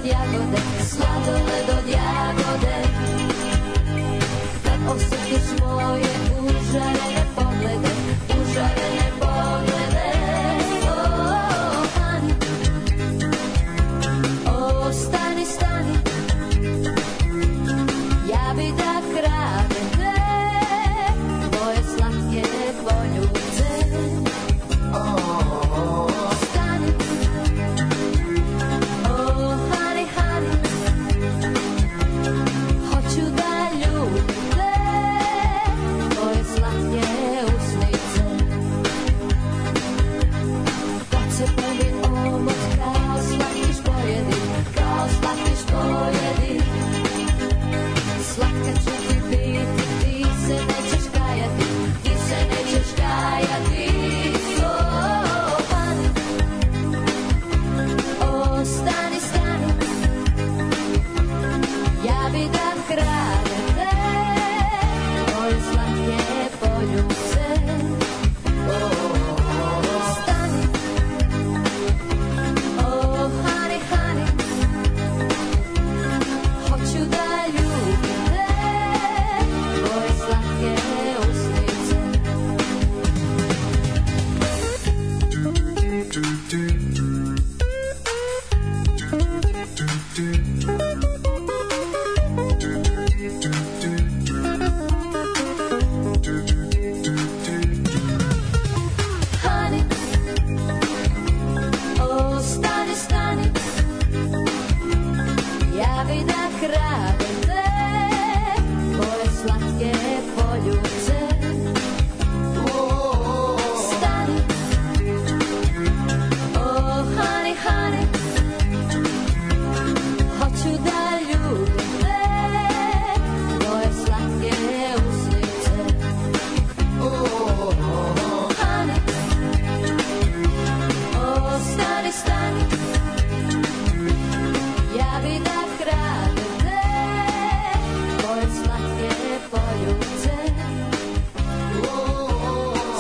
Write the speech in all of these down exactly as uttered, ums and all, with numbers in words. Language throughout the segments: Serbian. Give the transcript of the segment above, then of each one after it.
jagode, sladoled od jagode. Kad osjetiš moje užarene poglede, užarene poglede. Oh, honey, oh, stani, stani, ja bi da kradem te, tvoje slatke poljubce. Oh, stani, oh, honey, honey, hoću da ljubim te, tvoje slatke usnice. Kad se prvi omot kao slatkiš pojedi, kao slatkiš pojedi, slatka ću ti biti, ti se nećeš kajati, ti se nećeš kajati. Oh, honey, oh, stani, stani, ja bi da kradem te, tvoje slatke poljubce. Oh, stani, oh, honey, honey, hoću da ljubim te, tvoje slatke usnice. Honey, oh, stani, stani, ja bi da kradem te, tvoje slatke poljubce. Stani, oh, honey, honey, hoću da ljubim te, tvoje slatke usnice. Honey, oh, stani, stani, ja bi da kradem te, tvoje slatke poljubce.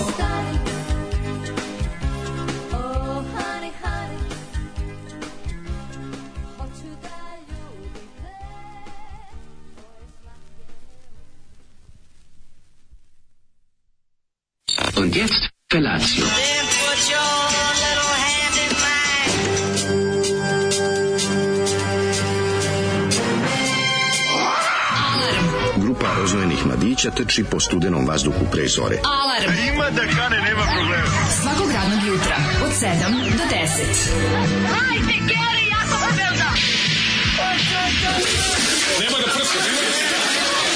Stani, oh, honey, honey, hoću da ljubim te, tvoje slatke. Und jetzt Felatio. Then put your little hand in mine. Grupa rozvojenih mladića trči po studenom vazduhu pre zore. Alarm. Ima da kane, nema problema. Svakog radnog jutra od sedam do deset. Hajde, Geri, jako se velda. Nema da prska, nema da prska.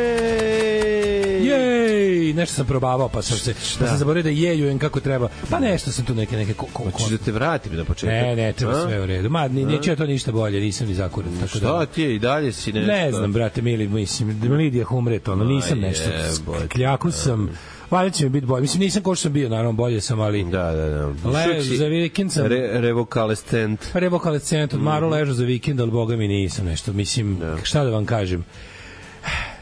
Jej! Jej! Nešto sam probavao, pa sam se pa sam zaboravio da jejujem kako treba. Pa nešto sam tu neke neke ko, ko, Hoćeš da te vratim na početak? Ne, ne, treba A? sve u redu. Ma, ni, neće ja to ništa bolje, nisam ni zakuran. Tako Šta da, ti je i dalje si nešto? ne znam, brate, mili, mislim, Lidija Humret, ono, nisam Ma nešto. jebote. Kljaku sam, valjda će mi biti bolje. Mislim, nisam ko što sam bio, naravno, bolje sam, ali... Da, da, da. Le, Što si za vikend sam... Re, revokalescent. Revokalescent, odmaro Mhm. ležao za vikend, ali boga mi nisam nešto. Mislim, šta da vam kažem?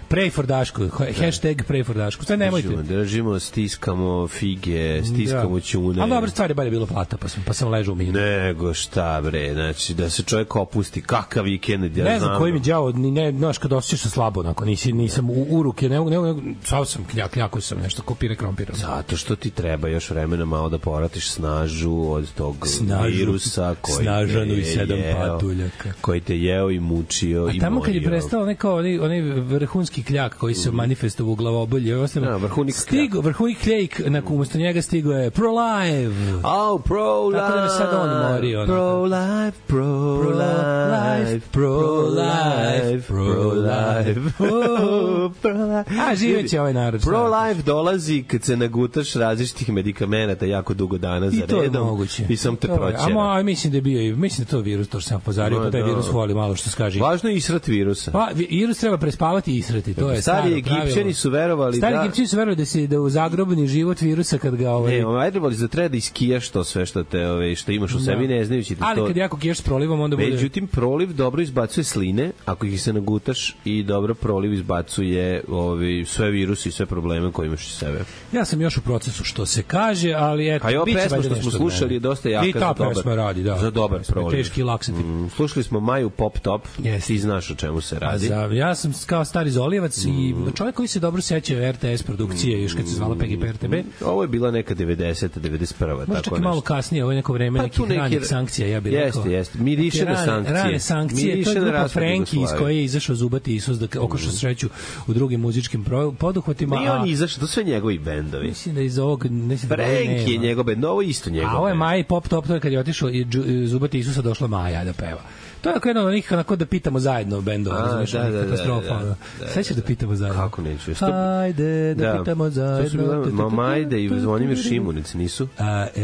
Pray for Dašku, hashtag pray for Dašku. Sve nemojte. Držimo, držimo, stiskamo fige, stiskamo ćune. Ali dobra stvar je bolje bilo plata, pa sam, pa sam ležao u minut. Nego šta bre, znači da se čovjek opusti, kakav vikend, ja Ne znam znam. koji mi đavo, ni ne, znaš, kad osjećaš se slabo, onako, nisi, nisam u, u ruke, ne, ne, ne, sav sam kljak, kljako sam nešto, kopire krompira. Zato što ti treba još vremena malo da poratiš snažu od tog Snažu, virusa koji snažanu te i sedam jeo, patuljaka. koji te jeo i mučio A i tamo kad je morio. prestao onaj kao onaj, onaj vrhunski kljak koji se manifestovao u glavobolji, Da, vrhunik stigo, vrhunik kljak, na umesto njega stigo je Pro-Live. Oh, pro-life. Tako da me sad on mori, ono. Pro-life, pro-life, pro-life, pro-life, oh, pro-life. A, živeće ovaj narod. šta? Pro-life dolazi kad se nagutaš različitih medikamenata jako dugo dana za I to je redom. moguće. I sam te To je- proćera. A mo, mislim da je bio, i- mislim da je to virus, to što sam pozario, Ma, pa taj da. virus voli malo što se kaže. Važno je israt virusa. Pa, vi- virus treba prespavati i israti. prijatelj, to je Stari staro Egipćani pravilo. su verovali Stari da... Egipćani su verovali da se da u zagrobni život virusa kad ga ovaj Ne, ovaj, ajde voli za treba da iskijaš to sve što te, ove, što imaš u sebi, ne znajući ti to. Ali kad jako kiješ s prolivom, onda bude... Međutim, proliv dobro izbacuje sline, ako ih se nagutaš, i dobro proliv izbacuje ovi, sve virusi i sve probleme koje imaš iz sebe. Ja sam još u procesu što se kaže, ali eto, A i ova biće pesma valjda što nešto smo od slušali mene. je dosta jaka I za ta dobar, pesma radi, da. za dobar Pesma je proliv. Teški laksativ. Mm, slušali smo Maju Pop Top, Jeste. ti znaš o čemu se A radi. za, ja sam kao stari Zolijevac Mm. i čovjek koji se dobro seća R T S produkcije, još kad se zvala P G P R T B. Ovo je bila neka devedeseta, devedeset prva, Možda tako čak i malo nešto. kasnije, ovo je neko vreme Pa nekih tu neki- ranih sankcija, ja bih rekao. Jeste, jeste. Miriše Neke na rane- sankcije. Rane sankcije, Miriše to je na grupa raspad Frenki iz Jugoslavije. koje je izašao Zubati Isus da okošao sreću u drugim muzičkim pro- poduhvatima. Nije a- on izašao, to sve njegovi bendovi. Mislim da iz ovog... Mislim da ovog Frenki je nema. njegov bend, ovo je isto njegov A ovo je bend. Maja i Pop Top, to je kad je otišao i Džu- Zubati Isusa došla Maja da peva. To je ako jedno od onih onako da pitamo zajedno bendova, A, razumiješ, da, onih da, da, katastrofa. da, ono. da, Sećaš da pitamo zajedno? Kako neću? Što- Ajde, da, pitamo zajedno. To su bila Mamajde i Zvonimir Šimunic, nisu? A, e,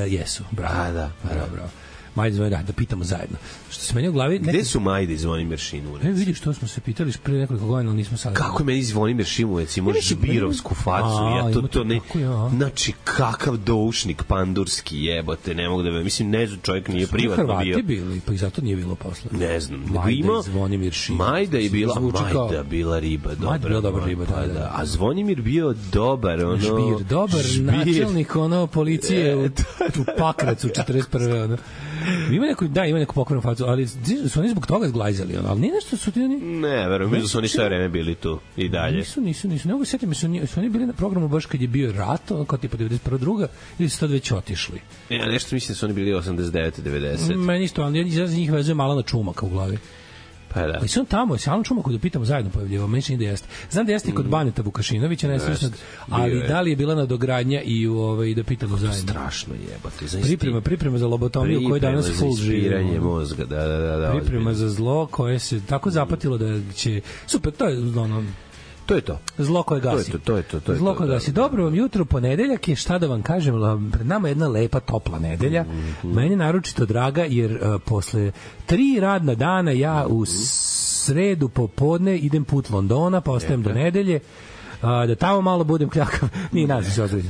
jesu, bravo. A, da, bravo, bravo. Majde, Zvonimir, da, da pitamo zajedno. Što se meni u glavi... Gde su Majde i Zvonimir Šimunic? Ne, vidiš, to smo se pitali pre nekoliko godina, ali nismo sad... Kako je meni Zvonimir Šimunec ima žbirovsku facu, A, ja to ima to ne, tako, ja. znači kakav doušnik pandurski jebote, ne mogu da ve, mislim ne znam, čovjek nije privatno Hrvati bio. bili, pa i zato nije bilo posla. Ne znam, nego Majda ima i Zvonimir Šimunic. Majda je bila, Zvuči kao- Majda bila riba, dobra. Majda bila dobra riba, pa da, da. A Zvonimir bio dobar, ono... Žbir, dobar žbir. načelnik ono policije u, E, u Pakracu četrdeset prve ono. Ima neku, da, ima neku pokvarnu facu, ali su oni zbog toga zglajzali, ono, ali nije nešto su ti oni... Ne, verujem, mislim da su oni sve vreme bili tu i dalje. Nisu, nisu, nisu. Ne mogu setim, su, oni- su oni bili na programu baš kad je bio rat, ono, kao tipa devedeset prva druga, ili su tad već otišli. Ja nešto mislim da su oni bili osamdeset devete devedeset. Meni isto, ali ja za njih vezuje Malana Čumaka u glavi. Pa da. Ali su on tamo, se Alan Čumaku da pitamo zajedno pojavljivao, meni čini da jeste. Znam da jeste i kod Baneta Vukašinovića, nesrećnog, ali bio je. da li je bila nadogradnja i u ovaj, da pitamo zajedno. Strašno jebote. Zaista. Priprema, priprema za lobotomiju koji danas full za živi. ispiranje ono. mozga, da, da, da. da Priprema ozbiljno. za zlo koje se tako zapatilo da će... Super, to je ono, To je to. zlo koje To je gasi. to, to je to, to je Zlo to, koje da. gasi. Dobro vam jutro, ponedeljak je, šta da vam kažem, la- pred nama je jedna lepa, topla nedelja. Mhm. Meni naročito draga, jer uh, posle tri radna dana ja u sredu popodne idem put Londona, pa ostajem do nedelje, a, da tamo malo budem kljakav. Nije nas se odreći.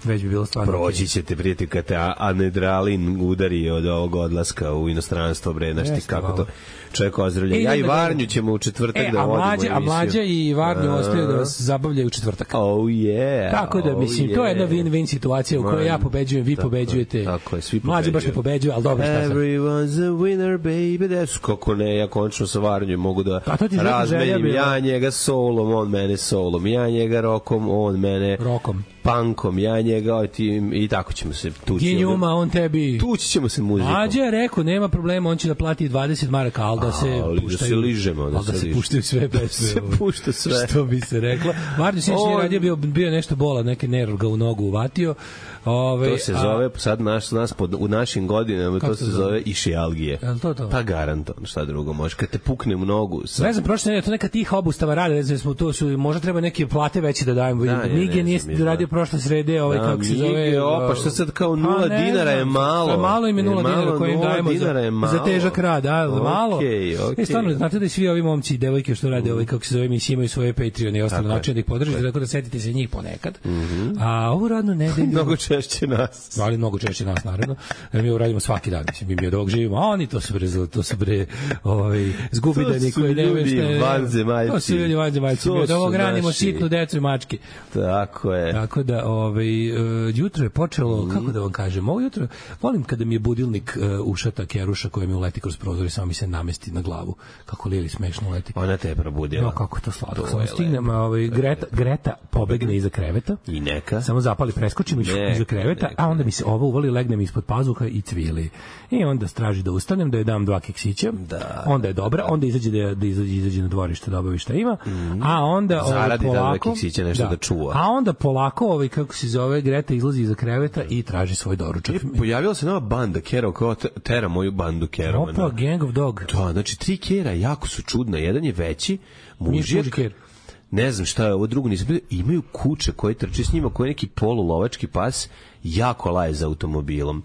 Već bi bilo stvarno. Proći ćete, prijatelj, kad te a- anedralin udari od ovog odlaska u inostranstvo, bre, znaš ti Jeste, kako malo. to čovjek ozdravlja. E, Ja i idem da Varnju gledam. ćemo u četvrtak E, da a vodimo mlađa, a emisiju. mlađa i Varnju A. ostaju da vas zabavljaju u četvrtak. Oh yeah. Tako da, oh mislim, to je jedna yeah. win-win situacija u kojoj ja pobeđujem, vi Tako je, pobeđujete. tako je, svi Mlađi baš ne pobeđuju. pobeđuju, ali dobro, šta sad? Everyone's a winner, baby. That's kako ne, ja končno sa Varnjom mogu da A to ti je želja razmenim. bila. Ja njega solom, on mene solom. Ja njega rokom, on mene Rokom. punkom. Ja njega oj, ti, i tako ćemo se tući. Ginjuma, on tebi... Tući ćemo se muzikom. Mlađe je rekao, nema problema, on će da plati dvadeset maraka, ali da se Ali da puštaju, se ližemo, da ali da se se ližemo. puštaju sve pesme. se ovaj. pušta sve. Što bi se reklo. Varnju sinoć nije On- radio, bio, bio je nešto bola, neke nerv ga u nogu uvatio. Ove, To se zove, sad naš, nas pod, u našim godinama, Kako to se se zove? zove išijalgije. Jel to to? Pa garantovano, šta drugo može. Kad te pukne u nogu... Sa... Ne znam, prošle nedelje, to neka tiha obustava rade, ne znam, smo to su, možda treba neke plate veće da dajemo. Da, Da, ja Mige ne nije znam, radio da. prošle srede, ovaj, Da, kako se Mige, zove... opa, uh, šta sad kao pa nula ne dinara je znam, malo. Malo im je nula Je malo, dinara koje im nula dajemo dinara je za, malo. za težak rad, a, malo. Okej, okej. E, stvarno, znate da i svi ovi momci i devojke što rade, ovaj, kako se zove, emisije imaju svoje Patreon i ostale Tako je. načine da ih podržite, tako da setite se njih ponekad. A ovu radnu nedelju... Mnogo češće nas. Ali mnogo češće nas, naravno. E, mi ovo radimo svaki dan, mislim, mi mi od ovog živimo, a oni to su bre, to su bre, ovaj, zgubidani To su koji nemaju ljudi šta... vanzemaljci. To su ljudi vanzemaljci, To mi od ovog su ranimo naši. sitnu decu i mačke. Tako je. Tako da, ovaj, uh, jutro je počelo, kako da vam kažem, ovo jutro, volim kada mi je budilnik uh, ušata keruša koja mi uleti kroz prozor i samo mi se namesti na glavu. Kako Lili smešno leti. Ona te je probudila. No, kako je to slatko. To Samo je stignem, a, ovaj, Greta, Greta pobegne iza kreveta. I neka. Samo zapali, preskočim Neka, iza kreveta, neka. a onda mi se ovo uvali, legnem ispod pazuha i cvili. I onda straži da ustanem, da joj dam dva keksića. Da, onda je dobra, onda izađe da, da izađe, izađe na dvorište da obavi šta ima. A onda ovaj, Zaradi da dva polako... keksića nešto da čuva. A onda polako, ovaj, kako se zove, Greta izlazi iza kreveta i traži svoj doručak. Pojavila se nova banda Kero, kao te- tera moju bandu Kero. Opa, Gang of Dog. Da, znači tri Kera jako su čudna. Jedan je veći, Nije mužjak. Fuji Ker. Ne znam šta je ovo drugo, nisam vidio. Imaju kuće koje trče s njima, koji je neki polulovački pas, jako laje za automobilom.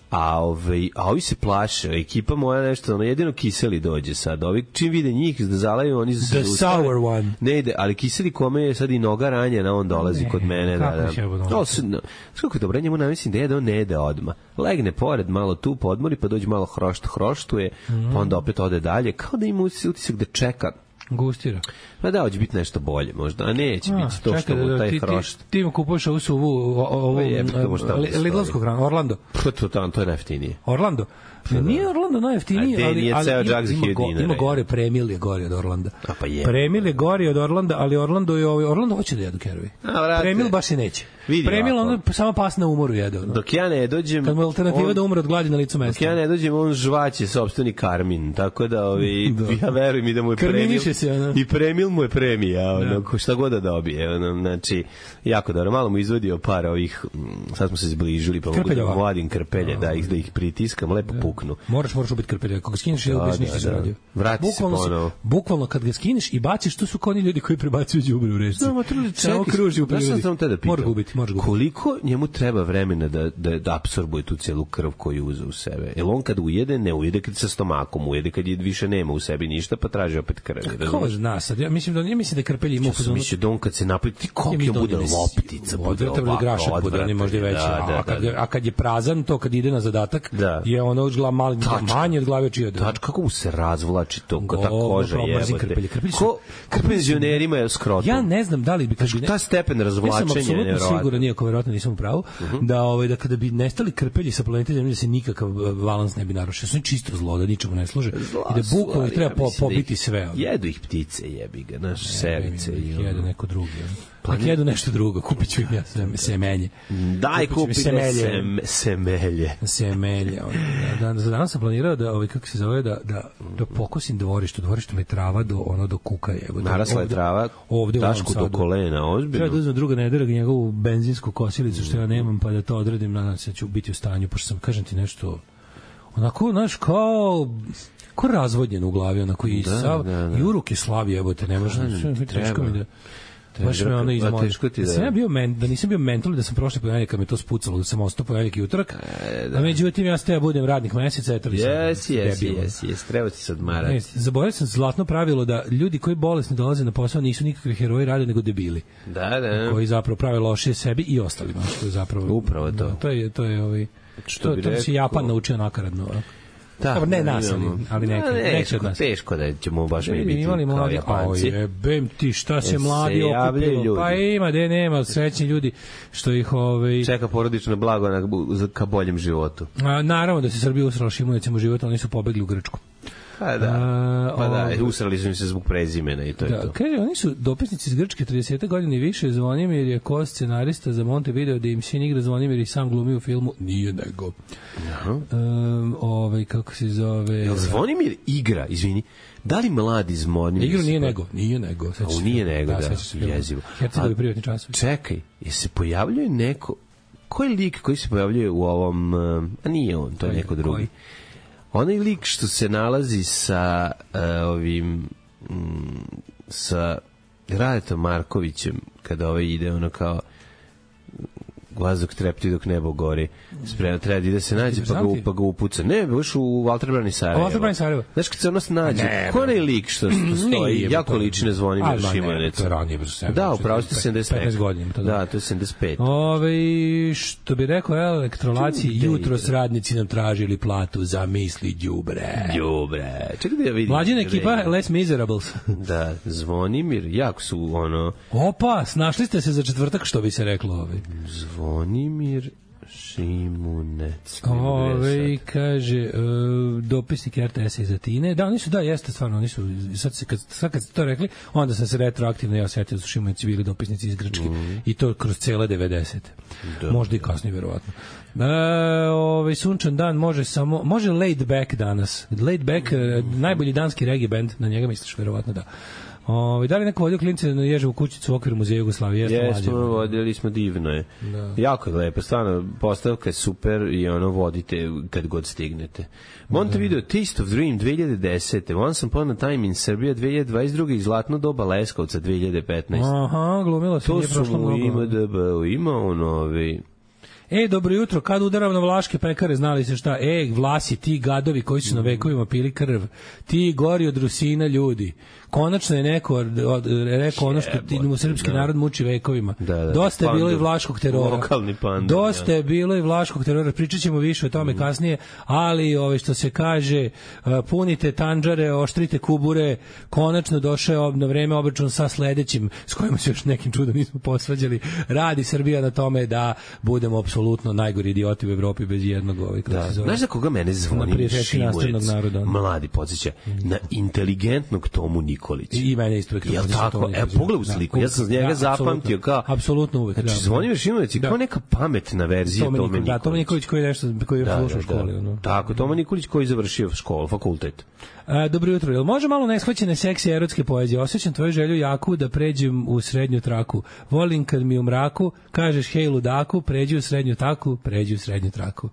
A, ovaj, a ovi se plaše, ekipa moja nešto, ono, jedino Kiseli dođe sad. Ovi čim vide njih da zalaju, oni se The ustave. sour one. Ne ide, ali Kiseli kome je sad i noga ranjena, on dolazi Ne, kod mene. kako Da, da. će ovo No, dolaziti? s- no, kako je dobro, njemu namislim da jede, on ne jede odmah. Legne pored, malo tu podmori, pa dođe malo hrošt, hroštuje, Mhm. pa onda opet ode dalje, kao da ima utisak da čeka. Gustira. Pa da, hoće biti nešto bolje možda, a neće A, biti to što čekaj, mu da, taj ti, ti, hrošt. ti mu kupuješ ovu suvu, o- o- ovu Pa jebik ga, možda tamo li- stoji. Lidlovsku hranu, Orlando. Pa to, to, to je najjeftinije. Orlando. Ne, nije Orlando najjeftiniji, A gde ali, nije ali ceo ima, džak za ima, hiljadu go, dinara, ima je. gore, Premil je gori od Orlanda. A pa je. Premil je gori od Orlanda, ali Orlando je ovaj, Orlando hoće da jedu kerovi. A, vrate. Premil baš i neće. Vidi Premil ovako. ono samo pas na umoru jede. Ono. Dok ja ne dođem... Kad mu je alternativa on- da umre od gladi na licu Dok mesta. ja ne dođem, on žvaće sopstveni karmin, tako da ovi, ja verujem i da mu je premil, Karminiše se, ono. i premil mu je premija, ono, ko šta god da dobije, ono, znači, jako dobro, malo mu izvodio par ovih, mm, sad smo se zbližili, pa mogu da Krpeljeva. vadim krpelje, da ih, da ih pritiskam, lepo puknu. Moraš, moraš ubiti krpelja. Ako ga skineš i Da, ubiš, da, ništa se da. radio. Vrati se Bukvalno si- ponovo. Bukvalno kad ga skineš i baciš, to su koni ljudi koji prebacuju đubre u reci. Samo treba Samo čekaj, kruži u znaš šta prirodi. sam te da pitam? Moraš ga ubiti, moraš ga ubiti. Koliko njemu treba vremena da, da, da apsorbuje tu celu krv koju uze u sebe? Jel on kad ujede, ne ujede kad sa stomakom, ujede kad je više nema u sebi ništa, pa traži opet krv. Ko razumeš? zna sad? Ja mislim da ja mislim da krpelji ima Ja sam mislio da on kad se napravi, ti koliko mislim da bude on je loptica, bude odvratan ili ovako, grašak bude, odvratan on je možda i je, veći. da, da, a, kad, da, da. a kad je prazan, to kad ide na zadatak, Da. je ono od glava mali, Tačka. manje od glave čije. Tač, kako mu se razvlači to, ko ta Govno, koža pravo, mrzim jebote. krpelje. Krpelji su- Ko, ko krpelji su- penzionerima je skrotom. Ja ne znam da li bi kad bi ne- Ta stepen Ja razvlačenja sam je apsolutno nevjerovatno. siguran, iako verovatno nisam u pravu, da ovaj da kada bi nestali krpelji sa planete Zemlje da se nikakav eh, balans ne bi narušio. Su oni čisto zlo, da ničemu ne služe i da Su, bukvalno ali ih treba ja po, mislim da pobiti ih- sve. ono. Jedu ih ptice, jebi ga, naš sevice. i Ih jede ono. neko drugi. ono. Ako jedu nešto drugo, kupit ću im ja sve- semenje. Daj Kupit ću im kupite semelje. sem, semelje. Semelje. ono. Da, da, za danas sam planirao da, ovaj, kako se zove, da, da, da pokosim dvorište. Dvorište mi je trava do, ono, do kuka. Evo, Narasla je ovde- trava, ovde u Novom Dašku do Sadu. kolena, Treba da ozbiljno. uzmem druga nedelja njegovu benzinsku kosilicu što ja nemam, pa da to odredim, nadam se da ću biti u stanju, pošto sam, kažem ti nešto, onako, znaš, kao kao razvodnjen u glavi, onako i Da, sav, da, da. i u ruke slavi, jebote, ne može, Da, ti teško mi da, Treba. baš me ono A izmori. teško ti Da da- sam ja bio men, da nisam bio mental, da sam prošli ponedeljak kad me to spucalo, da sam ostao ponedeljak i utorak, a međutim ja ste ja budem radnih meseca, eto li sam Jes, jes, debil. jes, jes, treba ti se Ne, odmarati. zaboravio sam zlatno pravilo da ljudi koji bolesni dolaze na posao nisu nikakvi heroji, rade nego debili Da, da. koji zapravo prave loše sebi i ostalima, što je zapravo Upravo to. Da, to je to je ovaj Što to, bi to bi se rekao- Japan naučio nakaradno. a? Da, Dobro, ne nas, ali, imamo- ali neki, Da, neki od nas. Teško da ćemo baš mi Mi biti imali kao mladi, a Japanci. jebem ti šta se Jel mladi se javljaju okupilo. ljudi? Pa ima, de nema, srećni ljudi što ih ovaj Čeka porodično blago na, za- ka boljem životu. a, naravno da se Srbija usrala šimunecem u život, ali oni su pobegli u Grčku. Pa da, A, pa da, ovaj- usrali su im se zbog prezimena i to je Da, to. kaže, oni su dopisnici iz Grčke trideset godina i više. Zvonimir je ko scenarista za Montevideo, da im sin igra Zvonimir i sam glumi u filmu. Nije nego. Um, ovaj, kako se zove... Jel Zvonimir igra, izvini, da li mladi Zvonimir... Igru nije se- nego, nije nego. sećaš A, se nije filma? nego, da, sećaš se filma. jezivo. Hercegovi A- privatni časovi. Čekaj, je se pojavljuje neko... Koji lik koji se pojavljuje u ovom... um, A nije on, to je Koji- neko drugi. koji? Onaj lik što se nalazi sa uh, ovim... Mm, sa Radetom Markovićem, kada ovaj ide ono kao vazduh trepti dok nebo gori. Spremno treba da ide se nađe pa ga, Interesanti. pa ga upuca. Ne, baš u Walter Brani Sarajevo. A Walter Brani Sarajevo. Znaš kad se ono nađe, Ne, ko onaj lik što, što stoji, Nije, jako to- liči na Zvonimir Ali, ma, ne, Šimanec. to je ranije, brzo, sedam, Da, upravo ste sedamdeset pet. petnaest godina, to da. Da, to je sedamdeset pet. Ove, što bi rekao elektrolaci, Čuj, jutros ide. radnici nam tražili platu za misli đubre. Đubre. Čekaj da ja vidim. Mlađina Gde ekipa je? Les Miserables. Da, Zvonimir, jako su ono... Opa, snašli ste se za četvrtak, što bi se reklo. Ovaj. Zvonimir Šimunec. Ove, kaže, uh, dopisnik R T S iz Atine. Da, oni su, da, jeste stvarno, oni su, sad, se, kad, sad kad ste to rekli, onda sam se retroaktivno ja setio da su Šimuneci bili dopisnici iz Grčke Mm. i to kroz cele devedesete. Da. Možda i kasnije, verovatno. E, ovaj sunčan dan može samo može laid back danas. Laid back, e, najbolji danski reggae band, na njega misliš verovatno da. Ovaj da li neko vodio klince na Ježevu kućicu u okviru muzeja Jugoslavije? Jeste Jesmo, mlađe. vodili smo, divno je. Da. Jako je lepo, stvarno, postavka je super i ono vodite kad god stignete. Montevideo, Taste of Dream dve hiljade desete. Once Upon a Time in Serbia dve hiljade dvadeset druge i Zlatno doba Leskovca dve hiljade petnaeste. Aha, glumila se, To nije su prošlo mu mnogo. ima D B, ima on ovi... E, dobro jutro, kad udaram na vlaške pekare, znali se šta? E, Vlasi, ti gadovi koji su na vekovima pili krv, ti gori od Rusina ljudi. Konačno je neko od, od, rekao ono što ti, mu srpski narod muči vekovima. Da, da, Dosta je pandur, bilo i vlaškog terora. Lokalni pandur. Dosta je bilo i vlaškog terora. Pričat ćemo više o tome mm. kasnije, ali ove, što se kaže, punite tanđare, oštrite kubure, konačno došao na vreme obračun sa sledećim, s kojima se još nekim čudom nismo posvađali. Radi Srbija na tome da budemo apsolutno najgori idioti u Evropi bez jednog ovih. Da. Znaš za koga mene zvoni Šimurec? Mladi podsjeća mm. na inteligentnog Tomu Nikolić. I, i mene isto uvek. Jel tako? E, pogledaj u sliku. Ja sam z njega da, zapamtio kao... Apsolutno uvek. Znači, da, Zvonimir Šimović je da. kao neka pametna verzija Tome Nikolić. Da, Tome Nikolić koji je nešto, koji je da, slušao u školi. Da, da. Tako, Tome Nikolić koji je završio školu, fakultet. A, dobro jutro. Jel može malo neshvaćene seksi erotske poezije? Osjećam tvoju želju jaku da pređem u srednju traku. Volim kad mi u mraku kažeš hej ludaku, pređi u srednju taku, pređi u srednju traku.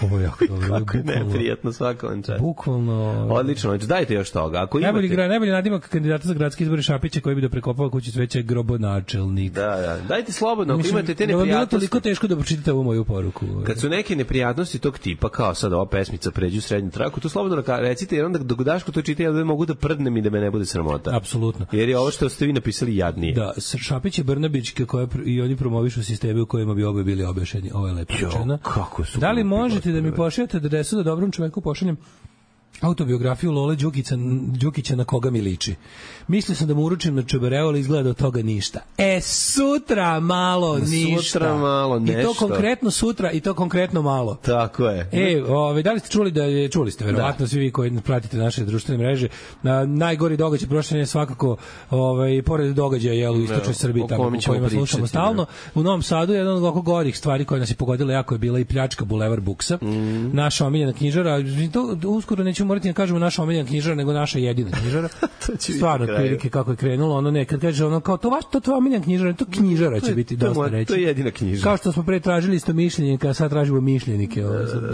Ovo je jako dobro. Kako je neprijatno svako on čas. Bukvalno. Odlično. Dajte još toga. Ako imate... Najbolji, gra, najbolji nadimak kandidata za gradski izbor Šapića koji bi da prekopava kuću cveća grobonačelnik. Da, da. Dajte slobodno. Ako Mislim, imate te neprijatnosti. neprijatnosti. Da, toliko teško da pročitate ovu moju poruku. Kad su neke neprijatnosti tog tipa, kao sad ova pesmica pređi u srednju traku, to slobodno recite, jer onda dok Daško to čita, ja da mogu da prdnem i da me ne bude sramota. Apsolutno. Jer je ovo što ste vi napisali jadnije. Da, Šapić i Brnabić koje i oni promovišu sisteme u kojima bi obe bili objašnjeni. Ovo je lepo rečeno. Kako su? Da li možete da mi pošaljete adresu da dobrom čoveku pošaljem autobiografiju Lole Đukića, Đukića na koga mi liči? Mislio sam da mu uručim na čobereo, ali izgleda od toga ništa. E, sutra malo ništa. Sutra malo nešto. I to konkretno sutra i to konkretno malo. Tako je. E, ove, da li ste čuli da je, čuli ste verovatno da. Svi vi koji pratite naše društvene mreže, na najgori događaj prošle je svakako ovaj pored događaja je u istočnoj Srbiji tamo u kojima slušamo stalno. U Novom Sadu je jedan od gorih stvari koja nas je pogodila jako je bila i pljačka Bulevar Buksa. Mm. Naša omiljena knjižara, to uskoro nećemo morati da kažemo naša omiljena knjižara, nego naša jedina knjižara. Stvarno prilike kako je krenulo, ono ne, kad kaže ono kao to vaš to tvoja omiljena knjižara, to knjižara će biti dosta reći. To je jedina knjižara. Kao što smo pre tražili isto mišljenike, a sad tražimo mišljenike,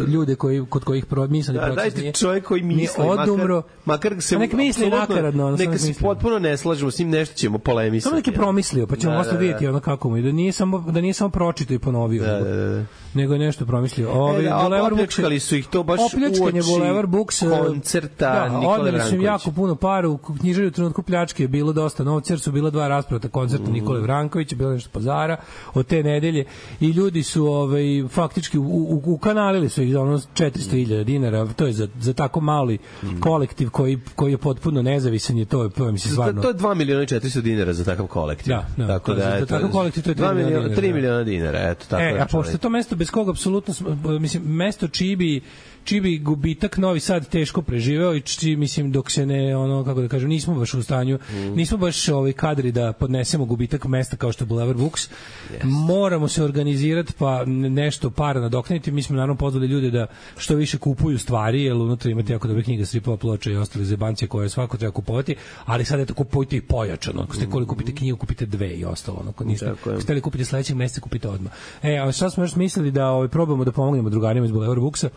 ljude koji kod kojih promisani proces. Dajte čovjek koji misli, odumro, makar, makar se nek misli nakaradno, ono neka se potpuno ne slažemo s njim, nešto ćemo polemisati. Samo neki promislio, pa ćemo posle vidjeti ono kako mu, da nije samo da nije samo pročitao i ponovio. Da, da, da. Nego je nešto promislio. Ovaj Bulevar Buksa su ih to baš uoči Bulevar Buksa koncerta da, Nikole Vrankovića. Jako puno para u knjižari u trenutku pljačke je bilo dosta novca, jer su bila dva rasprata koncerta mm. Nikole Vrankovića, bilo nešto pazara od te nedelje i ljudi su ovaj faktički u, u, u kanalili su ih za ono četiristo hiljada dinara, to je za, za tako mali mm. kolektiv koji, koji je potpuno nezavisan je to, to je mislim stvarno. To je dva miliona i četiristo dinara za takav kolektiv. Da, da, tako da, za, za takav kolektiv to je dva miliona, tri miliona dinara, eto tako. E, a pošto to mesto bez koga apsolutno mislim mesto čiji bi čiji bi gubitak Novi Sad teško preživeo i čiji, mislim, dok se ne, ono, kako da kažem, nismo baš u stanju, mm. nismo baš ovaj kadri da podnesemo gubitak mesta kao što je Bulevar Buks. Yes. Moramo se organizirati pa nešto para nadoknaditi. Mi smo naravno pozvali ljude da što više kupuju stvari, jer unutra imate jako dobre knjiga, stripova, ploča i ostale zebancije koje svako treba kupovati, ali sad eto kupujte i pojačano. Ako ste koliko kupite knjigu, kupite dve i ostalo. Ono, ako niste, ako ste li kupite sledećeg meseca, kupite odmah. E, a šta smo još mislili da ovaj, probamo da pomognemo drugarima iz Bulevar Buksa?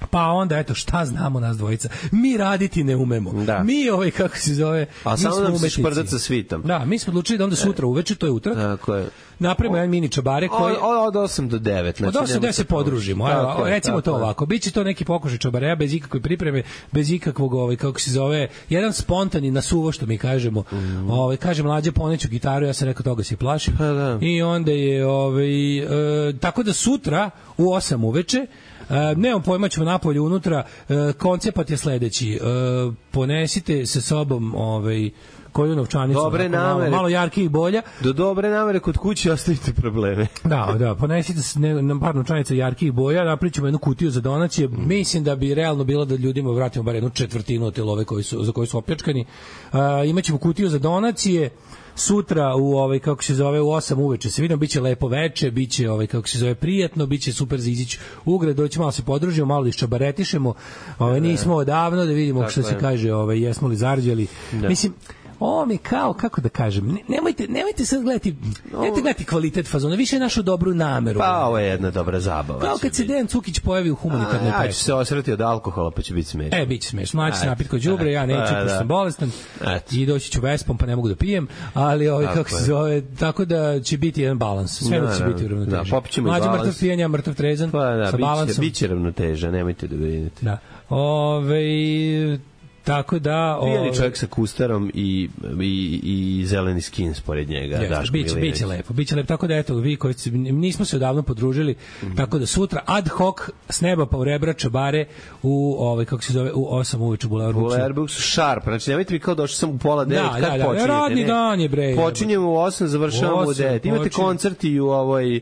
Pa onda, eto, šta znamo nas dvojica? Mi raditi ne umemo. Da. Mi, ovaj, kako se zove, a samo nam se šprdat sa svitom. Da, mi smo odlučili da onda sutra uveče, to je utorak. Tako je. Napravimo jedan mini čabare koji... Od osam do devet. Znači, od osam do devet se podružimo. Ajde, recimo to ovako. Biće to neki pokušaj čabareja bez ikakve pripreme, bez ikakvog, ovaj, kako se zove, jedan spontani nasuvo, što mi kažemo. Mm. Ovaj, kaže Mlađe, poneću gitaru, ja sam rekao, toga se plašim. Pa, da. I onda je, ovaj, e, tako da sutra u osam uveče Uh, nemam pojma, ćemo napolje unutra, uh, koncept je sledeći, uh, ponesite sa sobom ovaj, koju novčanicu, dobre namere, malo, malo jarki i bolja. Do dobre namere kod kuće ostavite probleme. Da, da, ponesite ne, na par novčanica jarki i boja, napričamo jednu kutiju za donacije. Mm. Mislim da bi realno bilo da ljudima vratimo bar jednu četvrtinu od te love koji su, za koje su opljačkani. Uh, imaćemo kutiju za donacije. Sutra u ovaj kako se zove u osam uveče se vidimo, biće lepo veče, biće ovaj kako se zove prijatno, biće super za izići u grad, doći malo se podružimo, malo da iščabaretišemo. Ovaj nismo odavno da vidimo što se kaže, ovaj jesmo li zarđali. Mislim ovo mi kao, kako da kažem, ne, nemojte, nemojte sad gledati, nemojte gledati kvalitet fazona, više našu dobru nameru. Pa ovo je jedna dobra zabava. Kao kad se Dejan Cukić pojavi u humanitarnoj pesmi. Ja pesmi. ću se osrati od alkohola, pa će biti smešno. E, bit će smešno. Mlađi se napit kod đubre, ja neću, pa, pošto sam bolestan. Eto. I doći ću vespom, pa ne mogu da pijem, ali ovaj, tako kako se je. zove, tako da će biti jedan balans. Sve da će biti uravnotežen. Da, popit ćemo i Mlađi balans. mrtav pijenja, mrtav trezan, Pa da, sa balansom. biće, biće ravnoteža, nemojte da brinete. Da. Ove, tako da... Pijani ove, čovjek sa kustarom i, i, i zeleni skin spored njega. Jeste, Daško biće, Milinović. biće lepo, biće lepo, tako da eto, vi koji ste, nismo se odavno podružili, mm-hmm. tako da sutra ad hoc s neba pa u rebra čabare u, ovaj, kako se zove, u osam uveče u Bulevar Buksu. Bulevar Buksu sharp, znači nemojte mi kao došli sam u pola devet, Da, kad da, da, počinjete? radni ne? dan je, bre. Počinjemo u osam, završavamo u osam, devet. Imate počinje. koncert i u ovoj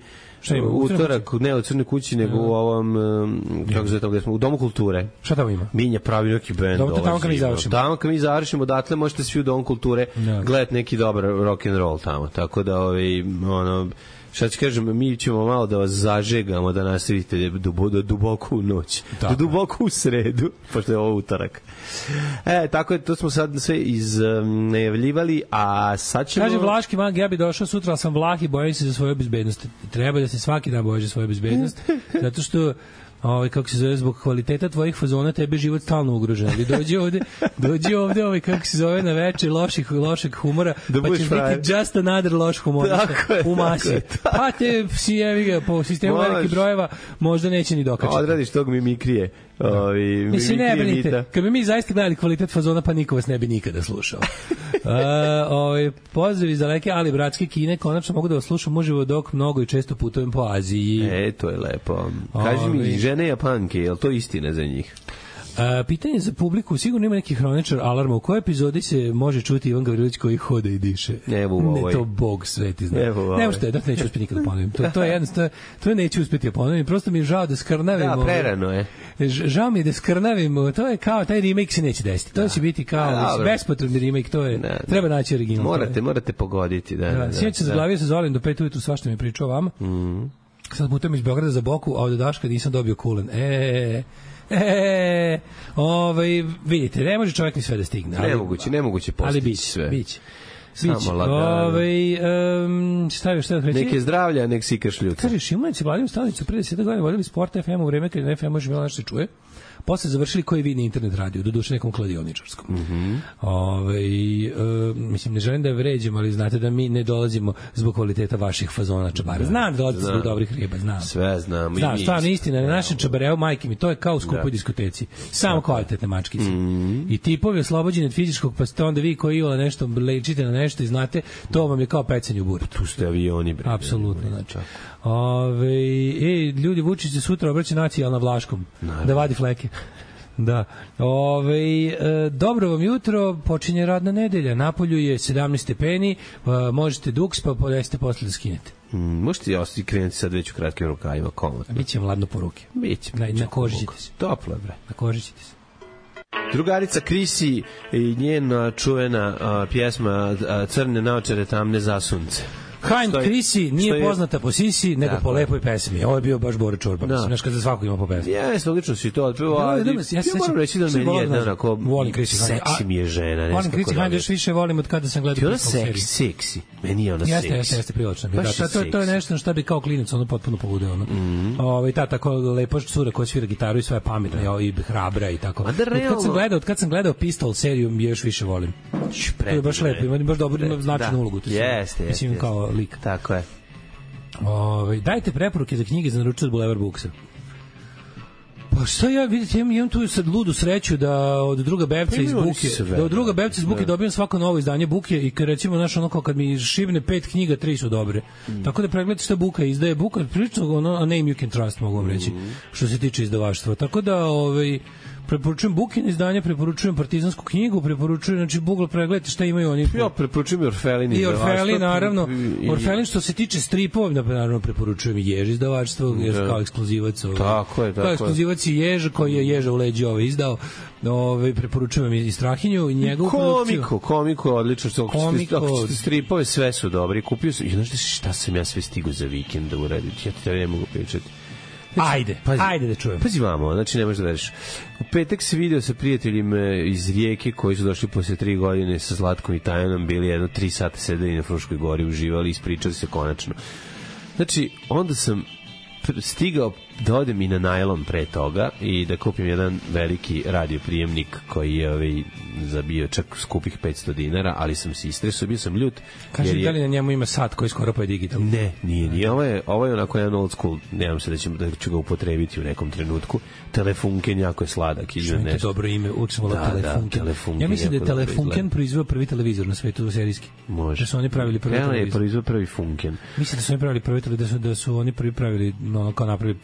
ima, u utorak, ne u Crnoj kući, nego u ovom, um, kako se to gde smo, u Domu kulture. Šta tamo ima? Minja pravi neki bend. Dobro, to tamo kad mi završimo. Tamo kad mi završimo, odatle možete svi u Domu kulture Da. gledati neki dobar rock and roll tamo. Tako da, ovaj, ono, šta ću kažem, mi ćemo malo da vas zažegamo, da nastavite do, do duboko u noć. Tako. Do duboko u sredu, pošto je ovo utorak. E, tako je, to smo sad sve iznajavljivali, a sad ćemo... Kaže Vlaški mag, ja bi došao sutra, ali sam Vlah i bojim se za svoju bezbednost. Treba da se svaki dan bojiš za svoju bezbednost, zato što ovaj, kako se zove, zbog kvaliteta tvojih fazona tebe život stalno ugrožen. Ali dođi ovde, dođi ovde, ovaj, kako se zove, na večer loših, lošeg humora, Da pa budeš ćeš frajer. biti just another loš humorista Tako je, u masi. tako je, tako. Pa te, si jevi ga, po sistemu Možeš. velikih brojeva, možda neće ni dokačiti. Odradiš tog mimikrije. Ovi, Mislim, ne mimikrije brinite, mita. kad bi mi zaista gledali kvalitet fazona, pa niko vas ne bi nikada slušao. uh, ovaj, pozdrav iz daleke, ali bratske Kine, konačno mogu da vas slušam uživo dok mnogo i često putujem po Aziji. E, to je lepo. Kaži Ovi. mi, žene Japanke, je li to istina za njih? Uh, pitanje za publiku, sigurno ima neki hroničar alarma, u kojoj epizodi se može čuti Ivan Gavrilović koji hode i diše? Evo u ovoj. Ne, to Bog sveti zna. Evo u ovoj. Ne možete, da neću uspeti nikada ponovim. To, to je jednostavno, to neću uspeti da ponovim, prosto mi je žao da skrnavim. Da, prerano je. Ž- Žao mi je da skrnavim, to je kao, taj remake se neće desiti. To će biti kao A, dobro. bespotrebni remake, to je, Da, da. treba naći original. to je. Morate, morate pogoditi. Da, da, Da, da, sinoć se da. zaglavio sa Zolim do pet ujutru, svašta mi je pričao o vama. Mhm. Sad putujem iz Beograda za Boku, a od Daška nisam dobio kulen. E, e, ovaj, vidite, ne može čovjek ni sve da stigne. Ali, Nemoguće, nemoguće ali postići biće, sve. biće. Samo Biće. lagano. Ovaj, um, šta je, šta je reći? Neke zdravlja, nek si kašljuca. Kaže, Šimunici Vladimir Stanić su pre deset godina vodili Sport F M u vreme kad je F M može bilo nešto se čuje. Posle završili koji vidni internet radio, do duše nekom kladioničarskom. Mm -hmm. Ove, e, mislim, ne želim da je vređem, ali znate da mi ne dolazimo zbog kvaliteta vaših fazona čabara. Znam da dolazite zbog dobrih riba, znam. Sve znamo. Znam, i mi stvarno isto. istina, na našem čabareu, majke mi, to je kao u skupoj diskoteci. Samo kvalitetne mačkice. Mhm. I tipovi oslobođeni od fizičkog, pa ste onda vi koji iole nešto lečite na nešto i znate, to vam je kao pecanje u buri. Tu ste avioni, bre. Apsolutno, znači. Ove, e, ljudi, Vučić se sutra obraća nacionalna Vlaškom. Da vadi fleke. Da. Ove, e, dobro vam jutro, počinje radna nedelja. Napolju je sedamnaest stepeni, e, možete duks, pa podesite posle da skinete. Mm, možete i ostati krenuti sad već u kratkim rukavima, komotno. Biće vam ladno po ruke. Biće. Na, biće na koži komotno. ćete se. Toplo je, bre. Na koži ćete se. Drugarica Krisi i njena čuvena a, pjesma a, Crne naočare tamne za sunce. Hein Što je- Krisi što nije je- poznata po sisi, nego Tako po je. lepoj pesmi. Ovo je bio baš Bora Čorba. Da. Mislim, znaš kad za svako ima po pesmi. Jes, logično si to otpevao, Da, ali da, ja, ja se ja sećam- moram reći da sam meni je volim, jedna znaš, onako volim Krisi Hein. seksi mi je žena. ne Volim znam Krisi kako Hein da još više volim od kada sam gledao Ti ona Pitbull seriju. seksi, seksi. Meni je ona Jeste, seksi. jeste, jeste prilično. Da, Baš to, je to, to je seksi. nešto na šta bi kao klinac ono potpuno poludeo. Ono. Mm. Ovaj ta tako lepa cura koja svira gitaru i sve je pametna ja, i hrabra i tako. A da, Od kad sam realno- gledao, od kad sam gledao Pistol seriju je još više volim. To je baš lepo, ima baš dobro, ima značajnu ulogu. To je sve. Jeste, jeste. Mislim jeste. kao lik. Tako je. Ovaj dajte preporuke za knjige za naručiti od Bulevar Buksa. Pa šta ja vidite, imam, imam tu sad ludu sreću da od druga Bevca Pa iz imaju oni Buke, sve, da od druga da. Bevca iz Buke Da. dobijem svako novo izdanje Buke i kad recimo znaš ono kao kad mi šibne pet knjiga, tri su dobre. Mm. Tako da pregledajte šta Buka izdaje. Buka prilično ono a name you can trust mogu vam reći Mm. što se tiče izdavaštva. Tako da ovaj preporučujem Bukine izdanje, preporučujem Partizansku knjigu, preporučujem znači Google pregledajte šta imaju oni. Ja preporučujem i Orfelin. I izdavaštvo. Orfelin, naravno. I- Orfelin što se tiče stripova, naravno preporučujem i Jež izdavaštvo, jer Da. kao ekskluzivac. Ovaj, Tako je, tako kao je. ekskluzivac i Jež, koji je Ježa u leđi ovaj izdao. Ovaj, preporučujem i Strahinju i njegovu produkciju. Komiko, komiko, odlično. Što, ako ćete- Komiko. ako ćete stripove, sve su dobri. Kupio sam, i znaš šta sam ja sve stigao za vikend da uradim? Ja ti tebi ne mogu pričati. Ajde, pazi, ajde da čujem. Pazi vamo, znači ne možeš da veriš. U petak se video sa prijateljima iz Rijeke koji su došli posle tri godine sa Zlatkom i Tajanom, bili jedno tri sata sedeli na Fruškoj gori, uživali, ispričali se konačno. Znači, onda sam stigao da odem i na najlon pre toga i da kupim jedan veliki radioprijemnik koji je ovaj, zabio čak skupih petsto dinara, ali sam se istresao, bio sam ljut. Kaži, je... da li na njemu ima sat koji skoro pa je digitalno? Ne, nije, nije. Ovo je, ovo je onako jedan old school, nemam se da, ću, da ću ga upotrebiti u nekom trenutku. Telefunken jako je sladak. Što je to dobro ime, uvijek sam volao da, Telefunken. Da, Telefunken. Ja mislim da je Telefunken proizveo prvi televizor na svetu serijski. Može. Da su oni pravili prvi televizor. televizor. je proizveo prvi Funken. Mislim da su oni pravili prvi televizor, da su, da su oni prvi pravili, no, kao napravili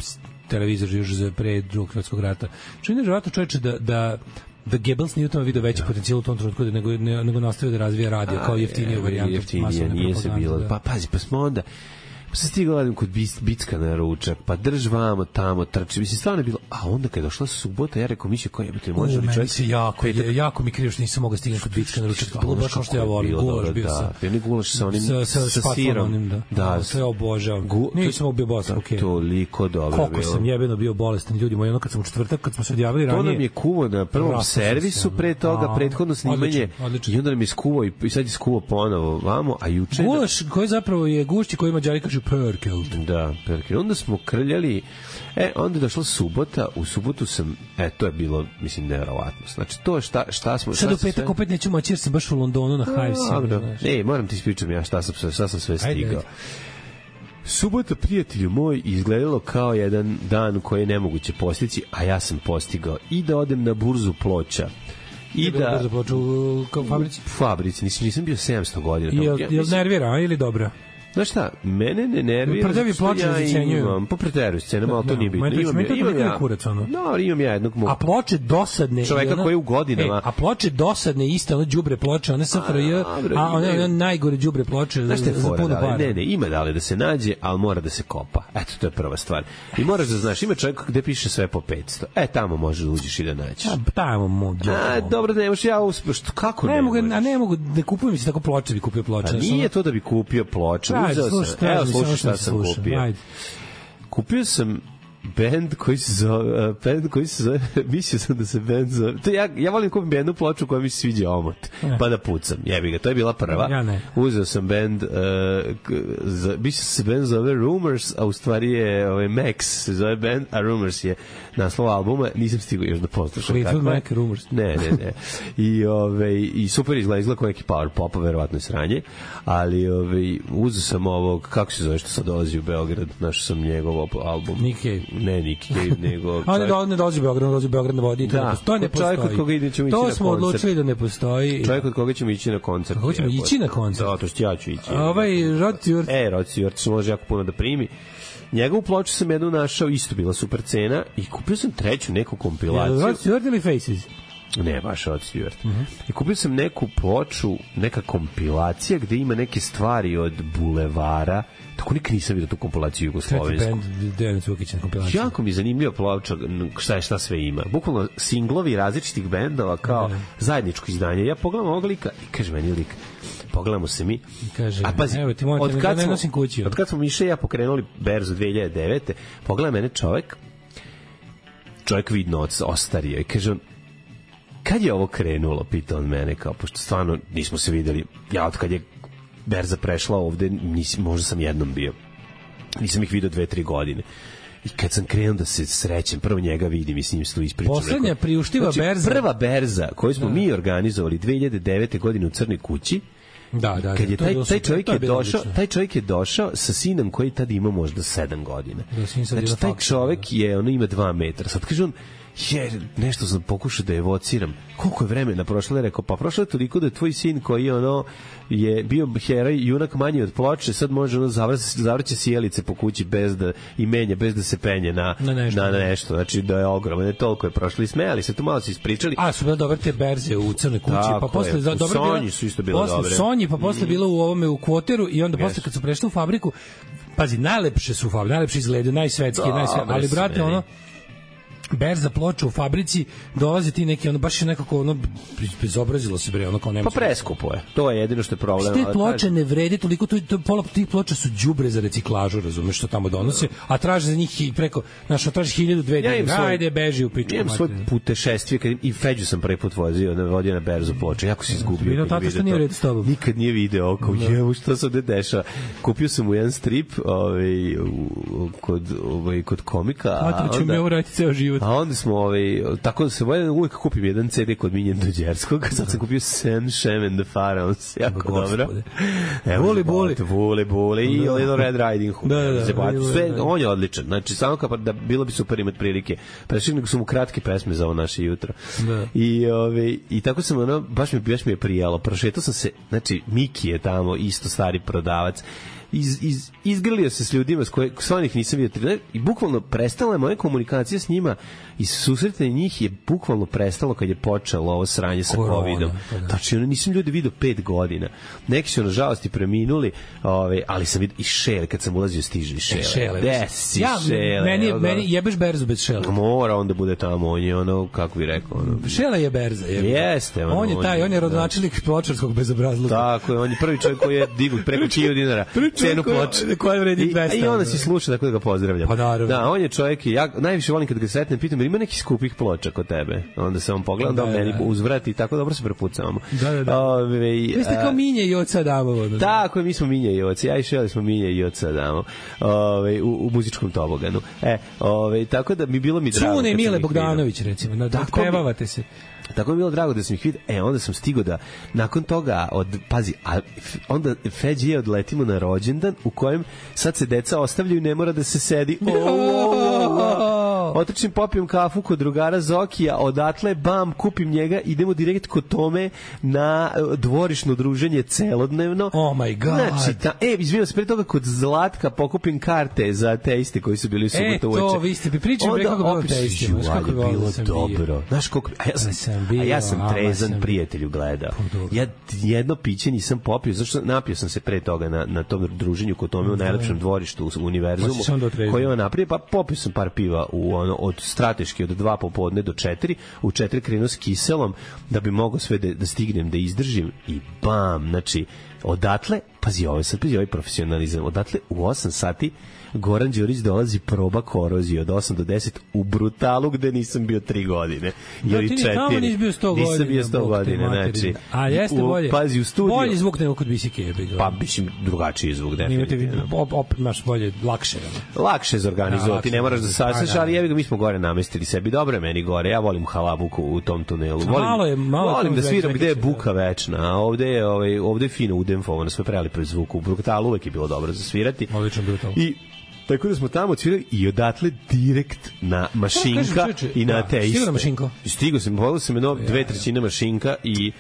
televizor još za pre drugog svjetskog rata. Što je nevjerovatno, čoveče, da, da da Goebbels nije u tome video veći ja. potencijal u tom trenutku nego, ne, nego nastavio da razvija radio kao jeftiniju varijantu. Jeftinije, nije se bilo. Da. Pa pazi, pa smo onda pa sam stigao radim kod Bicka na ručak, pa drž vamo, tamo, trči. Mislim, stvarno je bilo, a onda kad je došla subota, ja rekao, mišlje, koji je biti, može li čovjek? Se jako, petak... jako mi krivo što nisam mogao stignem kod Bicka na ručak. Bilo baš kao što ja volim, gulaš bio sa... Da, ne gulaš sa onim, sa, sa, sa, sa sirom. Onim, da, da, sve obožavam. Gu... Nisam bio bolestan, okej. Toliko dobro bilo. Koliko sam jebeno bio bolestan, ljudi moji, ono kad sam u četvrtak, kad smo se odjavili ranije... To nam je kuvo na prvom servisu pre toga, prethodno snimanje, i onda nam je skuvo i sad je skuvo ponovo vamo, a juče... Gulaš koji zapravo je gušći koji Mađari kažu perkelt. Da, perke. Onda smo krljali, e, onda je došla subota, u subotu sam, e, to je bilo, mislim, nevjerovatno. Znači, to šta, šta smo... Sad u petak sve... opet neću moći jer sam baš u Londonu na Hive. Ne, moram ti ispričam ja šta sam, šta sam sve stigao. Ajde, ajde. Subota, prijatelju moj, izgledalo kao jedan dan koji je nemoguće postići, a ja sam postigao i da odem na burzu Ploča. I da... Burzu Ploča u, u fabrici? U fabrici, nisam, nisam bio sedamsto godina. Jel, jel nervira ili dobra? Znaš šta, mene ne nervira. Prdevi ploče ja imam, po preteruju scenama, ali to nije bitno. Imam, imam, imam ja, kurac, ono. No, imam ja jednog mog. A ploče dosadne. Čoveka ona, koji je u godinama. E, a ploče dosadne, iste, ono đubre ploče, one S F R J, a, a one, one najgore đubre ploče za, za puno para. Ne, ne, ima dale da se nađe, ali mora da se kopa. Eto, to je prva stvar. I moraš da znaš, ima čovjek gde piše sve po petsto. E, tamo možeš da uđeš i da nađeš. A, tamo mogu. A, dobro, ne možeš, ja uspeš, kako ne, ne mogu? A ne mogu, ne kupujem se tako ploče, bi kupio ploče. A nije to da bi kupio ploče, uzeo sam. Evo, slušaj šta sam kupio. Ajde. Kupio sam bend koji se zove, uh, bend koji se zove, mislio sam da se bend zove, to ja, ja volim kupim jednu ploču koja mi se sviđa omot, ne. Pa da pucam, jebi ga, to je bila prva. Ja ne. Uzeo sam bend, uh, za, mislio se bend zove Rumors, a u stvari je ovaj, Max, se zove bend, a Rumors je naslov albuma, nisam stigao još da poslušam. Fleetwood Mac, Rumors. Ne, ne, ne. I, ovaj, i super izgleda, izgleda kao neki power pop, verovatno je sranje, ali ovaj, uzeo sam ovog, kako se zove što sad dolazi u Beograd, našao sam njegov album. Nick Cave. Ne, Nick Cave, nego... A ne, do, ne dolazi u Beograd, dolazi u Beograd na vodi. Da, to ne postoji. Čovjek od koga ćemo ići na koncert. To smo odlučili da ne postoji. Čovjek od koga ćemo ići na koncert. Kako ćemo ići na koncert? Da, to što ja ću ići. Ovaj Rod Stewart. E, Rod Stewart se može jako puno da primi. Njegovu ploču sam jednu našao, isto bila super cena i kupio sam treću neku kompilaciju. Rod Stewart ili Faces? Ne, baš Rod Stewart. Uh -huh. I kupio sam neku ploču, neka kompilacija gde ima neke stvari od bulevara. Tako nikad nisam vidio tu kompilaciju jugoslovensku. Treći band Dejan Cukić na kompilaciju. Jako mi je zanimljiva ploča, šta je šta sve ima. Bukvalno singlovi različitih bendova kao da. Zajedničko izdanje. Ja pogledam ovog lika i kaže meni lik, pogledamo se mi. Kaže, a pazi, evo ti molim, da ne nosim kući. Od kad smo Miše i ja pokrenuli berzu dve hiljade devete. Pogleda mene čovek, čovek vidno ostario i kaže on, kad je ovo krenulo, pita on mene, kao, pošto stvarno nismo se videli, ja od kad je berza prešla ovde, nisam, možda sam jednom bio, nisam ih vidio dve, tri godine. I kad sam krenuo da se srećem, prvo njega vidim i s njim se tu ispričam. Poslednja rekao, priuštiva znači, berza. Prva berza koju smo da. mi organizovali dve hiljade devete. godine u Crnoj kući, da, da, kad je taj, taj, taj čovjek je došao, taj čovjek je došao sa sinom koji tad ima možda sedam godina. Da, znači, taj čovjek je, ono ima dva metra. Sad kaže on, jer nešto sam pokušao da evociram. Koliko je vremena prošlo? Je rekao, pa prošlo je toliko da je tvoj sin koji je ono je bio heroj, junak manji od ploče, sad može ono zavrće sjelice po kući bez da i menja, bez da se penje na, na, nešto, na, na nešto. Znači da je ogromno, ne toliko je prošlo i smejali se, tu malo se ispričali. A, su bile dobre te berze u Crnoj kući, tako pa posle za dobre Sonji su isto bile posle dobre. Sonji, pa posle mm. bilo u ovome u Kvoteru i onda yes. posle kad su prešli u fabriku, pazi, najlepše su u fabriku, najlepše izgledaju, najsvetski, najsvetski, ali brate, ono berza ploča u fabrici, dolaze ti neki, ono, baš je nekako, ono, bezobrazilo se, bre, ono, kao nema... Pa preskupo je, to je jedino što je problem. Te ploče ne vrede toliko, to, to, pola tih ploča su đubre za reciklažu, razumeš, što tamo donose, a traže za njih i preko, znaš, traži hiljadu, dve, Ja imam svoj- ajde, beži u pičku. Ja imam svoj putešestvije, kad i Feđu sam prvi put vozio, na vodio na berzu ploče, jako se izgubio. Vidio kad je tata što vidio nije to. u redu s tobom. Nikad nije video, kao jevo, što se ovde dešava. Kupio sam mu jedan strip ovaj, u- kod, ovaj, kod komika, a Tata ću mi onda, ovo raditi ceo život. a onda smo, ovaj, tako da se voljeno, uvijek kupim jedan ce de kod Miljen Dođerskog, sad sam kupio Sam Shem and the Pharaohs, jako Gospode. dobro. Evo, Voli, boli. Vole, bole i jedan Red Riding Hood. Da, da, da. Zebati. Sve, on je odličan. Znači, samo kao da bilo bi super imati prilike. Prešli nego su mu kratke pesme za ovo naše jutro. Da. I, ove, I tako sam, ono, baš mi, baš mi je prijalo. Prošetao sam se, znači, Miki je tamo, isto stari prodavac. Iz, iz, izgrlio se s ljudima s koje s onih nisam vidio i bukvalno prestala je moja komunikacija s njima i susretanje njih je bukvalno prestalo kad je počelo ovo sranje sa Korona, covidom. pa da. Znači, ono, nisam ljudi vidio pet godina. Neki su, nažalost, i preminuli, ovaj, ali sam vidio i Šele, kad sam ulazio, stiže i Šele. Šele. Gde si, Ja, Šele? meni, Evo ga. meni jebeš berzu bez Šele. Mora on da bude tamo, on je ono, kako bi rekao, ono, Šela je berza. Je. Jeste, ono, On je taj, on je rodonačelnik pločarskog bezobrazluka. tako je, on je prvi čovjek koji je digao preko hiljadu dinara cenu ploče. Koja vredi I, dvesta. I onda si sluša, tako da ga pozdravljam. Pa naravno. Da, on je čovjek, ja najviše volim kad ga sretnem, pitam, jer ima nekih skupih ploča kod tebe. Onda se on pogleda, da, Da, da meni da. uzvrati i tako dobro se prepucavamo. Da, da, da. Ove, Vi ste kao Minje i oca Adamovo. Da. Tako je, mi smo Minja i oci. Ja i Šeli smo Minja i oca Adamo. Ove, u, u muzičkom toboganu. E, ove, tako da mi bilo mi drago. Cune kad sam Mile ih Bogdanović, recimo. Da, da Tako mi- pevavate se. Tako mi je bilo drago da sam ih vidio. E, onda sam stigao da, nakon toga, od, pazi, a, f- onda Feđi je odletimo na rođendan u kojem sad se deca ostavljaju i ne mora da se sedi. Otrčim, popijem kafu kod drugara Zokija, odatle, bam, kupim njega, idemo direkt kod Tome na e, dvorišno druženje celodnevno. Oh my God. Znači, ta, e, izvinjam se, pre toga kod Zlatka pokupim karte za teiste koji su bili u E, subotu uveče. to, vi ste mi pričali Onda pre kako bilo opet, teistima. ju, Znaš kako ali je volio bilo da sam bio. dobro. Znaš koliko, a ja sam, sam bio, a ja sam ama trezan sam bio. prijatelju gledao. Pa dobro. Ja jedno piće nisam popio, zašto napio sam se pre toga na, na tom druženju kod Tome u najlepšem dvorištu u Pa univerzumu, si se onda otrezao. koji je on napravio, pa popio sam par piva u ono, od strateški od dva popodne do četiri, u četiri krenuo s kiselom da bi mogao sve da, da stignem, da izdržim i bam, znači odatle, pazi ovo, sad pazi ovaj profesionalizam, odatle u osam sati Goran Đurić dolazi proba korozije od osam do deset u Brutalu gde nisam bio tri godine. Da, Ili ti ni četiri. tamo nisi bio sto godina. Nisam bio sto Bog te godina, materine. znači. A jeste u- bolje. Pazi, u studiju. Bolji zvuk nego kod Bisike. Pa, mislim, drugačiji zvuk, Imate definitivno. op, op, imaš bolje, lakše. ono. Lakše za Da, organizovati, lakše ne moraš da za- sasveš, pa da. ali jebi ga, mi smo gore namestili sebi. Dobro je meni gore, ja volim halabuku u tom tunelu. Volim, malo je- malo je volim tamo da sviram već gde je neki- buka večna, a ovde je, ovaj, ovde je fino udemfovano, sve prelipo zvuku. U Brutalu uvek je bilo dobro za svirati. Odlično Brutal. I tako da smo tamo odsvirali i odatle direkt na mašinka kažem, čoveče, i na da, te iste. stigao na mašinko? Stigao sam, volio sam jedno dve trećine mašinka i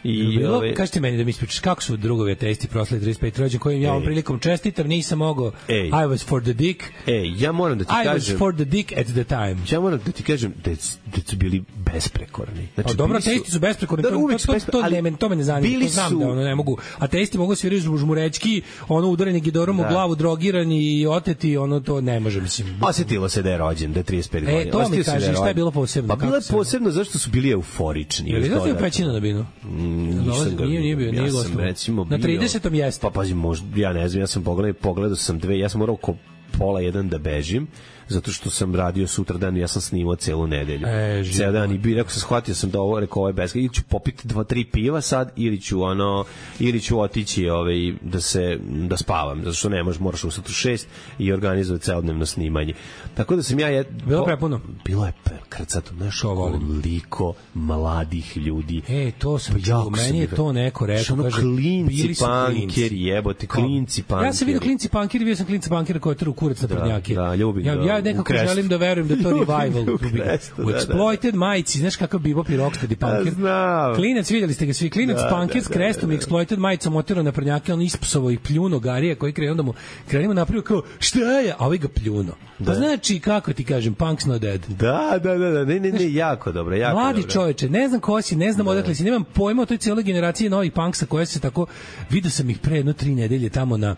i Bilo, ove, kažete meni da mi ispričaš kako su drugovi ateisti proslali trideset peti rođendan kojim ja ovom Ej. prilikom čestitam, nisam mogao. Ej. I was for the dick. ej, ja moram da ti I was kažem, for the dick at the time. ja moram da ti kažem da, da su bili besprekorni. Znači, Pa dobro, bili su- ateisti su besprekorni, Da, to, uvek to, su to, bespre- to, ali ne, men- to me ne zanima, bili to znam su- da ono ne mogu. Ateisti mogu svirati žmurečki, ono udareni gidorom u Da. glavu, drogirani i oteti, ono to ne može, mislim. Osetilo se da je rođen, da je trideset pet E, godina. to mi Osetilo se kaži, da šta je rođen. bilo posebno, Pa kako bilo je se- posebno zašto su bili euforični. Je li još izlazio dodatno. pećina na binu? Mm, Dolazi- nisam ga nije- nije bio, vidio. nije Ja sam gostovao. recimo Na bio- tridesetom jeste. Pa pazi, možda, ja ne znam, ja sam pogledao, pogledao sam dve, ja sam morao ko pola jedan da bežim, zato što sam radio sutra dan i ja sam snimao celu nedelju. E, Ceo dan i bi rekao sam, shvatio sam da ovo, rekao, ovo je beska, ili ću popiti dva, tri piva sad, ili ću ono, ili ću otići ovaj, da se, da spavam, zato što ne možeš, moraš ustati u šest i organizovati celodnevno snimanje. Tako da sam ja... Je, Bilo po- prepuno? Bilo je krcato, znaš, To volim. koliko mladih ljudi. E, to sam Pa čuo, jako sam meni je ih- to neko rekao, Znaš, ono, kaže, klinci bili su klinci. pankeri, jebote, Kao- klinci pankeri. Ja sam vidio klinci pankeri, vidio sam klinci pankeri koji traju kurac na Da, prednjake. da, ljubim ja, ga ja u nekako Krestu. želim da verujem da je to Ljubim revival. ga u Ljubim ga. Krestu, U da, da. Exploited majici, znaš kakav bebop i rocksteady punker. znam. Klinac, vidjeli ste ga svi, klinac Da, punker da, s da, krestom da, i da. Exploited majicom oterao na prednjake, on ispsovo i pljuno garija koji krenuo da mu krenimo napravio kao šta je, a ovaj ga pljuno. Pa Da. znači, kako ti kažem, punk's not dead. Da, da, da, da, ne, ne, ne, jako dobro, jako Mladi dobro. čoveče, ne znam ko si, ne znam odakle si, nemam pojma o toj cijeloj generaciji novih punksa koje se tako, vidio sam ih pre jedno tri nedelje tamo na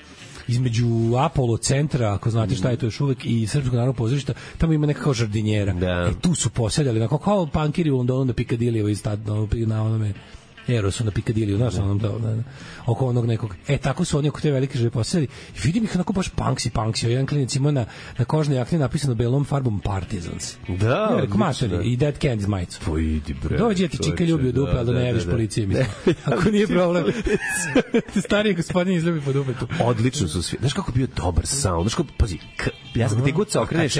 između Apollo centra, ako znate šta je to još uvek, i Srpskog narodnog pozorišta, tamo ima nekako žardinjera. Da. E, tu su posedali, onako kao pankiri u Londonu na Piccadilly, iz tad, na onome Erosu na Piccadilly, znaš, onom da, da, da, oko onog nekog. E, tako su oni oko te velike žele posedali. I vidim ih onako baš punksi, punksi. Jedan klinac ima na, na kožnoj jakni napisano belom farbom Partisans. Da, ja, rekao, mater, i Dead Candy's majicu. Pa idi, bre. Dođi, ja ti čika ljubi u dupe, ali da ne javiš policije, mislim. Ako nije problem. Stariji gospodin izljubi po dupetu. Odlično su svi. Znaš kako je bio dobar sound? Znaš kako, pazi, k, ja sam ti god se okreneš,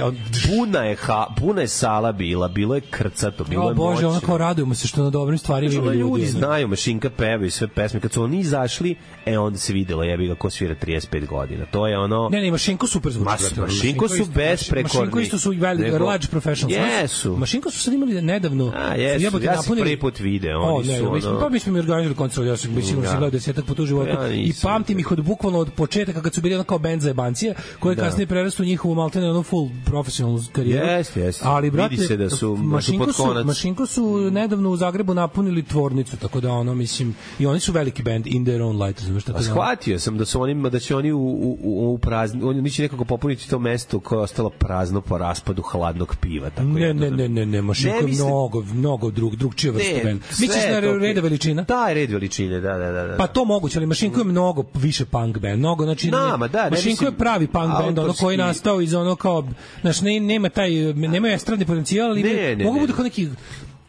puna je, ha, puna je sala bila, bilo je krcato, bilo je moćno. O Bože, ono kao radujemo se što na dobrim stvarima ima ljudi. Znaju, Mašinka peva i sve pesme. Kad su oni izašli, e, onda se videlo, jebi ga, ko svira trideset pet godina. To je ono... Ne, ne, Mašinko super zvuči. Mas, Mašinko su besprekorni. Mašinko isto su veli, large professionals. Jesu. Mašinko su sad imali nedavno... A, jesu, ja, ja sam prvi put video. Oni o, ne, su, ono... mislim, pa mi smo mi organizovali koncert, ja sam sigurno ja. gledao desetak puta u životu. Ja, i pamtim ih od bukvalno od početaka kad su bili ono kao band za jebancije, koje da. kasnije prerastu njihovu maltene ono full professional karijeru. Yes, yes. Ali, brate, vidi se da su, Mašinko da su pod konac. Su, Mašinko su nedavno u Zagrebu napunili tvornicu, tako da ono, mislim, i oni su veliki band in their own light, znaš tako da. Shvatio sam da su oni da će oni u u u prazni, oni će nekako popuniti to mesto koje je ostalo prazno po raspadu hladnog piva, tako ne, je. Ne, ne, ne, ne, Mašinko je mnogo, mnogo drug, drugčija vrsta benda. Misliš na Reda veličina? Da, je Red veličine, da, da, da, da. Pa to moguće, ali Mašinko je mnogo više punk band, mnogo, znači Nama, da, Mašinko je pravi punk band, ono koji je nastao iz ono kao, znači ne, nema taj, nema estradni potencijal, ali ne, ne, mogu bude kao neki.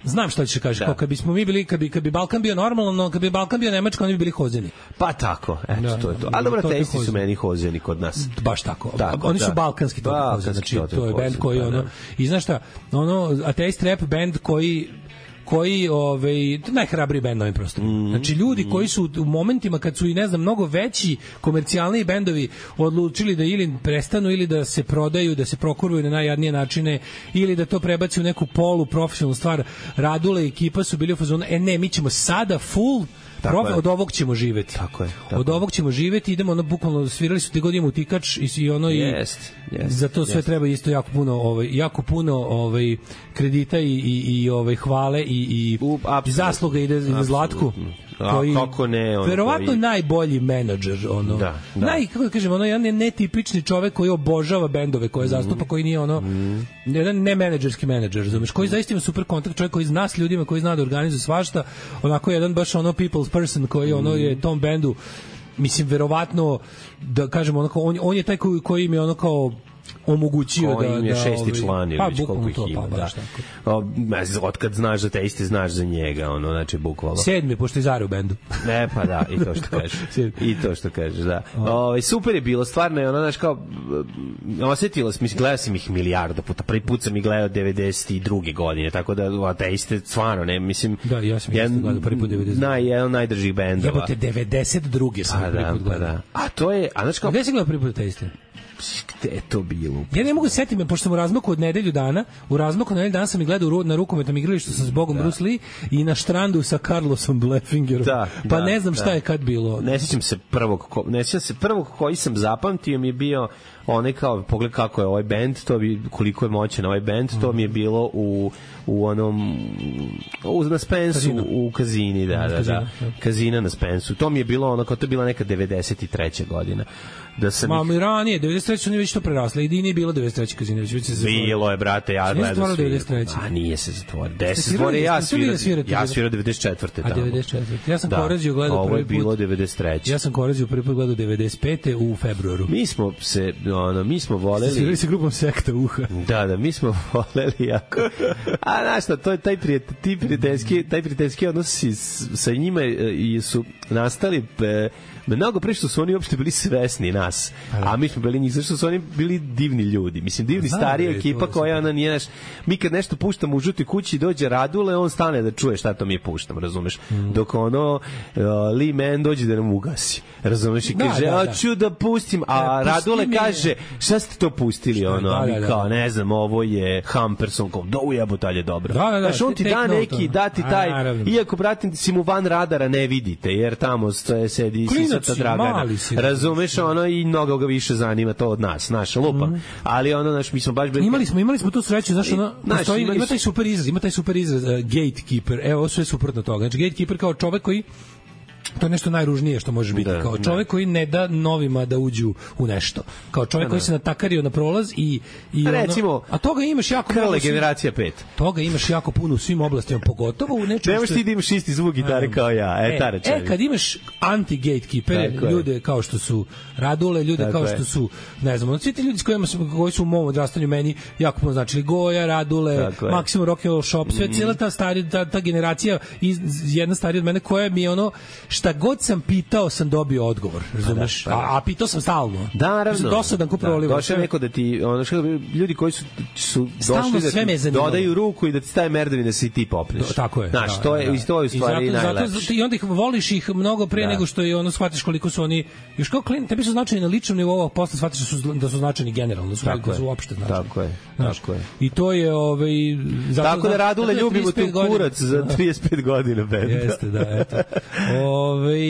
Znam šta ćeš kažeš, kao kad bismo mi bili, kad bi, kad bi Balkan bio normalno, kad bi Balkan bio Nemačka, oni bi bili hozeni. Pa tako, eto, da, to je to. Ali dobro, testi su meni hozeni kod nas. Baš tako. tako oni su da. balkanski to hozeni, znači to je bend koji, ono, i znaš šta, ono, ateist rap bend koji koji ovaj najhrabriji bend na ovim prostorima. Mm -hmm. Znači ljudi koji su u momentima kad su i ne znam mnogo veći komercijalni bendovi odlučili da ili prestanu ili da se prodaju, da se prokuruju na najjadnije načine ili da to prebaci u neku polu profesionalnu stvar. Radule i ekipa su bili u fazonu, e ne, mi ćemo sada full Profe, od ovog ćemo živeti. Tako je. Tako od ovog ćemo živeti, idemo ono bukvalno svirali su te godinu utikač i i ono jest, i jest, za to sve jest. Treba isto jako puno ovaj jako puno ovaj kredita i i i ovaj hvale i i U, zasluga ide za Zlatku. Koji, a kako ne, on verovatno koji... najbolji menadžer, ono. Da, da. Naj, kako da kažem, ono, jedan netipični čovek koji obožava bendove koje zastupa, mm. koji nije ono, mm. jedan ne menadžerski menadžer, razumeš, koji zaista ima super kontakt, čovjek koji zna s ljudima, koji zna da organizuje svašta, onako jedan baš ono people's person koji ono je tom bendu, mislim, verovatno, da kažemo, onako, on, on je taj koji, koji im je ono kao omogućio da im je da, šesti ovaj, član ili pa, već koliko ih ima, pa, da. O, otkad znaš za te iste, znaš za njega, ono, znači, bukvalno. Sedmi, pošto je Zara u bendu. Ne, pa da, i to što kažeš. I to što kažeš, da. O, super je bilo, stvarno je ono, znaš, kao, osetilo sam, mislim, gledao sam ih milijarda puta, prvi put sam ih gledao devedeset druge godine, tako da, te iste, stvarno, ne, mislim, da, ja sam ih gledao prvi put devedeset druge Naj, jedan najdržih bendova. Jebote, devedeset druge sam pa, prvi put gledao. Pa da, a to je, a znaš kao... Gde si gledao prvi put te iste? Gde je to bilo? Ja ne mogu se setiti, pošto sam u razmaku od nedelju dana, u razmaku od nedelju dana sam i gledao na rukometnom igralištu sa Zbogom da. Bruce Lee i na štrandu sa Carlosom Bleffingerom. Da, pa da, ne znam šta da. je kad bilo. Ne sjećam se prvog, ko, ne sjećam se prvog koji sam zapamtio mi je bio onaj kao, pogled kako je ovaj bend, to bi, koliko je moćan ovaj bend, to mi je bilo u u onom u, na Spensu, Kazino. u Kazini, da, da, da, Kazina na Spensu. To mi je bilo ono, kao to je bila neka devedeset treća godina. Da sam Mamo, ih... i ranije, devedeset treće su oni već to prerasli. I nije bilo devedeset treće Kazine, već već se zatvorilo. Bilo je, brate, ja gledam svi. A nije se zatvorio. deset zatvorio, ja svirao, ja svirao devedeset četvrte tamo. A devedeset četvrte Ja sam da. Koreziju gledao prvi put. Ovo je bilo devedeset treće Ja sam Koreziju prvi put gledao devedeset pete u februaru. Mi smo se, ono, mi smo voleli... Svirali se grupom Sekta uha. Da, da, mi smo voleli jako. A, znaš šta, to je taj prijatelj, ti prijateljski, taj prijateljski odnosi sa njima i su nastali mnogo pre što su oni uopšte bili svesni nas, a mi smo bili njih, zašto su oni bili divni ljudi, mislim, divni Znam, starija je, ekipa koja ona nije naš, mi kad nešto puštamo u žutoj kući dođe Radule, on stane da čuje šta to mi puštamo, razumeš, mm. dok ono uh, Lee Man dođe da nam ugasi, razumeš, i kaže, da, da, da. hoću da pustim, a da, Radule mi... kaže, šta ste to pustili, šta, ono, a mi da, da, kao, ne znam, ovo je Humperson, kao, da ujebo talje dobro, da, da, da, znaš, on ti da neki, da ti taj, a, iako, bratim, si mu van radara ne vidite, jer tamo stoje, sedi Sisata Dragana, razumeš, ono, i mnogo ga više zanima to od nas, naša lupa, mm. ali ono, naš, mi smo baš bili... Imali smo, imali smo tu sreću, znaš, ono, naš, stoji, ima taj super izraz, ima taj super izraz, uh, gatekeeper, evo, ovo sve suprotno toga, znači, gatekeeper kao čovek koji To je nešto najružnije što može biti. Da, kao da. čovjek koji ne da novima da uđu u nešto. Kao čovjek koji se natakario na prolaz i, i A ono, recimo, a toga imaš jako Krle mnogo u svim- generacija pet. Toga imaš jako puno u svim oblastima, pogotovo u nečemu Nemaš što... ti da imaš isti zvuk gitare kao ja, e, tara E, kad imaš anti-gatekeepere, Tako je. ljude kao što su Radule, ljude Tako kao je. što su, ne znam, ono, svi ti ljudi s kojima sam, koji su u mom odrastanju meni jako puno značili, Goja, Radule, Tako je. Maximum Rock and Roll Shop, sve, cijela ta, stari, ta, ta generacija, iz, jedna starija od mene, koja mi je ono, šta god sam pitao, sam dobio odgovor, razumeš? Pa da, pa da. A, a pitao sam stalno. Da, naravno. Dosadan ko proliva. Došao je neko da ti, ono što ljudi koji su, su Stalno došli da sve me je ti zanimalo. dodaju ruku i da ti staje merdevine da si ti popneš. Do, tako je. Znaš, da, to je, da. i to je u stvari I zato, najlepše. zato, I onda ih voliš ih mnogo pre Da. nego što je ono shvatiš koliko su oni još kao klin, tebi su značajni na ličnom nivou, a posle shvatiš da su da su značajni generalno, da su, Tako da su je. uopšte značajni. Tako je. Znaš, Tako je. I to je ovaj zato Tako da Radule zato je ljubimo trideset pet tu godina. kurac za trideset pet godina benda. Jeste, da, eto. Ovaj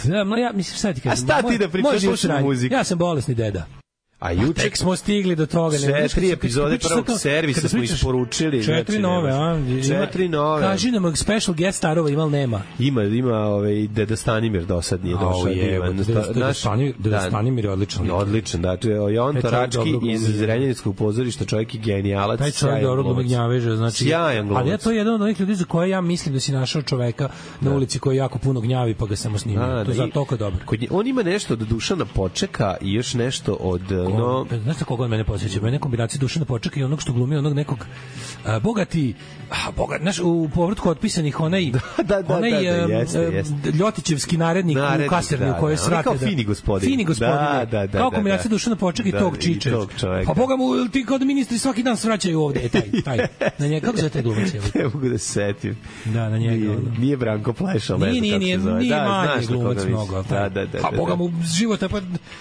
da, ma ja mislim sad ti kažem. A šta ti moj- da pričaš, moj život slušam sranje. muziku? Ja sam bolesni deda. A juče Tek smo stigli do toga. Četiri znaš, kad se- epizode kad pričaš prvog sad to- servisa kada smo pričaš- isporučili, Četiri znači, nove, a? nemaš. Ima- Četiri nove. Kaži nam special guest starova ima li nema? ima ima ovaj Deda Stanimir do sad nije došao. divan. Naš- Deda da, Stanimir je odličan. Odličan, da, to je Jovan Taj čovjek Torački dobro glumi. iz Zrenjaninskog pozorišta, čovjek je genijalac. Taj čovjek sjajan dobro glumi glumac. gnjaveže, znači. Sjajan glumac. Ali ja to je jedan od onih ljudi za koje ja mislim da si našao čoveka na ulici koji jako puno gnjavi pa ga samo snimio. Da, To da, je za i- toliko dobro. Kod nje, on ima nešto od Dušana Počeka i još nešto od no On, znaš na koga on mene podsjeća? Mene kombinacija Dušana Počeka i onog što glumi onog nekog a, bogati, a, bogat, znaš, u povratku otpisanih onaj, da, da, onaj da, da, em, jeste, em, jeste. Ljotićevski narednik, Narednik, u kasarni da, u kojoj da. On je srate. kao da- fini gospodin. Fini gospodin, Da, da, da, kao da, kombinacija da. Dušana Počeka i Da, tog i Čiče. tog čoveka. Pa boga mu, ti kao da ministri svaki dan svraćaju ovde, e, taj, taj. Na njega, kako zove taj glumac? evo? ne mogu da se setim. Da, na njega. Nije, ono. nije Branko Plešal, ne Nije, znam nije, kako se nije, zove. nije Da, manje znaš na koga glumac mislim. mnogo. Da, da, da. A da, boga da. mu života, pa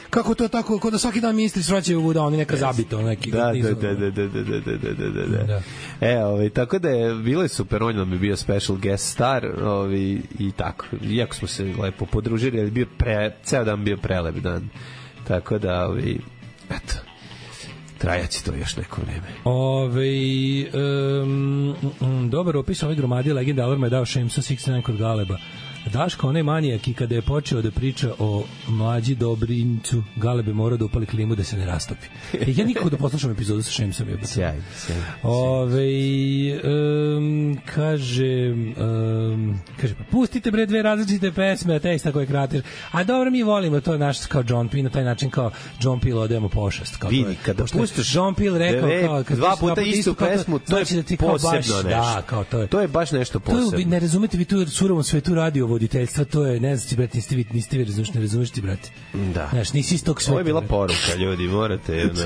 kako to tako, kod da svaki dan ministri svraćaju da oni neka zabito, neki. Da, nizu- da, da, da, da, da, da, da, da, da, da. Da. E, ovaj, tako da je, bilo je super, on nam je bio special guest star, ovaj, i tako. Iako smo se lepo podružili, ali bio pre, ceo dan bio prelep dan. Tako da, ovaj, eto, trajaće to još neko vreme. Ove, um, um, dobar opis ove gromadi legenda Alarma je dao Šemsa šezdeset devet kod Galeba. Daško, onaj manijak i kada je počeo da priča o mlađi Dobrincu, Galebe mora da upali klimu da se ne rastopi. E, ja nikako da poslušam epizodu sa Šemsom. Je Sjajno, sjajno. Ove, um, kaže, um, kaže, pa pustite bre dve različite pesme, a teksta koje krateš. A dobro, mi volimo to naš kao John P. na taj način kao John Peel odemo pošast. Kao Vidi, to je- kada pošto je pustiš John Peel rekao dve- kao, kad dva pustiš puta istu kao pesmu, to je znači da ti kao baš, posebno nešto. Da, kao to je. To je baš nešto To je, vi posebno. ne razumete vi tu u surovom svetu radio voditeljstva, to je, ne znam ti, brate, niste vi, niste vi razumeš, ne razumeš ti, brate. Da. Znaš, nisi iz tog sveta. Ovo je bila brate. poruka, ljudi, morate. Jedna.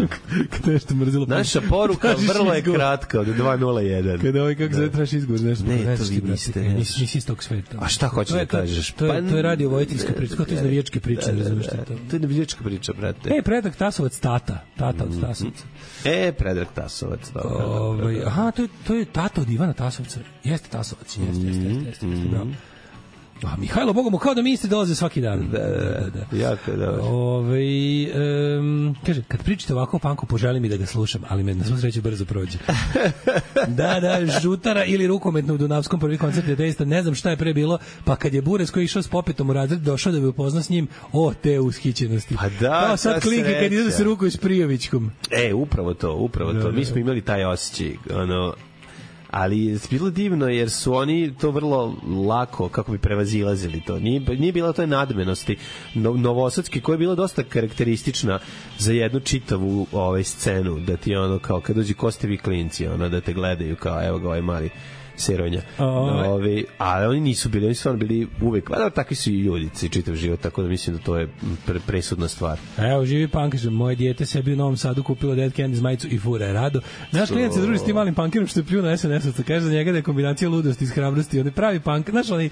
Kada nešto mrzilo. Naša poruka Tražiš vrlo je izgovor. kratka, od dva nula jedan. Kada ovaj kako zove traži izgovor, nešto. Ne, ne to znaš vi ti, brate, niste, nisi, ne nisi, znaš. nisi iz tog sveta. A šta hoćeš To je- da kažeš? To je, Pa- to je radio vojiteljska priča, to je navijačka priča, ne razumeš ti to. To je navijačka priča, brate. E, Predrag Tasovac, tata. Tata od Tasovca. E, Predrag Tasovac, dobro. dobro, Ovaj, dobro. aha, to je, to je tata od Ivana Tasovca. Jeste Tasovac, jeste, jeste, jeste, jeste, jeste, bravo. A Mihajlo, Boga mu, kao da ministri dolaze svaki dan. Da, da, da. Jako je dobro. Ove, um, kaže, kad pričate ovako o panku, poželim mi da ga slušam, ali me na svu sreću brzo prođe. da, da, žutara ili rukometno u Dunavskom prvi koncert je deista, ne znam šta je pre bilo, pa kad je Bures koji je išao s Popetom u razred, došao da bi upozna s njim, o, te ushićenosti. Pa da, Kao sad ta klinke kad sreća. ide da se rukuju s Prijovićkom. E, upravo to, upravo to. Mi smo imali taj osjećaj, ono, ali je bilo divno jer su oni to vrlo lako, kako bi prevazilazili to. Nije, nije bila toj nadmenosti no, novosadski, koja je bila dosta karakteristična za jednu čitavu ovaj, scenu, da ti ono, kao kad dođi Kostevi klinci, ono, da te gledaju kao, evo ga ovaj mali Seronja. Oj. Ovi, ali oni nisu bili, oni su stvarno bili uvek, pa da, takvi su i ljudi, čitav život, tako da mislim da to je pre, presudna stvar. Evo, živi punk, kaže, moje dijete sebi u Novom Sadu kupilo Dead Candies majicu i fura je rado. Naš klijent se druži s tim malim punkerom što je plju na es en es-ovca. Kaže za njega da je kombinacija ludosti i hrabrosti. On je pravi punk. Znaš, oni,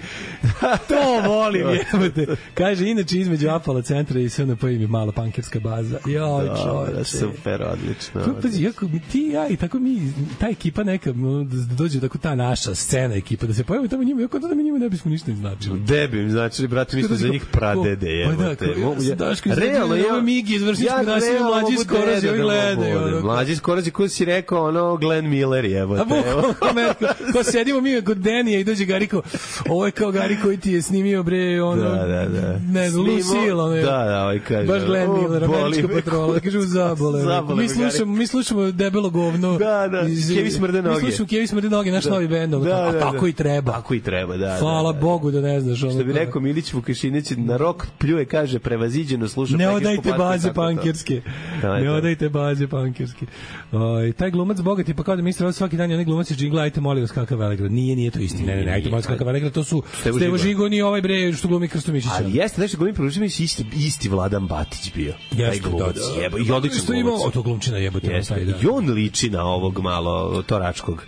to volim, jebote. Kaže, inače između Apala centra i sve na pojim je mala punkerska baza. Joj, Da, čovječe. super, odlično. Pa, pazi, jako, mi- ti i ja i tako mi, ta ekipa neka, no, da da dođe tako ta naša scena ekipa, da se pojavimo tamo njima, jako da mi njima ne bismo ništa značili. Debim, znači, brate, mi smo za njih pradede, Pa da, jebote. kao, ja sam Daško iz Realno, ove Migi iz Vršničke naselja, realno mlađi mogu skorozi, deda ovi da gledaju, budem. ono. Mlađi skorozi, ko si rekao, ono, Glenn Miller, A jebote. bukvalno Ameriku. Ko sedimo mi kod Denija i dođe Gari kao, ovo je kao Gari koji ti je snimio bre, ono, da, da, da. ne znam, Lucille, ono, da, da, ovaj kaže, baš Glenn Miller, američka patrola, kaže, zabole, Zabole mi slušamo, mi slušamo debelo govno, da, da, Kevi smrde noge, mi slušamo Kevi smrde noge, naš da. novi bend, ono, da, a da, tako da. i treba, tako i treba, da, hvala da, da. Bogu da ne znaš, ono, što bi rekao Milić Vukašinić, na rok pljuje, kaže, prevaziđeno sluša, ne odajte baze pankirske, ne odajte baze pankirske. Oj, taj glumac bogati, pa kao da ministar svaki dan je onaj glumac iz džingla, ajte molim vas kakav Velegrad. Nije, nije to istina. Ne, ne, ne, ajte molim vas kakav Velegrad, to su Stevo, Stevo Žigon i ovaj bre što glumi Krsto Mišića. Ali jeste, nešto glumi Mišić isti, isti Vladan Batić bio. Taj glumac. Da, jebo, i odličan glumac. O, to glumčina jebote. Jeste, i on liči na ovog malo Toračkog.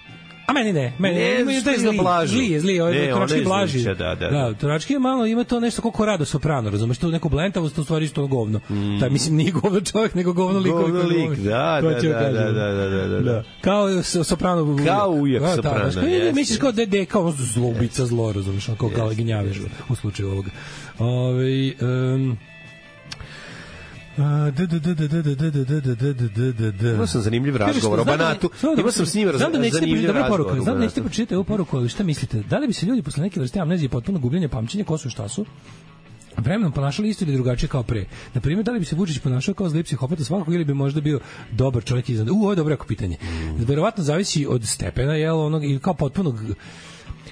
A meni ne, meni ne, ima taj zli, zli je, zli, ovaj Torački blaži. Da, da, da. Da, Torački je malo, ima to nešto kako Rado Soprano, razumeš, to neku blentavost, u stvari isto govno. Mm. Taj, mislim, nije govno čovjek, nego govno lik. Govno lik, da, da, da, da, da, da, da, da. Kao Soprano. Kao ujak Soprano, jeste. Misliš kao dede, kao zlobica zlo, razumeš, kao kao gnjavež u slučaju ovoga. Ovaj Imao sam zanimljiv razgovor o Banatu. Imao sam s njim zanimljiv razgovor. Znam da nećete pročitati ovu poruku, ali šta mislite? Da li bi se ljudi posle neke vrste amnezije potpuno gubljenja pamćenja ko su i šta su vremenom ponašali isto ili drugačije kao pre? Na primjer, da li bi se Vučić ponašao kao zli psihopata svakog ili bi možda bio dobar čovjek iznad? U, ovo je dobro jako pitanje. Verovatno zavisi od stepena, jel, onog, ili kao potpunog...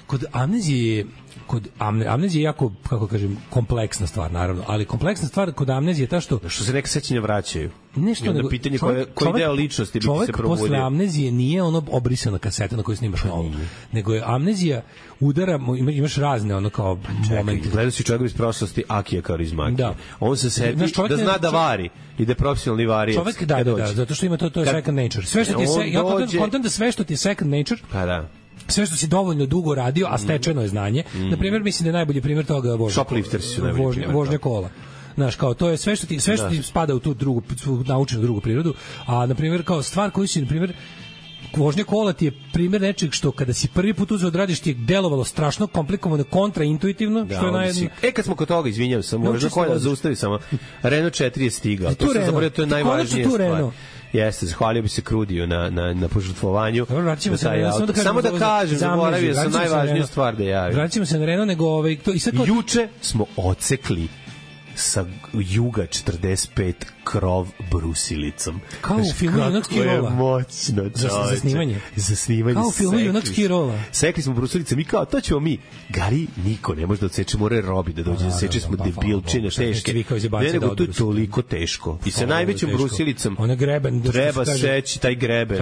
Kod amnezije kod amne, amnezije je jako, kako kažem, kompleksna stvar, naravno, ali kompleksna stvar kod amnezije je ta što... Što se neka sećanja vraćaju. Nešto nego, pitanje čovjek, koji deo ličnosti bi se probudio. Čovjek posle amnezije nije ono obrisana kaseta na kojoj snimaš novo, nego je amnezija udara, imaš razne ono kao momente. Gledao si čovjek iz prošlosti, Akija Kaurismäki. Da. On se seti da zna da vari i da je profesionalni varijac. Čovjek, da, da, da, zato što ima to, to je second nature. Sve što ti je, se, ja kontam da sve što ti je second nature, pa da. Sve što si dovoljno dugo radio, a stečeno je znanje. Mm. Na primjer, mislim da je najbolji primjer toga vožnja. Shoplifters su najbolji vožnja, primjer. Vožnja kola. Znaš, kao to je sve što ti sve što ti spada u tu drugu naučenu drugu prirodu, a na primjer kao stvar koju si na primjer vožnja kola ti je primjer nečeg što kada si prvi put uzeo da radiš ti je delovalo strašno komplikovano, kontraintuitivno, da, što je naj... si... E, kad smo kod toga, izvinjavam se, možda koja da zaustavi samo. Renault četiri je stigao. To sam zaboravio, to je najvažnija stvar. Jeste, zahvalio bi se Krudiju na, na, na požrtvovanju. Vraćamo se na Renault. Samo da kažem, samo da kažem zaboravio sam najvažniju stvar da javim. Vraćamo se na Renault, nego... Ovaj, to, i sad kao... Juče smo ocekli sa juga četrdeset pet krov brusilicom. Kao u filmu Junak Skirola. Kako je moćno, za, za snimanje. Za snimanje. Kao u filmu Junak Skirola. Sekli smo brusilicom i kao, to ćemo mi. Gari, niko ne može da odseče, mora robi da dođe da seče, smo debilčine, teške. Ne, nego to je toliko teško. I sa najvećom brusilicom treba seći taj greben.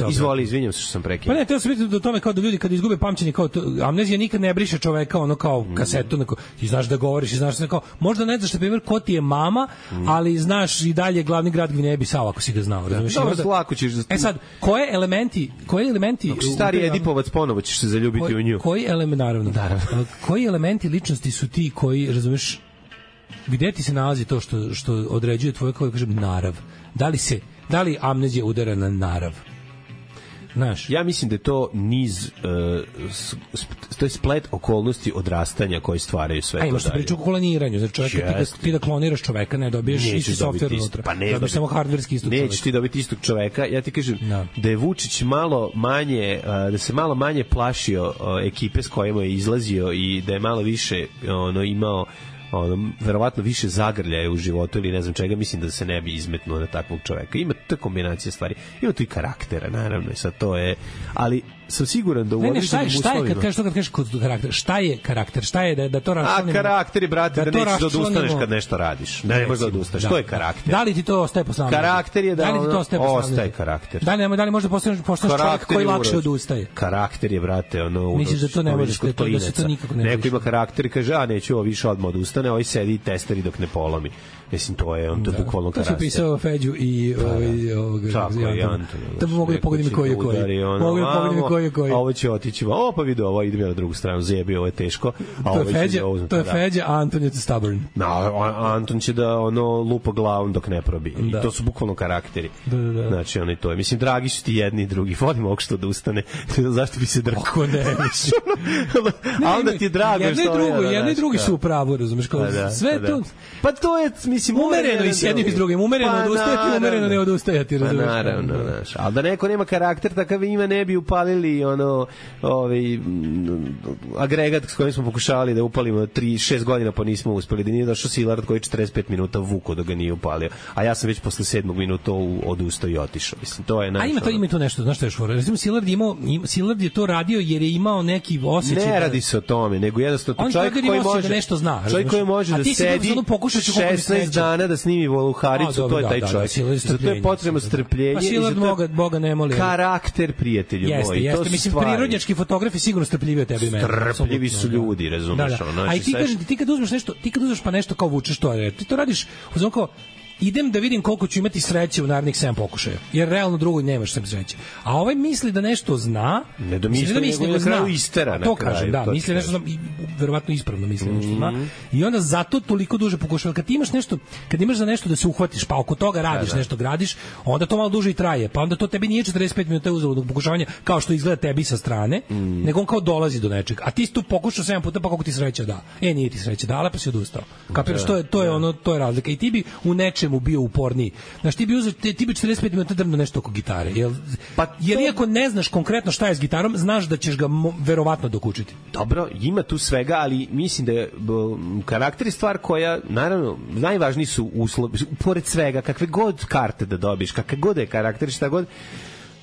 Izvoli, izvinjam se što sam prekinuo. Pa ne, teo sam vidjeti do tome kao da ljudi kad izgube pamćenje, kao amnezija nikad ne briše čoveka, ono kao kasetu, ti znaš da govoriš, znaš da kao, možda ne znaš, na primjer, ko ti je mama, ali znaš i dalje glavni grad Gvineje Bisau, ako si ga znao, razumiješ? Dobro, lako ćeš... E sad, koje elementi, koji elementi... Ako stari Edipovac, ponovo ćeš se zaljubiti koji, u nju. Koji element, naravno, naravno. Koji elementi ličnosti su ti koji, razumiješ, gde ti se nalazi to što, što određuje tvoje, kako kažem, narav? Da li se, da li amnezija udara na narav? Znaš. Ja mislim da je to niz uh, to je splet okolnosti odrastanja koji stvaraju sve to. A imaš to priču o kloniranju, znači čovjeka ti, da, ti da kloniraš čoveka, ne dobiješ nećeš isti softver unutra, pa ne dobiješ samo hardverski istog čoveka. Nećeš ti dobiti istog čoveka, ja ti kažem no. da je Vučić malo manje, uh, da se malo manje plašio uh, ekipe s kojima je izlazio i da je malo više ono imao ono, verovatno više zagrljaje u životu ili ne znam čega, mislim da se ne bi izmetnuo na takvog čoveka. Ima ta kombinacija stvari. Ima tu i karaktera, naravno, i sad to je... Ali sam siguran da u određenim uslovima... Šta je, kad kažeš to kad kažeš kod karakter? Šta je karakter? Šta je da, da to raščlanimo? A karakter je, brate, da, da nećeš da odustaneš kad nešto radiš. Ne, ne možeš da odustaneš. Da. To je karakter. Da li ti to ostaje posle amnezije? Karakter je da, da li ti to ostaje posle amnezije? Ostaje karakter. Da li, da li možda postaneš čovjek koji lakše odustaje? Karakter je, brate, ono... Misliš da to ne možeš, da se to nikako ne može? Neko ima karakter i kaže, a neću ovo više odmah odustane, ovaj sedi i testeri dok ne polomi. Mislim, to je on to da. Bukvalno karakter. To su pisao Feđu i ovaj ovoga. Tako je, Anton. Da bi mogli pogoditi koji je koji. Mogli pogoditi koji je koji. Ovo će otići, o pa vidi, ovo idem ja na drugu stranu, zebi, ovo je teško. A ovo je Feđa, to je Feđa, a Anton je stubborn. No, Anton će da ono lupa glavom dok ne probi. I to su bukvalno karakteri. Da, da, da. Znači, ono i to je. Mislim, dragi su ti jedni i drugi. Volim ovog što odustane. Zašto bi se drkao? Kako ne? A onda ti je drago što je. Jedno i drugo, jedno i drugi su u pravu, razumeš? Sve to... Pa to je, mislim, mislim, mora umereno jedan i s jednim i s drugi. drugim, umereno Pa odustajati, umereno naravno. ne odustajati, Pa razumeš? naravno, znaš. Ali da neko nema karakter takav ima, ne bi upalili ono, ovaj, m, agregat s kojim smo pokušavali da upalimo tri šest godina, pa nismo uspeli, da nije došao Silard koji četrdeset pet minuta vuko da ga nije upalio. A ja sam već posle sedmog minuta odustao i otišao. Mislim, to je A naš. ima to, ima to nešto, znaš što je šfora? Recimo, Silard je imao, im- Silard je to radio jer je imao neki osjećaj. Ne da- radi se o tome, nego jednostavno On čovjek čovjek koji ima osjećaj može da nešto zna, čovjek razumeš? koji može A da ti si sedi ono pokušat ću koliko mi šesnaest sreće. dana da snimi A, Voluharicu, dobro, to je da, taj da, da, čovjek. Silard je Za to je strpljenje. potrebno strpljenje. Pa i za Silard to je Boga, Boga ne moli. karakter, prijatelju Jeste, moji. To jeste. su Mislim, stvari. prirodnjački fotografi sigurno strpljiviji od tebe i mene. Strpljivi apsolutno, su da. ljudi, razumeš, Da, da. ono, A i znači, ti sad- kažem ti, ti kad uzmeš nešto, ti kad uzmeš pa nešto kao vučeš to, je, ti to radiš, uzmem kao, idem da vidim koliko ću imati sreće u narednih sedam pokušaja. Jer realno drugo nemaš sem sreće. A ovaj misli da nešto zna, Ne domisli, da nego na kraju istera A na to kraju, kažem, da, to ti misli nešto kažem. zna, i verovatno ispravno misli nešto Mhm. zna. I onda zato toliko duže pokušava. Kad ti imaš nešto, kad imaš za nešto da se uhvatiš, pa oko toga radiš, nešto gradiš, onda to malo duže i traje. Pa onda to tebi nije četrdeset pet minuta uzaludnog pokušavanja kao što izgleda tebi sa strane, Mhm. nego on kao dolazi do nečega. A ti si tu pokušao sedam puta, pa kako ti sreća da. E, nije ti sreća dala, pa si odustao. Kapiraš, to je to je ono, to je razlika. I ti bi u nečemu bio uporniji. Znaš, ti bi uzeo, ti, ti bi četrdeset pet minuta drmno nešto oko gitare. Jel, Pa jer to- iako ne znaš konkretno šta je s gitarom, znaš da ćeš ga mo, verovatno dokučiti. Dobro, ima tu svega, ali mislim da je b, karakter je stvar koja, naravno, najvažniji su uslovi, pored svega, kakve god karte da dobiješ, kakve god je karakter, šta god,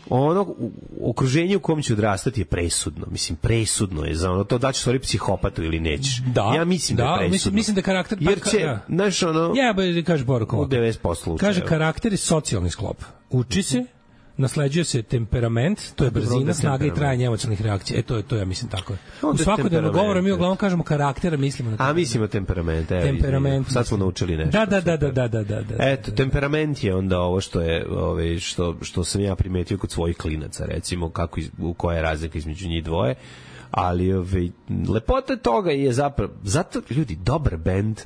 ono u- okruženje u kom će odrastati je presudno. Mislim, presudno je za ono to da ćeš stvari psihopatu ili nećeš. Da, ja mislim da, da, je presudno. mislim- mislim da karakter- Jer pa- će, da. znaš, ono, Ja bih kaže poruku. u ovako. devedeset posto slučajeva. Kaže karakter je socijalni sklop. Uči se, nasleđuje se temperament, to je Dobro, onda brzina, je snaga i temperament. trajanje emocionalnih reakcija. E to je to ja mislim tako je. U Onda je svakodnevnom temperament, govoru mi eto. uglavnom kažemo karakter, a mislimo na A temperament. mislimo temperament, evo. Temperament. izvini. Sad smo naučili nešto. Da, da, da, da, da, da, da, da. Eto, temperament je onda ovo što je, ovaj što što sam ja primetio kod svojih klinaca, recimo kako iz, u koja je razlika između njih dvoje. Ali ovaj lepota toga je zapravo zato ljudi dobar bend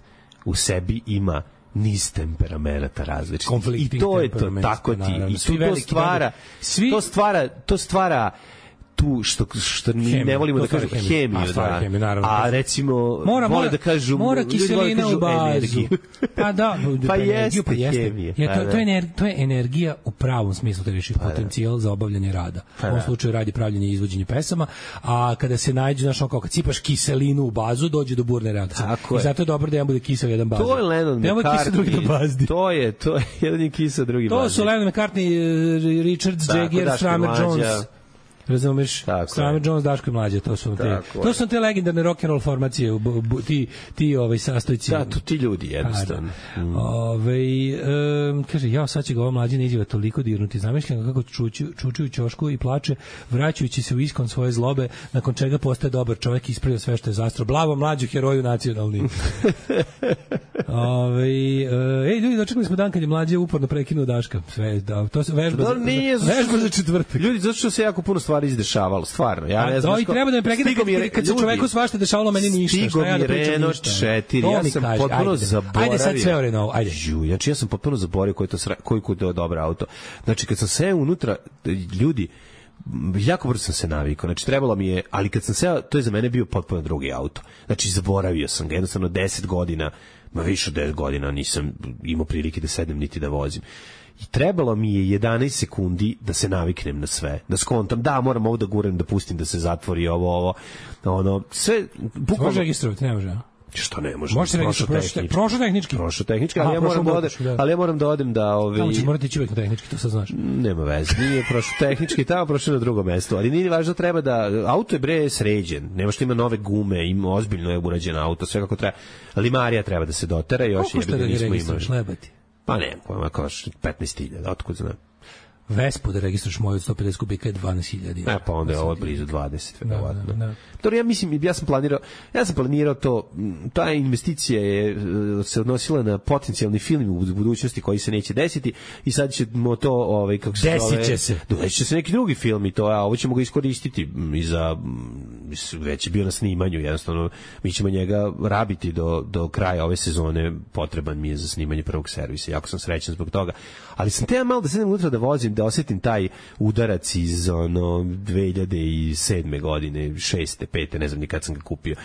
u sebi ima niz temperamenata različitih. I Konfliktnih to je to temperamenta, tako ti naravno. i Svi tu to veliki stvara bendovi. Svi- to stvara to stvara tu što što mi Hemiju, ne volimo to da stvara kažemo hemiju. hemiju, A, stvara da. hemiju, naravno. A recimo Mora, vole mora, da kažu mora ljudi vole da kiselina kažu u bazu. energiju. Pa da, Pa energiju, jeste pa jeste. hemija, Je, pa to, da. to, je ener, to je energija u pravom smislu te reči, potencijal za obavljanje rada. Pa u ovom da. slučaju radi pravljenje i izvođenje pesama, a kada se nađe, znaš, ono kao kad cipaš kiselinu u bazu, dođe do burne reakcije. Tako I je. zato je dobro da jedan bude kisel, jedan bazdi. To je Lennon Da jedan bude kisel, drugi da bazdi. McCartney. To je, to je jedan je kisa, drugi To bazdi. su Lennon McCartney, eh, Richards, Tako, Jagger, Daško i Stramer Mlađa. Jones. Razumeš? Tako Stramer je. Jones, Daško i Mlađa, to su te, Tako to je. su te legendarne rock and roll formacije, bu, bu, ti ti ovaj sastojci. Da, to ti ljudi jednostavno. Mm. Ove, um, kaže, ja sad će ga ova mlađina izjava toliko dirnuti. Zamišljam ga kako čuči, čuči u ćošku i plače, vraćajući se u iskon svoje zlobe, nakon čega postaje dobar čovjek i ispravio sve što je zastro. Blavo mlađu heroju nacionalni. Ove, uh, ej, ljudi, dočekali smo dan kad je mlađe uporno prekinuo Daška. Sve, da, to se vežba, Da, za, nije, za, vežba za četvrtak. Ljudi, zato što se jako puno stvari izdešavalo, stvarno. Ja ne A, znam. da, i što- treba da me prekida Stigo kad, mi kad, je- kad se ljudi, čoveku svašta dešavalo, meni ništa. Stigo Šta ja mi da pričam Renault ništa? četiri, To ja mi sam kaži, potpuno ajde. zaboravio. Ajde sad sve o Renault, ajde. Ju, znači ja sam potpuno zaboravio koji je to sra, koji je to dobar auto. Znači kad sam seo unutra, ljudi, m, jako brzo sam se navikao. Znači trebalo mi je, ali kad sam seo, to je za mene bio potpuno drugi auto. Znači zaboravio sam ga, jednostavno deset godina, ma više od deset godina nisam imao prilike da sednem niti da vozim. I trebalo mi je jedanaest sekundi da se naviknem na sve, da skontam, da, moram ovo da gurem, da pustim da se zatvori ovo, ovo, ono, sve, Može bukvalno, registrovati, ne može. a? što ne može, Može se prošlo registrovati, tehnički. prošlo tehnički. Prošlo tehnički, Aha, ali ja prošlo moram da odem, moguće, da. ali ja moram da odem da, ovaj, Tamo će morati ići uvek na tehnički, to sad znaš. nema veze, nije prošlo tehnički, tamo prošlo na drugom mestu, ali nije važno, treba da, auto je bre sređen, nema što ima nove gume, ima ozbiljno je urađen auto, sve kako treba, limarija treba da se dotera, još Koliko šta je da ga ga nismo registruješ, imali. lebati? Pa ne, koja kao petnaest hiljada, otkud znam. Vespu da registruješ moju od sto pedeset kubika je dvanaest hiljada. E, pa onda je ovo blizu dvadeset, verovatno. da, da. Dobro, ja mislim, ja sam planirao, ja sam planirao to, m, ta investicija je e, se odnosila na potencijalni film u budućnosti koji se neće desiti i sad ćemo to, ovaj, kako se Desit zove, će se. Desit će se neki drugi film i to, a ovo ćemo ga iskoristiti m, i za, m, mislim, već je bio na snimanju, jednostavno mi ćemo njega rabiti do, do kraja ove sezone, potreban mi je za snimanje prvog servisa, jako sam srećan zbog toga, ali sam te malo da sedem unutra da vozim, da osetim taj udarac iz ono dve hiljade sedme godine, šeste, pete, ne znam ni kad sam ga kupio.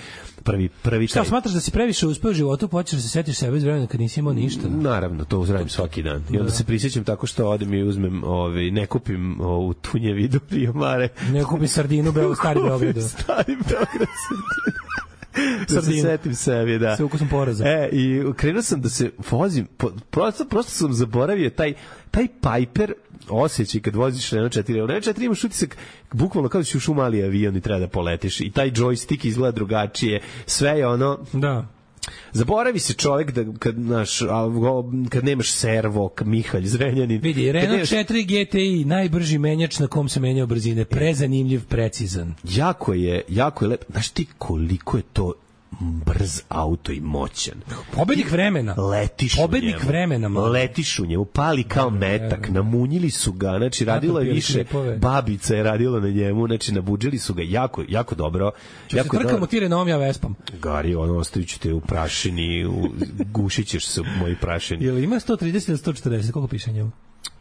Prvi, prvi Šta, taj... smatraš da si previše uspeo u životu, počeš da se setiš sebe iz vremena kad nisi imao ništa? Naravno, to uzradim svaki dan. I onda Da. se prisjećam tako što odem i uzmem, ovaj, ne kupim ovu tunjevi do Rio Mare. Ne kupim sardinu u Beo- Stari Beogradu. Stari Beograd sardinu. Da se Sardinu. setim sebi, da. Sa ukusom poraza. E, i krenuo sam da se vozim, po- prosto, prosto sam zaboravio taj, taj Piper osjećaj kad voziš Renault četiri. U Renault četiri imaš utisak bukvalno kao da si ušao u mali avion i treba da poletiš. I taj joystick izgleda drugačije. Sve je ono... Da. Zaboravi se čovjek da kad naš kad nemaš servo, Mihalj Zrenjanin. Vidi, Renault nemaš... četiri G T I, najbrži menjač na kom se menjao brzine, prezanimljiv, precizan. Jako je, jako je lep. Znaš ti koliko je to brz auto i moćan. Pobednik vremena. Letiš Pobednik u njemu. vremena, mali. Letiš u njemu, pali kao metak, namunjili su ga, znači radilo je pili više, klipove. babica je radila na njemu, znači nabuđili su ga jako, jako dobro. Ču se Jako trkamo ti Renault, ja Vespam. Gari, ono, ostavit ću te u prašini, u, gušit ćeš se u moji prašini. Jel ima sto trideset ili sto četrdeset, koliko piše njemu?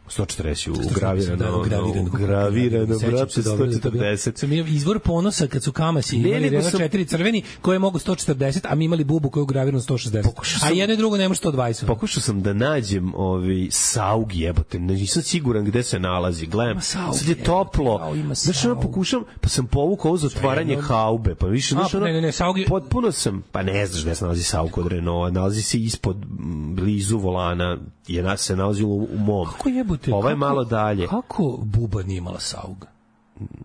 sto četrdeset Da, ugravirano, ugravirano, ugravirano, Sećam brate, se dobro, sto četrdeset. Sam imao izvor ponosa kad su Kamasi Ne, imali nego Renault sam- četiri crveni koji je mogo sto četrdeset, a mi imali bubu koju je ugravirano sto šezdeset. Pokušao A sam- jedno i drugo nema sto dvadeset. Pokušao sam da nađem ovaj Saug, jebote, nisam siguran gde se nalazi. Gledam, Saug, sad je jebote, toplo. kao ima Znaš, ono Saug. pokušam, pa sam povukao ovo za otvaranje haube, pa više, znaš, A, ono, ne, ne, ne, Saug je- potpuno sam, pa ne znaš gde se nalazi Saug kod Renaulta, nalazi se ispod, m, blizu volana, je na, se nalazilo u, u mom. Kako jebote? Ovo je kako- malo dalje. Kako Buba nije imala Saug?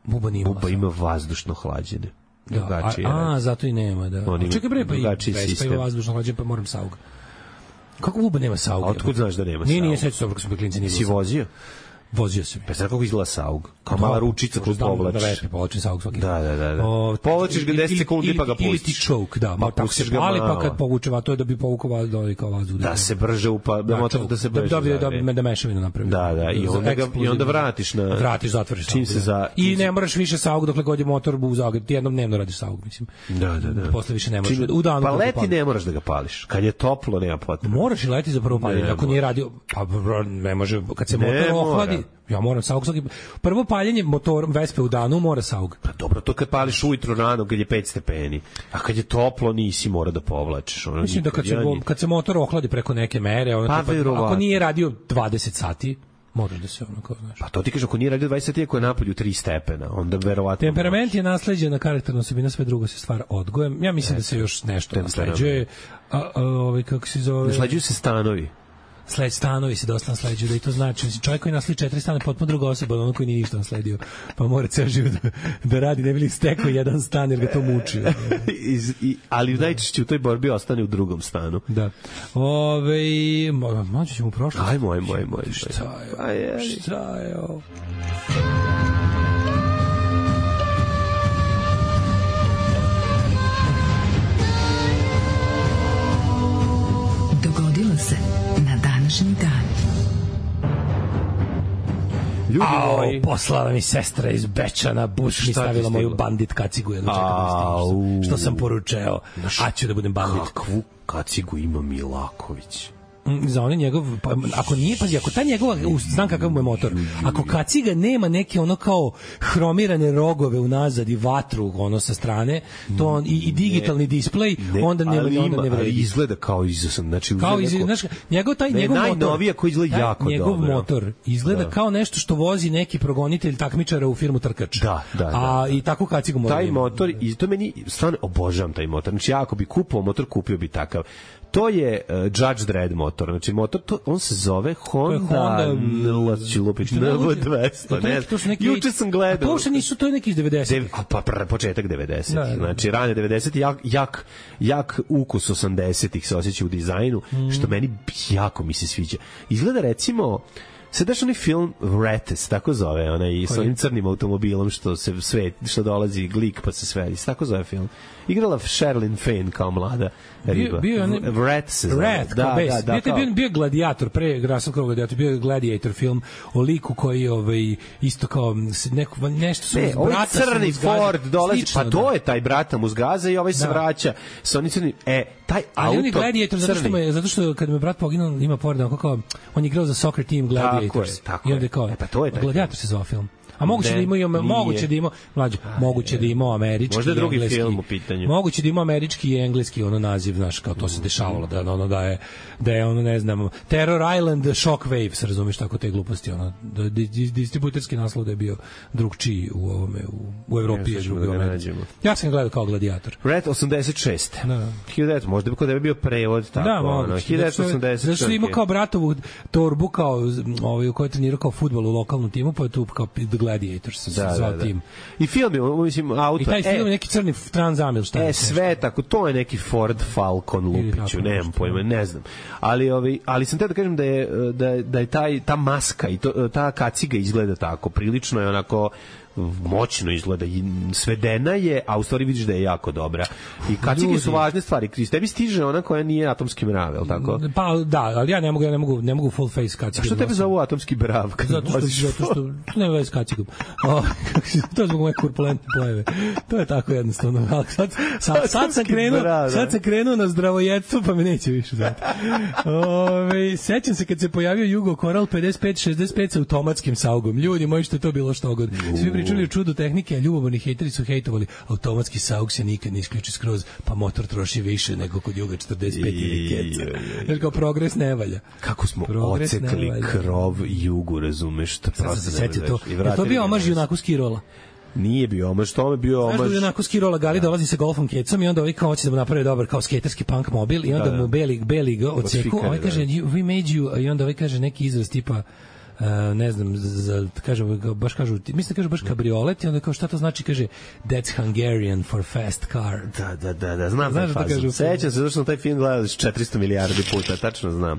Buba nije imala Buba Saug. ima vazdušno hlađene. Da, Drugačije. a, a, zato i nema, da. On ima A čekaj bre, pa i drugačiji Vespa sistem. ima vazdušno hlađenje, pa moram Saug. Kako Buba nema Saug? A otkud znaš da nema Nije, nije, Saug? sećam se dobro kad smo bili klinci, nije Si bilo Saug. vozio? Vozio sam. Pa znaš kako izgleda Saug? Kao mala ručica koju Znam Da povlačiš. Vespi povlačim Saug svaki. Da, da, da, da. O, Povlačiš ga deset ili- sekundi ili- pa ga Ili ti pustiš. choke, da, Pa ma tako pustiš se ga pali, pa malo. kad povuče, a to je da bi povukao vazduh, kao vazduh. Da se brže upa, da motor da se da, brže da, da, da, zavije. da, da mešavinu napravi. Da, da, i Za onda ga- i eksplozivno. onda vratiš na- Vratiš, zatvoriš čim Saug, se da. za- I ne moraš više Saug dokle god je motor u Zagrebu. Ti jednom dnevno radiš Saug, mislim. Da, da, da. Posle više ne možeš. Čim- U danu pa kad te leti pali. ne moraš da ga pališ. Kad je toplo, nema potrebe. Moraš i leti za prvo paljenje. Ne Ako nije radio, pa bro, ne može, kad se Ne motor mora. ohladi, ja moram Saug svaki. Prvo paljenje motorom Vespe u danu mora Saug. Pa dobro, to kad pališ ujutro rano kad je pet stepeni. A kad je toplo nisi mora da povlačiš. Ono, Mislim da kad se, ja ni- kad se motor ohladi preko neke mere, ono, Pa, tipa, verovatno. ako nije radio dvadeset sati, moraš da se ono kao, znaš. Pa to ti kaže, ako nije radio dvadeset sati, ako je napolju tri stepena, onda verovatno... Temperament je nasleđena karakterna osobina, sve drugo se stvara odgojem. Ja mislim da se još nešto temperament. nasleđuje. A, a, ovaj, kako se zove? Nasleđuju se stanovi. Sled stanovi se dosta nasleđuju, da i to znači. Mislim, čovjek koji nasledi četiri stana je potpuno druga osoba od onog koji nije ništa nasledio. Pa mora ceo život da, da radi, ne bi li stekao jedan stan jer ga to muči. Iz, i, ali najčešće u toj borbi ostane u drugom stanu. Da. Ove, mo- moći ćemo u prošlost. Ajmo, ajmo, ajmo. ajmo. Šta je? Pa je. Šta je ovo? Dogodilo se na današnji dan. Ljudi Au, moji. poslala mi sestra iz Bečana, buš mi Šta ti stavila moju stiglo? bandit kacigu, jedno čekam da Au. stigne. Što sam poručeo, a ću da budem bandit. Kakvu kacigu ima Milaković? Mm, za one njegov, pa, ako nije, pazi, ako ta njegova, u, znam kakav mu je motor, ako kaciga nema neke ono kao hromirane rogove unazad i vatru ono sa strane, to on, i, i digitalni displej, onda nema, ali onda ima, ne ali vredi. izgleda kao izosam. Znači, Kao uzeo iz, neko- znaš, njegov taj Ne, njegov motor, najnovija koji izgleda taj jako njegov dobro. motor izgleda Da. kao nešto što vozi neki progonitelj takmičara u firmu Trkač. Da, da, da, A da. i tako kacigu mora. Taj da ima. motor, i to meni stvarno obožavam taj motor. Znači, ja ako bi kupao motor, kupio bi takav. To je uh, Judge Dredd motor. Znači, motor, to, on se zove Honda, Honda, Honda Lupić, što ne N V luđe? dvesta. To je Ne, neki- to su neki- juče sam A gledao. to uopšte nisu, to je neki iz devedesetih. Dev- a pa pr, početak devedesetih. Da, da, da. Znači, rane devedesetih, jak, jak, jak ukus osamdesetih se osjeća u dizajnu, Mm. što meni jako mi se sviđa. Izgleda, recimo, Se daš onaj film Wrettes, tako zove, onaj s onim crnim automobilom što se sve, što dolazi glik pa se svedi, tako zove film. Igrala Sherilyn Fenn kao mlada riba. Bio, bio Wrath se zove. Wrath, da, da, da, bio, bio, bio Gladiator, pre Russell Crowe Gladiator, bio Gladiator film o liku koji ovaj, isto kao neko, nešto su ne, ovaj crni Ford dolazi, slično, pa to da. je taj brata mu zgaza i ovaj se da. vraća sa onim crnim, e, taj ali auto on je Gladiator zato što, me, zato što kad me brat poginuo ima Ford, onako kao, on je igrao za soccer team Gladiators. Tako je, tako i onda kao, e, pa to je taj Gladiator se zvao film. A moguće da ima moguće da ima mlađe, moguće da ima američki, možda drugi engleski, film u pitanju. Moguće da ima američki i engleski ono naziv, znaš, kao to se dešavalo da ono da je da je ono ne znam Terror Island Shockwave, se razumeš tako te gluposti, ono da distributerski naslov da je bio drugčiji u ovome u u Evropi je drugi da ja sam gledao kao Gladiator. Red osamdeset šest. Da. hiljadu možda bi kod tebe bio prevod tako da, ono hiljadu osamdeset šest. Zašto ima kao bratovu torbu kao ovaj u kojoj trenirao kao fudbal u lokalnom timu, pa je tu kao The Gladiators se da, zvao da, da. tim. I film je, mislim, auto. I taj film e, je neki crni Transamil, šta je? E, sve tako, to je neki Ford Falcon Lupiću, nemam pojma, ne znam. Ali, ovaj, ali sam te da kažem da je, da, da je taj, ta maska i to, ta kaciga izgleda tako, prilično je onako moćno izgleda i svedena je, a u stvari vidiš da je jako dobra. I kacige su važne stvari. Kris, tebi stiže ona koja nije atomski mrav, je li tako? Pa da, ali ja ne mogu, ja ne mogu, ne mogu full face kacige. A što tebe zovu atomski mrav? Zato što, zato što nema veze s kacigom. O, to je zbog moje kurpulentne pojave. To je tako jednostavno. Ali sad, sad, sad, sam krenuo, sad sam krenuo na zdravojedstvo, pa me neće više znati. Ove, sećam se kad se pojavio Jugo Coral pedeset pet šezdeset pet sa automatskim saugom. Ljudi moji, što je to bilo što god. Svi pričali o čudu tehnike, a ljubomorni hejteri su hejtovali automatski saug se nikad ne isključi skroz, pa motor troši više nego kod Juga četrdeset pet ili keca. Jer kao progres ne valja. Kako smo progres ocekli krov Jugu, razumeš? To prosto se to. Je to bio omaž junaku Skirola? Nije bio omaž, to je bio omaž. Znaš da junaku Skirola Gali dolazi sa golfom kecom i onda ovaj kao hoće da mu napravi dobar kao skaterski punk mobil i onda da, da. mu beli, beli ga odseku, ovaj kaže we made you, i onda ovaj kaže neki izraz tipa Uh, ne znam, za, kažem, baš kažu, mislim da kažu baš kabriolet i onda kao šta to znači, kaže that's Hungarian for fast car. Da, da, da, da znam taj fazon. Sećam se, zato što sam taj film gledao četiristo milijardi puta, tačno znam.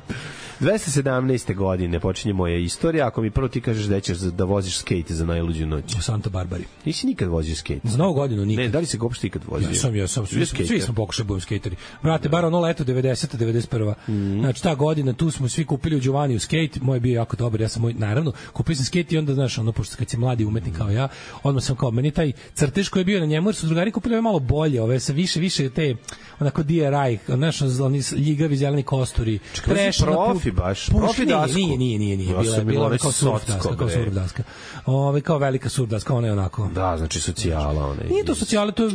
dvesta sedamnaeste. godine počinje moja istorija, ako mi prvo ti kažeš da ćeš da voziš skate za najluđu noć. U Santa Barbari. Nisi nikad vozio skate? Za novu godinu nikad. Ne, da li se uopšte ikad vozio? Ja sam, ja sam, svi, svi smo pokušali budem skateri. Brate, bar ono leto devedeseta devedeset prva. Mm. Znači, ta godina, tu smo svi kupili u Giovanni skate, moj je bio jako dobar, ja sam moj, naravno, kupio sam skate i onda, znaš, ono, pošto kad si mladi umetnik kao ja, odmah sam kao, meni taj crtež koji je bio na njemu, jer su drugari kupili ove malo bolje, ove sa više, više te, onako D R I, znaš, oni ljigavi zeleni kosturi. Čekaj, profi baš, profi dasku. Nije, nije, nije, nije, bila je bila kao surf daska, kao surf daska. Ove, kao velika surf daska, ona je onako. Da, znači socijala, ona je. Nije to socijala, to je,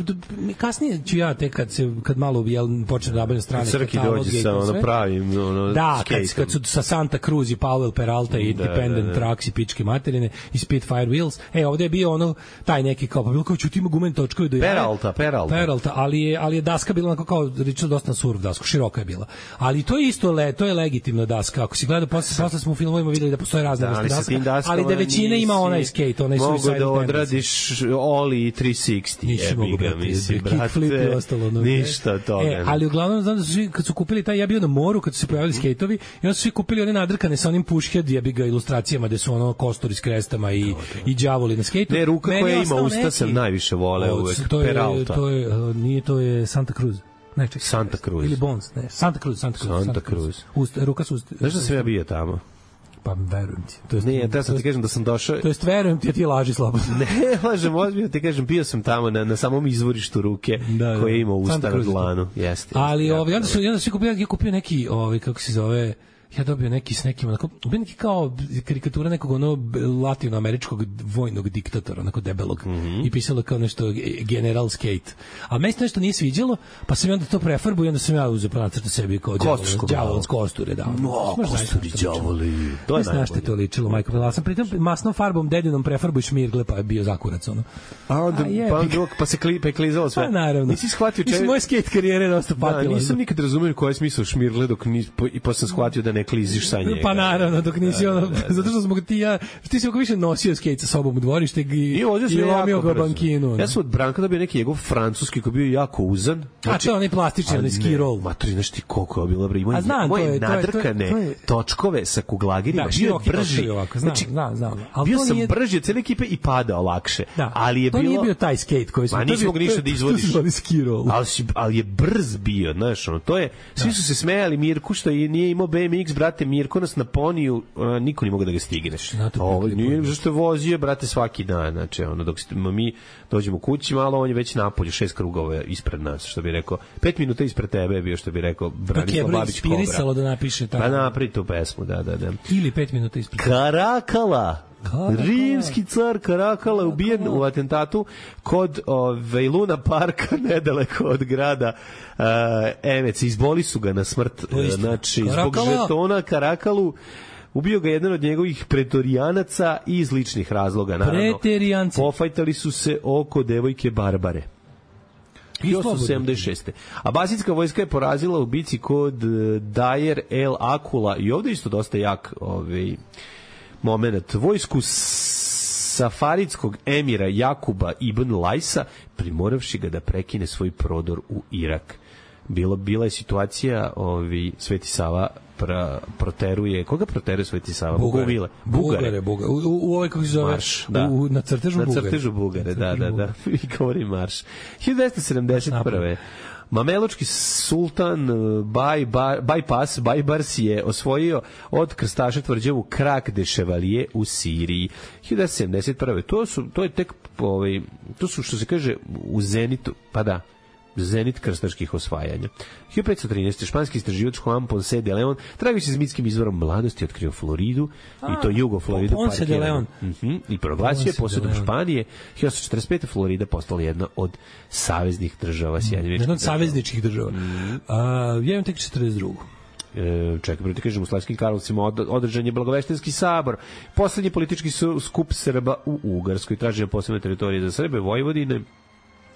kasnije ću ja te kad se, kad malo jel, počne da nabavljam strane Crki dođe sa ono pravim, ono, da, kad, kad su sa Santa Cruz i Powell Peralta i Dependent Trucks i pičke materine i Spitfire Wheels, e, ovde je bio ono, taj neki kao, pa bilo kao ću ti ima gumen točkovi do jaja. Peralta, Peralta. Peralta, ali je, ali je daska bila onako kao, rično dosta surf daska, široka je bila. Ali to je isto, le, to je legitimna daska. Ako si gledao, posle, posle smo u filmovima videli da postoje razne vrste daska, daska, ali da većina ima onaj skate, onaj suicide mogu da odradiš Oli tri šezdeset. Nisi mogu, brate, mislim, kickflip i ostalo. No, ništa od toga. E, ali uglavnom, znam da su svi, kad su kupili taj, ja bio na moru, kad su se pojavili skejtovi, i onda su svi kupili one nadrkane sa onim pushhead, ja bi ga ilustracijama, gde su ono kostori s krestama i, i đavoli na skejtu. Ne, ruka meni koja ima usta neki, sam najviše vole uvek, to je, Peralta. To je, uh, nije, to je Santa Cruz. Ne, čekaj, Santa Cruz. Ili Bones, ne, Santa Cruz, Santa Cruz. Santa, Santa Cruz. Cruz. Usta, ruka su usta. Znaš da sam ja bio tamo? Pa verujem ti. To jest, ne, ja sam ti kažem da sam došao... To jest verujem ti, a ti laži slabo. Ne, lažem, ozbiljno ti kažem, bio sam tamo na, na samom izvorištu ruke da, da. koje ima usta na dlanu. Jeste. Ali ovaj, onda su, onda su kupio, ja kupio neki, ovaj, kako se zove... Ja dobio neki s nekim, onako, bio neki kao karikatura nekog ono latinoameričkog vojnog diktatora, onako debelog, mm -hmm. i pisalo kao nešto General Skate. A meni se nešto nije sviđalo, pa sam onda to prefarbu i onda sam ja uzeo pa nacrtao sebi kao đavol s kosture. Da. No, kosturi đavoli. To je najbolje. Znaš što je to ličilo, majko. Ja sam pritom masnom farbom dedinom prefarbu i šmirgle, pa je bio zakurac, ono. A onda, A pa, onda, pa se kli, pa je klizalo sve. Pa naravno. Nisi shvatio čemu... Mislim, moje skate karijere je dosta patila. Da, nisam nikad razumio koji je smisao šmirgle, dok nis, po, i posle sam shvatio da ne kliziš sa njega. Pa naravno, dok nisi Da, ono, da, da. zato što smo ga ti ja, ti si oko više nosio skejt sa sobom u dvorište i, I, ovdje i sam lomio jako ga brzo. bankinu. Ja sam od Branka dobio neki njegov francuski koji je bio jako uzan. A to je onaj plastični, onaj ski roll. Matori, znaš ti koliko je bilo, bre, ima A znam, to je- to je- to je- nadrkane to je- točkove sa kuglagirima, Da, bio je široki brži. točkovi ovako, znam, znam, znam. Ali bio to sam nije- brži od cele ekipe i padao lakše. Da, ali je to bilo... nije bio taj skejt koji smo... Ma to je nisi bio- mogu ništa to da je- izvodiš. To se zvali ski roll. Ali, si, ali je brz bio, znaš, ono, to je, svi su se smejali Mirku što i nije imao B M X, brate, Mirko nas na poniju, a, niko nije mogao da ga stigneš. Znate, Ovo, pekli nije, ponij. zašto je vozio, brate, svaki dan, znači, ono, dok smo mi dođemo kući malo, on je već napolju, šest krugova ispred nas, što bi rekao, pet minuta ispred tebe je bio, što bi rekao, Dok je Branislav bro Babić Kobra. inspirisalo da napiše Pa tako. napri tu pesmu, da, da, da. Ili pet minuta ispred. Karakala. Karakala. Rimski car Karakala ubijen u atentatu kod ove, Luna Parka nedaleko od grada uh, Emec. Izboli su ga na smrt. To je uh, istina. Znači, zbog Karakala. žetona Karakalu ubio ga jedan od njegovih pretorijanaca iz ličnih razloga. Naravno, Preterijanci. pofajtali su se oko devojke Barbare. I slobodno. sedamdeset šeste. Abasitska vojska je porazila u bici kod uh, Dajer el Akula i ovde isto dosta jak ovaj moment. Vojsku safaridskog emira Jakuba ibn Lajsa primoravši ga da prekine svoj prodor u Irak. Bilo, bila je situacija, ovi, Sveti Sava pra, proteruje, koga proteruje Sveti Sava? Bugare. Bugare. Bugare, Bugare. U, u, u ovoj, kako se zove? Marš, da. U, na crtežu Na Bugare. crtežu Bugare, da, da, da. I govori marš. hiljadu dvesta sedamdeset prve. Mamelučki sultan Baj, Baj, Bajpas, Bajbars je osvojio od krstaša tvrđavu Krak de Chevalier u Siriji. hiljadu dvesta sedamdeset prve. To su, to je tek, ovaj, to su, što se kaže, u zenitu, pa da, zenit krstaških osvajanja. hiljadu petsto trinaeste. španski istraživač Juan Ponce de Leon tragajući s mitskim izvorom mladosti otkrio Floridu, i to jugo Floridu, Ponce de Leon. Mhm, i proglasio je Ponce de posjedom Leon. Španije. hiljadu osamsto četrdeset pete. Florida postala jedna od saveznih država Sjedinjenih Jedna od država. savezničkih država. A, ja imam tek četrdeset drugu. E, čekaj, prvo ti kažem, u Slavskim Karlovcima od, održan je Blagoveštenski sabor, poslednji politički su, skup Srba u Ugarskoj, traženje posebne teritorije za Srbe, Vojvodine.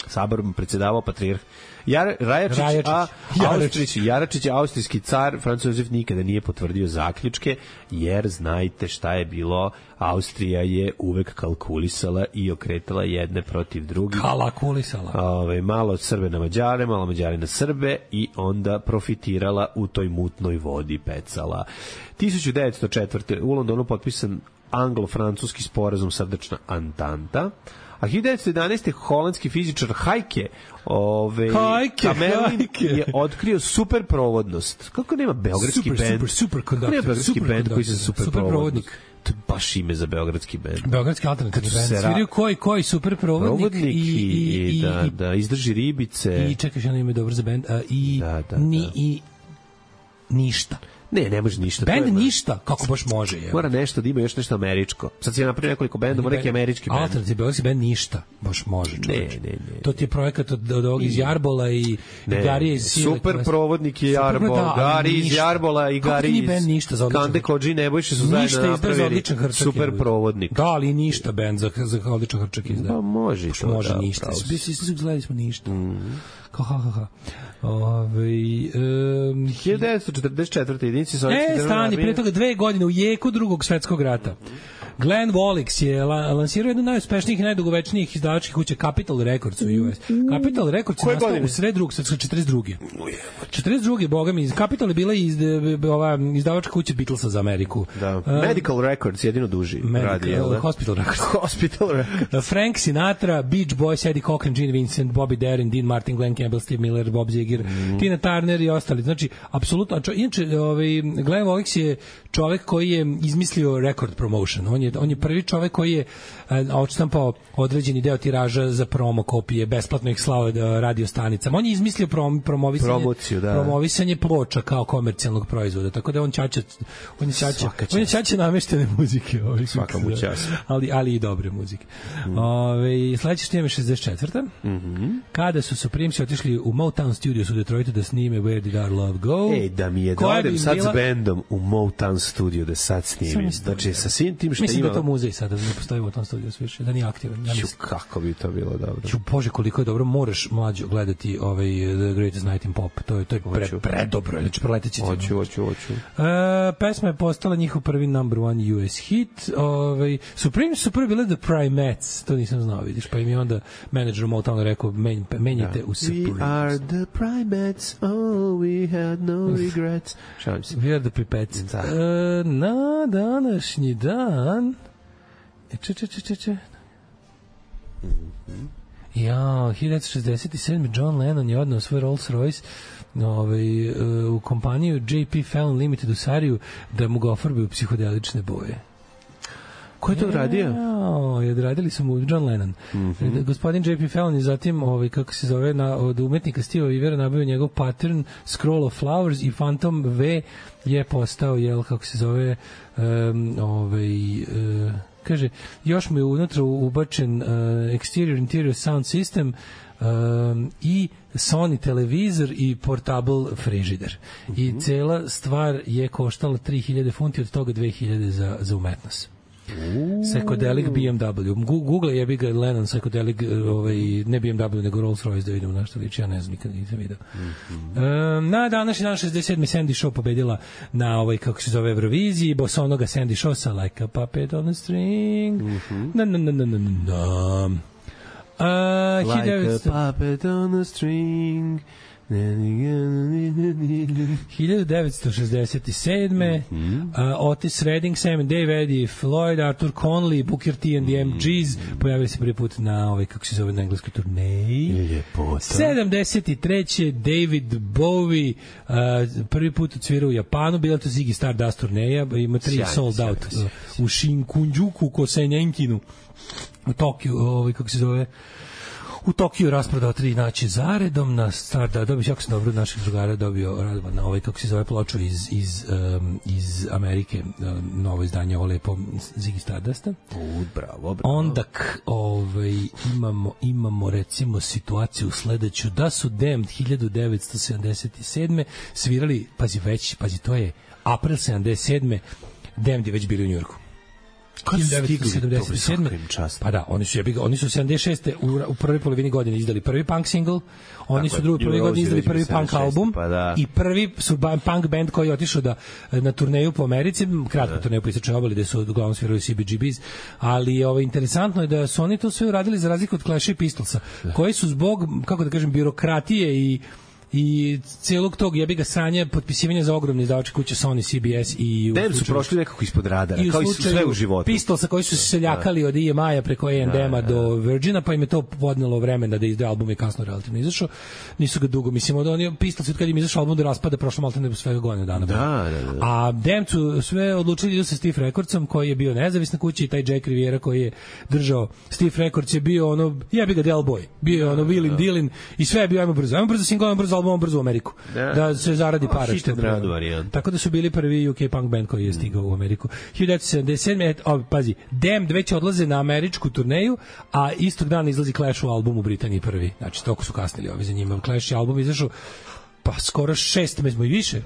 Saborom predsjedavao patrijarh Jar, Rajačić, Rajačić. a Jaračić. Austrić, Jaračić, austrijski car Franz Josef nikada nije potvrdio zaključke, jer znajte šta je bilo, Austrija je uvek kalkulisala i okretala jedne protiv drugih. Kalakulisala. Ove, malo Srbe na Mađare, malo Mađare na Srbe i onda profitirala u toj mutnoj vodi pecala. hiljadu devetsto četvrte. u Londonu potpisan anglo-francuski sporazum Srdačna Antanta. A hiljadu devetsto jedanaeste. holandski fizičar Heike ove, Heike, Kamerlin Heike. je otkrio superprovodnost. Kako nema beogradski Super, bend? super, super Kako nema conductor, beogradski super bend koji se conductor, superprovodnik? superprovodnik. To je baš ime za beogradski bend. Beogradski alternativni Kad su band. se ra- Sviraju koji, koji super provodnik, Provodnik i, i, i, da, i, da izdrži ribice. i čekaj, što ime dobro za band, a, i, Da, da, ni, da. i ništa. Ne, ne može ništa. to je Band baš- ništa, kako baš može, je. Mora nešto da ima još nešto američko. Sad si ja napravio nekoliko bendova, neki američki bend. Alternativni beogradski band ništa, baš može, čoveče. Ne, ne, ne. To ti je projekat od, od ovog iz Jarbola i, i Ne, Garije iz Sile. super provodnik je Super, Jarbol, da, ali Gari iz ništa. Jarbola i Kako ti Gari nije iz band ništa za odličan Kande hrčak? Kodži i Nebojša su zajedno Ništa izdaje za napravili odličan hrčak. super je. provodnik. Da, ali ništa band za, za odličan hrčak izdaje. Pa može i to, Može da, ništa. pravo si. Svi svi su gledali smo ništa. Kao ha ha ha. Ovaj um, hiljadu devetsto četrdeset četvrte. jedinici sovjetske E, državne stani, armije. pre toga dve godine u jeku drugog svetskog rata. Glenn Wallix je la, lansirao jednu od najuspešnijih i najdugovečnijih izdavačkih kuća Capitol Records u U S. Capitol Records je Koje nastao godine? u sred drugog svetskog četrdeset druge. četrdeset druge, boga mi, Capitol je bila iz, ova izdavačka kuća Beatlesa za Ameriku. Da. Uh, Medical Records jedino duži Medical, radi, jel da? Hospital Records. Hospital Records. Frank Sinatra, Beach Boys, Eddie Cochran, Gene Vincent, Bobby Darin, Dean Martin, Glenn Campbell, Steve Miller, Bob Ziger, mm. Tina Turner i ostali. Znači, apsolutno, čo, inače, ovaj, Glenn Wallix je čovek koji je izmislio record promotion. On je, on je prvi čovek koji je odštampao određeni deo tiraža za promo kopije, besplatno ih slao radio stanicama. On je izmislio prom, promovisanje, Promociju, da. promovisanje ploča kao komercijalnog proizvoda. Tako da on ćaća, on je ćaća, on je ćaća nameštene muzike. Ovaj, Svaka mu čast. ali, ali i dobre muzike. Mm. Ove, sledeće što je šezdeset četvrta. Mm-hmm. Kada su Supremesi otišli u Motown Studios u Detroitu da snime Where Did Our Love Go. Ej, da mi je da Koja odem bi sad bila- s bendom u Motown studio da sad snimim. Sam isto, Znači, da. sa svim tim Mislim, mislim da je to ima- muzej sada, da ne postoji u tom studiju više, da nije aktivan. Ja Ću, mislim. kako bi to bilo dobro. Ću, Bože, koliko je dobro, moraš mlađo gledati ovaj The Greatest Night in Pop. To je to je pre, Hoću. predobro, znači preleteći. Hoću, hoću, hoću. E, pesma je postala njihov prvi number one U S hit. Ovaj Supreme su prvi bili The Primates, to nisam znao, vidiš, pa im je onda menadžer Motowna rekao menj, menjajte u Supreme. We are the primates, oh, we had no regrets. Šalim se. We are the Primates. Da. E, na današnji dan e, če, če, če, če, če. Ja, hiljadu devetsto šezdeset sedme. John Lennon je odneo svoj Rolls Royce ovaj, u kompaniju J P Fallon Limited u Sariju da mu ga ofarbe u psihodelične boje. Ko je to uradio? Ja, odradili su mu John Lennon. Mm -hmm. Gospodin J P Fallon je zatim, ovaj, kako se zove, na, od umetnika Steve Ivera nabavio njegov pattern Scroll of Flowers i Phantom V je postao, jel, kako se zove, um, ovaj... Uh, kaže, još mu je unutra ubačen uh, exterior interior sound system um, i Sony televizor i portable frižider. Mm -hmm. I cela stvar je koštala tri hiljade funti, od toga dve hiljade za, za umetnost. Psychedelic B M W. Google je bi ga Lennon Psychedelic, ovaj, ne B M W, nego Rolls Royce, da vidimo na što liči, ja ne znam, nikad nisam vidio. Mm -hmm. um, na današnji dan šezdeset sedme. Sandy Shaw pobedila na ovaj, kako se zove, Euroviziji, bosonoga Sandy Shaw sa Like a Puppet on a String. Mm -hmm. Na, na, na, na, na, na. Uh, Like hiljadu a puppet on a string. hiljadu devetsto šezdeset sedme. Mm-hmm. uh, Otis Redding, Sam and Dave, Eddie Floyd, Arthur Conley, Booker T and the M Gs pojavili se prvi put na ovaj, kako se zove, na engleskoj turneji. Ljepota. sedamdeset treće. David Bowie uh, prvi put odsvirao u Japanu, bila to Ziggy Stardust turneja, ima tri Sjajno, sold sjajno, out sjajno. uh, u Shinkunjuku, Kosenjenkinu u Tokiju, ovaj, kako se zove, u Tokiju rasprodao tri noći zaredom na Stardust, dobio jako sam dobro od naših drugara, dobio Radovan na ovaj, kako se zove, ploču iz, iz, um, iz Amerike, um, novo izdanje, ovo lepo Ziggy Stardusta. U, bravo, bravo. Onda k, ovaj, imamo, imamo recimo situaciju sledeću, da su Damned hiljadu devetsto sedamdeset sedme svirali, pazi već, pazi, to je april sedamdeset sedme. Damned je već bili u Njujorku. Kad su stigli, sedamdeset sedme. to im čast. Pa da, oni su jebi ga, oni su sedamdeset šeste u, u prvoj polovini godine izdali prvi punk single, oni Tako su je, drugu prvoj New godini Rose izdali je već prvi bio punk sedamdeset šeste, album, pa da. i prvi su ba, punk band koji je otišao da na turneju po Americi, kratku da. turneju po istočnoj obali gde su uglavnom svirali C B G Bs, ali ovaj, interesantno je da su oni to sve uradili za razliku od Clash i Pistolsa, da. koji su zbog, kako da kažem, birokratije i i celog tog jebi ga sranja potpisivanja za ogromne izdavačke kuće Sony, C B S i Dem su prošli nekako ispod radara, i kao i sve u životu. Pistolsa koji su se seljakali od E M I-a preko A and M-a do Virgina, pa im je to podnelo vremena da izdaju album, je kasno relativno izašao. Nisu ga dugo, mislim, od oni Pistolsi kad im izašao album do raspada prošlo maltene do svega godina dana. Da, da, da. A Dem su sve odlučili idu sa Stiff Recordsom, koji je bio nezavisna kuća, i taj Jack Riviera koji je držao Stiff Records je bio ono, jebi ga Del Boy, bio je ono Willin' Dealin i sve je bio ajmo brzo, ajmo brzo single, ajmo brzo album, ajmo brzo u Ameriku. Da, da se zaradi para. Hit and run varijant. Tako da su bili prvi U K punk band koji je stigao u Ameriku. hiljadu devetsto sedamdeset sedme. O, pazi, Damned već odlaze na američku turneju, a istog dana izlazi Clash u album u Britaniji prvi. Znači, toliko su kasnili ovi za njima. Clash je album izašao pa skoro šest meseci i više.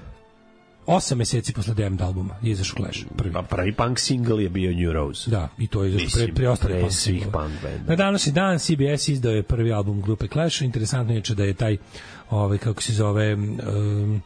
Osam meseci posle Damned albuma je izašao Clash. Prvi. Pa prvi punk single je bio New Rose. Da, i to je izašao pre, pre ostali punk svih single. punk benda. Na današnji dan C B S izdao je prvi album grupe Clash. Interesantno je da je taj, ovaj, kako se zove, um,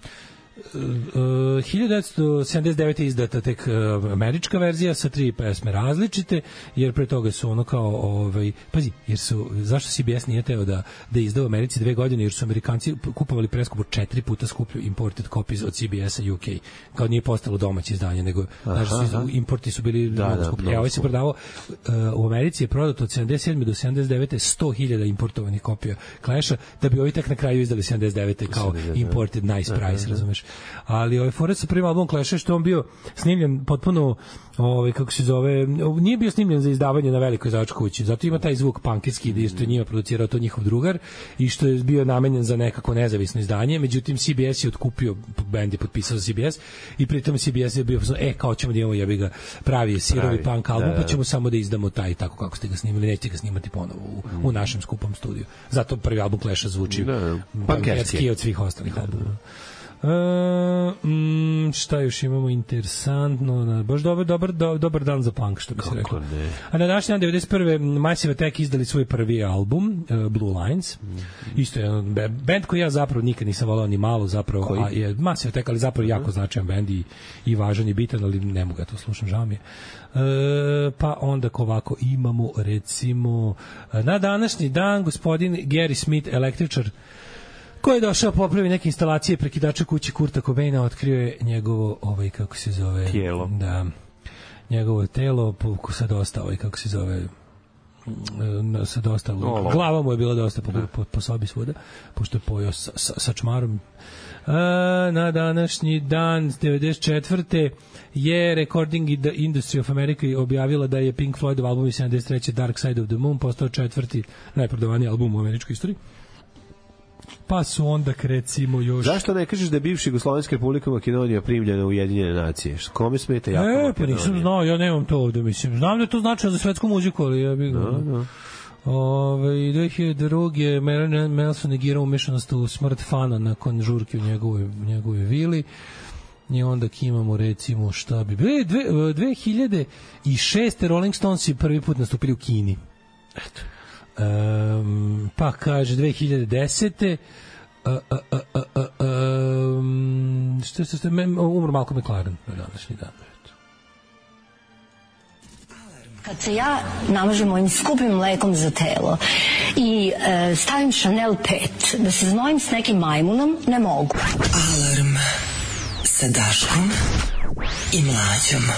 Uh, hiljadu devetsto sedamdeset devete izdata tek uh, američka verzija sa tri pesme različite, jer pre toga su ono kao ovaj, pazi, jer su, zašto C B S nije teo da, da izda u Americi dve godine, jer su Amerikanci kupovali preskupo četiri puta skuplju imported copies od C B S-a U K, kao nije postalo domaće izdanje, nego znači, su, importi su bili da, mnogo da, skuplji. mnogo E, ovaj se prodavao, uh, u Americi je prodato od sedamdeset sedme do sedamdeset devete sto hiljada importovanih kopija Clash-a, da bi ovi tek na kraju izdali sedamdeset devete kao imported nice price, razumeš? Ali ovaj fora sa prvim albumom Clash, što on bio snimljen potpuno, ovaj, kako se zove, nije bio snimljen za izdavanje na velikoj izdavačkoj kući, zato ima taj zvuk punkirski, da što je njima producirao to njihov drugar i što je bio namenjen za nekako nezavisno izdanje. Međutim C B S je otkupio, bend je potpisao za C B S i pritom C B S je bio e kao ćemo da imamo jebi ga pravi sirovi pravi, punk album, da, pa ćemo samo da izdamo taj tako kako ste ga snimili, nećete ga snimati ponovo u, mm. u našem skupom studiju. Zato prvi album Clash-a zvuči da, punkerski od svih ostalih albuma. Uh, mm, šta još imamo interesantno? Na, baš dobar, dobar, do, dobar dan za punk, što bi se rekao. Ne. A na današnji dan devedeset prve. Massive Attack izdali svoj prvi album, uh, Blue Lines. Mm-hmm. Isto je jedan band koji ja zapravo nikad nisam volao ni malo, zapravo, koji? A je Massive Attack, ali zapravo mm-hmm. jako značajan band i, i važan i bitan, ali ne mogu ja to slušam, žao mi je. E, pa onda ovako imamo recimo na današnji dan gospodin Gary Smith, električar, koji je došao popravi neke instalacije prekidača kući Kurta Cobaina, otkrio je njegovo, ovaj, kako se zove, tijelo. Da, njegovo telo, po, sa dosta, ovaj, kako se zove, sa dosta, oh, glava mu je bila dosta po, po, po sobi svuda, pošto je pojao sa, sa, sa čmarom. A, na današnji dan devedeset četvrte je Recording Industry of America objavila da je Pink Floydov album iz sedamdeset treće Dark Side of the Moon postao četvrti najprodavaniji album u američkoj istoriji. Pa su onda recimo još... Zašto ne kažeš da je bivša Jugoslovenska republika Makedonija primljena u Ujedinjene nacije? Kome smeta jako Makedonija? E, pa nisam znao, ja nemam to ovde, mislim. Znam da je to značilo za svetsku muziku, ali ja bih... No, no. Ove, dve hiljade druge. Marilyn Manson negirao umešanost u smrt fana nakon žurke u njegovoj, njegovoj vili. I onda imamo recimo šta bi bili dve, dve hiljade šeste. Rolling Stonesi prvi put nastupili u Kini. Eto. Um, pa kaže dve hiljade desete. Uh, uh, uh, uh, uh, um, što ste umro Malcolm McLaren na današnji dan. Kad se ja namažem mojim skupim mlekom za telo i e, stavim Chanel pet da se znojim s nekim majmunom, ne mogu. Alarm sa Daškom i Mlađom.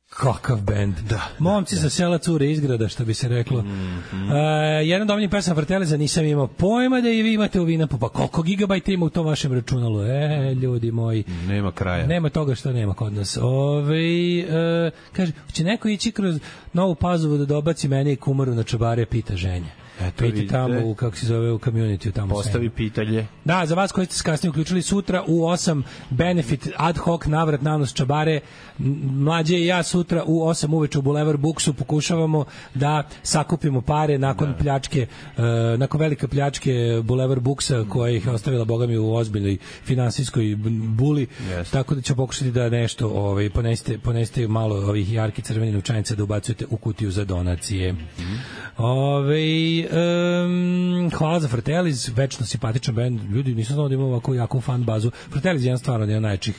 Kakav bend. Da, Momci da, sa sela cure izgrada, što bi se reklo. Mm-hmm. Uh, jedan dovoljni pesam Frateleza, nisam imao pojma da i vi imate u Vinapu. Pa koliko gigabajta ima u tom vašem računalu? E, ljudi moji. Nema kraja. Nema toga što nema kod nas. Ove, uh, kaže, će neko ići kroz Novu Pazovu da dobaci mene i kumaru na čabare, pita ženja. Eto, Piti tamo, u, kako se zove, u community tamo. Postavi pitanje. Da, za vas koji ste se kasnije uključili sutra u osam benefit ad hoc navrat nanos čabare. Mlađe i ja sutra u osam uveče u Boulevard Booksu pokušavamo da sakupimo pare nakon da. pljačke, uh, nakon velike pljačke Boulevard Booksa koja ih je ostavila bogami u ozbiljnoj finansijskoj buli. Yes. Tako da ćemo pokušati da nešto ovaj, ponesite, ponesite malo ovih jarki crveni novčanica da ubacujete u kutiju za donacije. Mm-hmm. Ove, um, hvala za Fratellis, večno simpatičan bend. Ljudi, nisam znao da ima ovako jaku fan bazu. Fratellis je jedan stvarno jedan najčih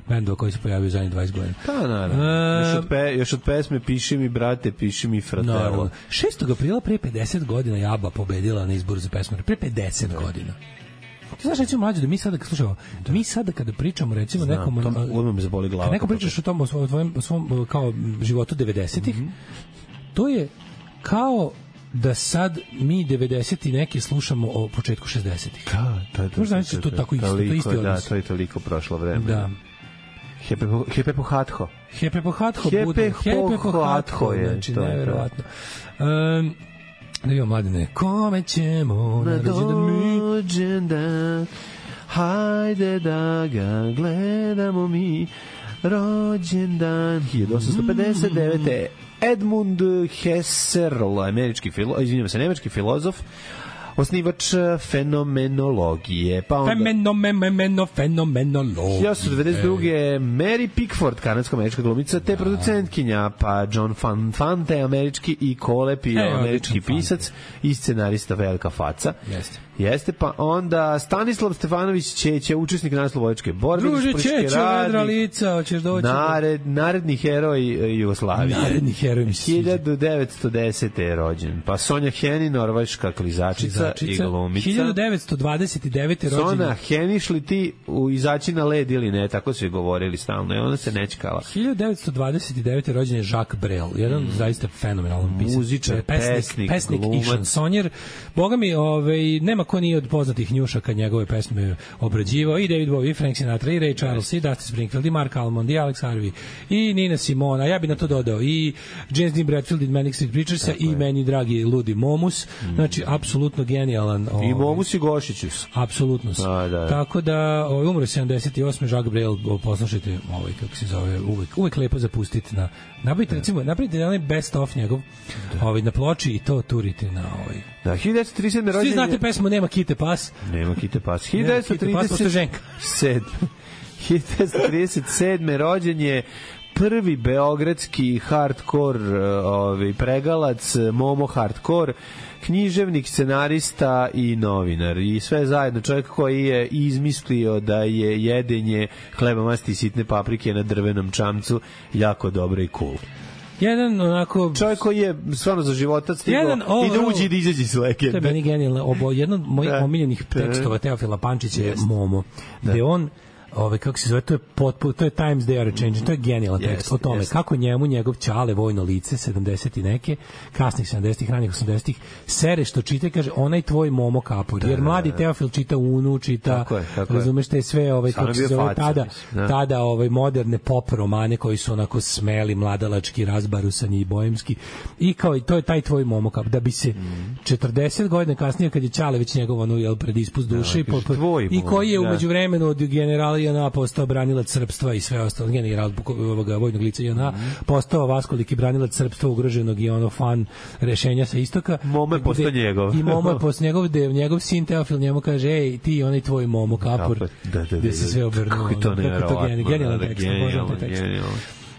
bendova koji se pojavio zadnjih dvadeset godina. Pa, naravno. Uh, još, od pe, još od pesme Piši mi, brate, piši mi, Fratello. šestog aprila pre pedeset godina Jaba pobedila na izboru za pesmu. Pre pedeset da. godina. Ti znaš, recimo, Mlađe, da mi sada, slušamo, da. mi sada kada pričamo, recimo, Znam, nekom... Znam, odmah me zaboli glava. Kad neko pričaš o tom, o svom, o svom kao životu devedesetih, mm-hmm. to je kao da sad mi devedeset i neke slušamo o početku šezdesetih. Da, to je to. Možda znači to tako isto, to isti odnos. Da, to je toliko prošlo vreme. Da. Hepe po, hepe po hatho. Hepe po hatho. Hepe, bude. hepe po hatho je. Znači, to nevjerovatno. Um, da imamo mladine. Kome ćemo na rođendan? Hajde da ga gledamo mi. Rođendan hiljadu osamsto pedeset devete. Edmund Husserl, američki filo, izvinjavam se, nemački filozof, osnivač fenomenologije. Pa onda Fenomeno, fenomenologije. hiljadu osamsto devedeset druge. Mary Pickford, kanadsko-američka glumica, te producentkinja, pa John Van Fante, američki i Kolep, i američki pisac i scenarista velika faca. Jeste. Jeste, pa onda Stanislav Stefanović Ćeća, učesnik narodnooslobodilačke borbe, Druže Ćeća, vedra lica, hoćeš doći. Nared, naredni heroj Jugoslavije. Naredni heroj hiljadu devetsto desete je rođen. Pa Sonja Heni, norveška klizačica i glumica. hiljadu devetsto dvadeset devete je rođen. Sonja Heni, šli ti u izaći na led ili ne, tako su je govorili stalno i ona se nečkala. hiljadu devetsto dvadeset devete je rođen je Jacques Brel, jedan mm. zaista fenomenalan pisac. Muzičar, pesnik, pesnik, pesnik i šansonjer. Boga mi, ovaj, nema ko nije od poznatih njušaka njegove pesme obrađivao, i David Bowie, i Frank Sinatra, i Ray Charles, i Dusty Springfield, i Mark Almond, i Alex Harvey, i Nina Simona, ja bi na to dodao i James Dean Bradfield i Manic Street Preachersa, i meni dragi Ludi Momus, mm. znači apsolutno genijalan. I mogu si Gošiću. Apsolutno si. Da, da. Tako da, ovaj, umro sedamdeset osme Jacques Brel, poslušajte, ovaj, kako se zove, uvek, uvek lepo zapustiti na, napravite, recimo, napravite onaj best of njegov, ovaj, na ploči i to turite na ovaj. Da, hiljadu devetsto trideset sedme rođenje. Svi znate pesmu Nema kite pas. Nema kite pas. hiljadu devetsto trideset sedme hiljadu devetsto trideset sedme rođen je prvi beogradski hardcore ovaj, pregalac Momo Hardcore, književnik, scenarista i novinar. I sve zajedno čovjek koji je izmislio da je jedenje hleba, masti i sitne paprike na drvenom čamcu jako dobro i cool. Jedan onako čovjek koji je stvarno za života stigao jedan, i da uđe i da izađe s legende. To je meni genijalno. Obo, jedan od mojih omiljenih tekstova Teofila Pančića je Momo, gde on ovaj kako se zove, to je potpuno, to je Times They Are Changing, to je genijalan tekst yes, o tome yes. kako njemu njegov ćale vojno lice sedamdeset i neke, kasnih sedamdesetih, ranih osamdesetih sere što čita i kaže onaj tvoj Momo Kapor, jer mladi Teofil čita Unu, čita, tako je, tako razumeš te sve ovaj kako se zove tada, da. tada ovaj moderne pop romane koji su onako smeli, mladalački, razbarusani i bojemski i kao i to je taj tvoj Momo Kapor, da bi se mm. četrdeset godina kasnije kad je ćale već njegov ono jel pred ispust duše da, i, po, i koji je umeđu vremenu od generala J N A postao branilac srpstva i sve ostalo, general ovoga vojnog lica J N A, postao vaskoliki branilac srpstva ugroženog i ono fan rešenja sa istoka. Momo je postao njegov. I Momo je postao njegov, gde njegov sin Teofil njemu kaže, ej, ti onaj tvoj Momo Kapor, da, da, da, gde se sve obrnuo. Kako je to nevjerovatno. Genijalan tekst, obožavam taj tekst.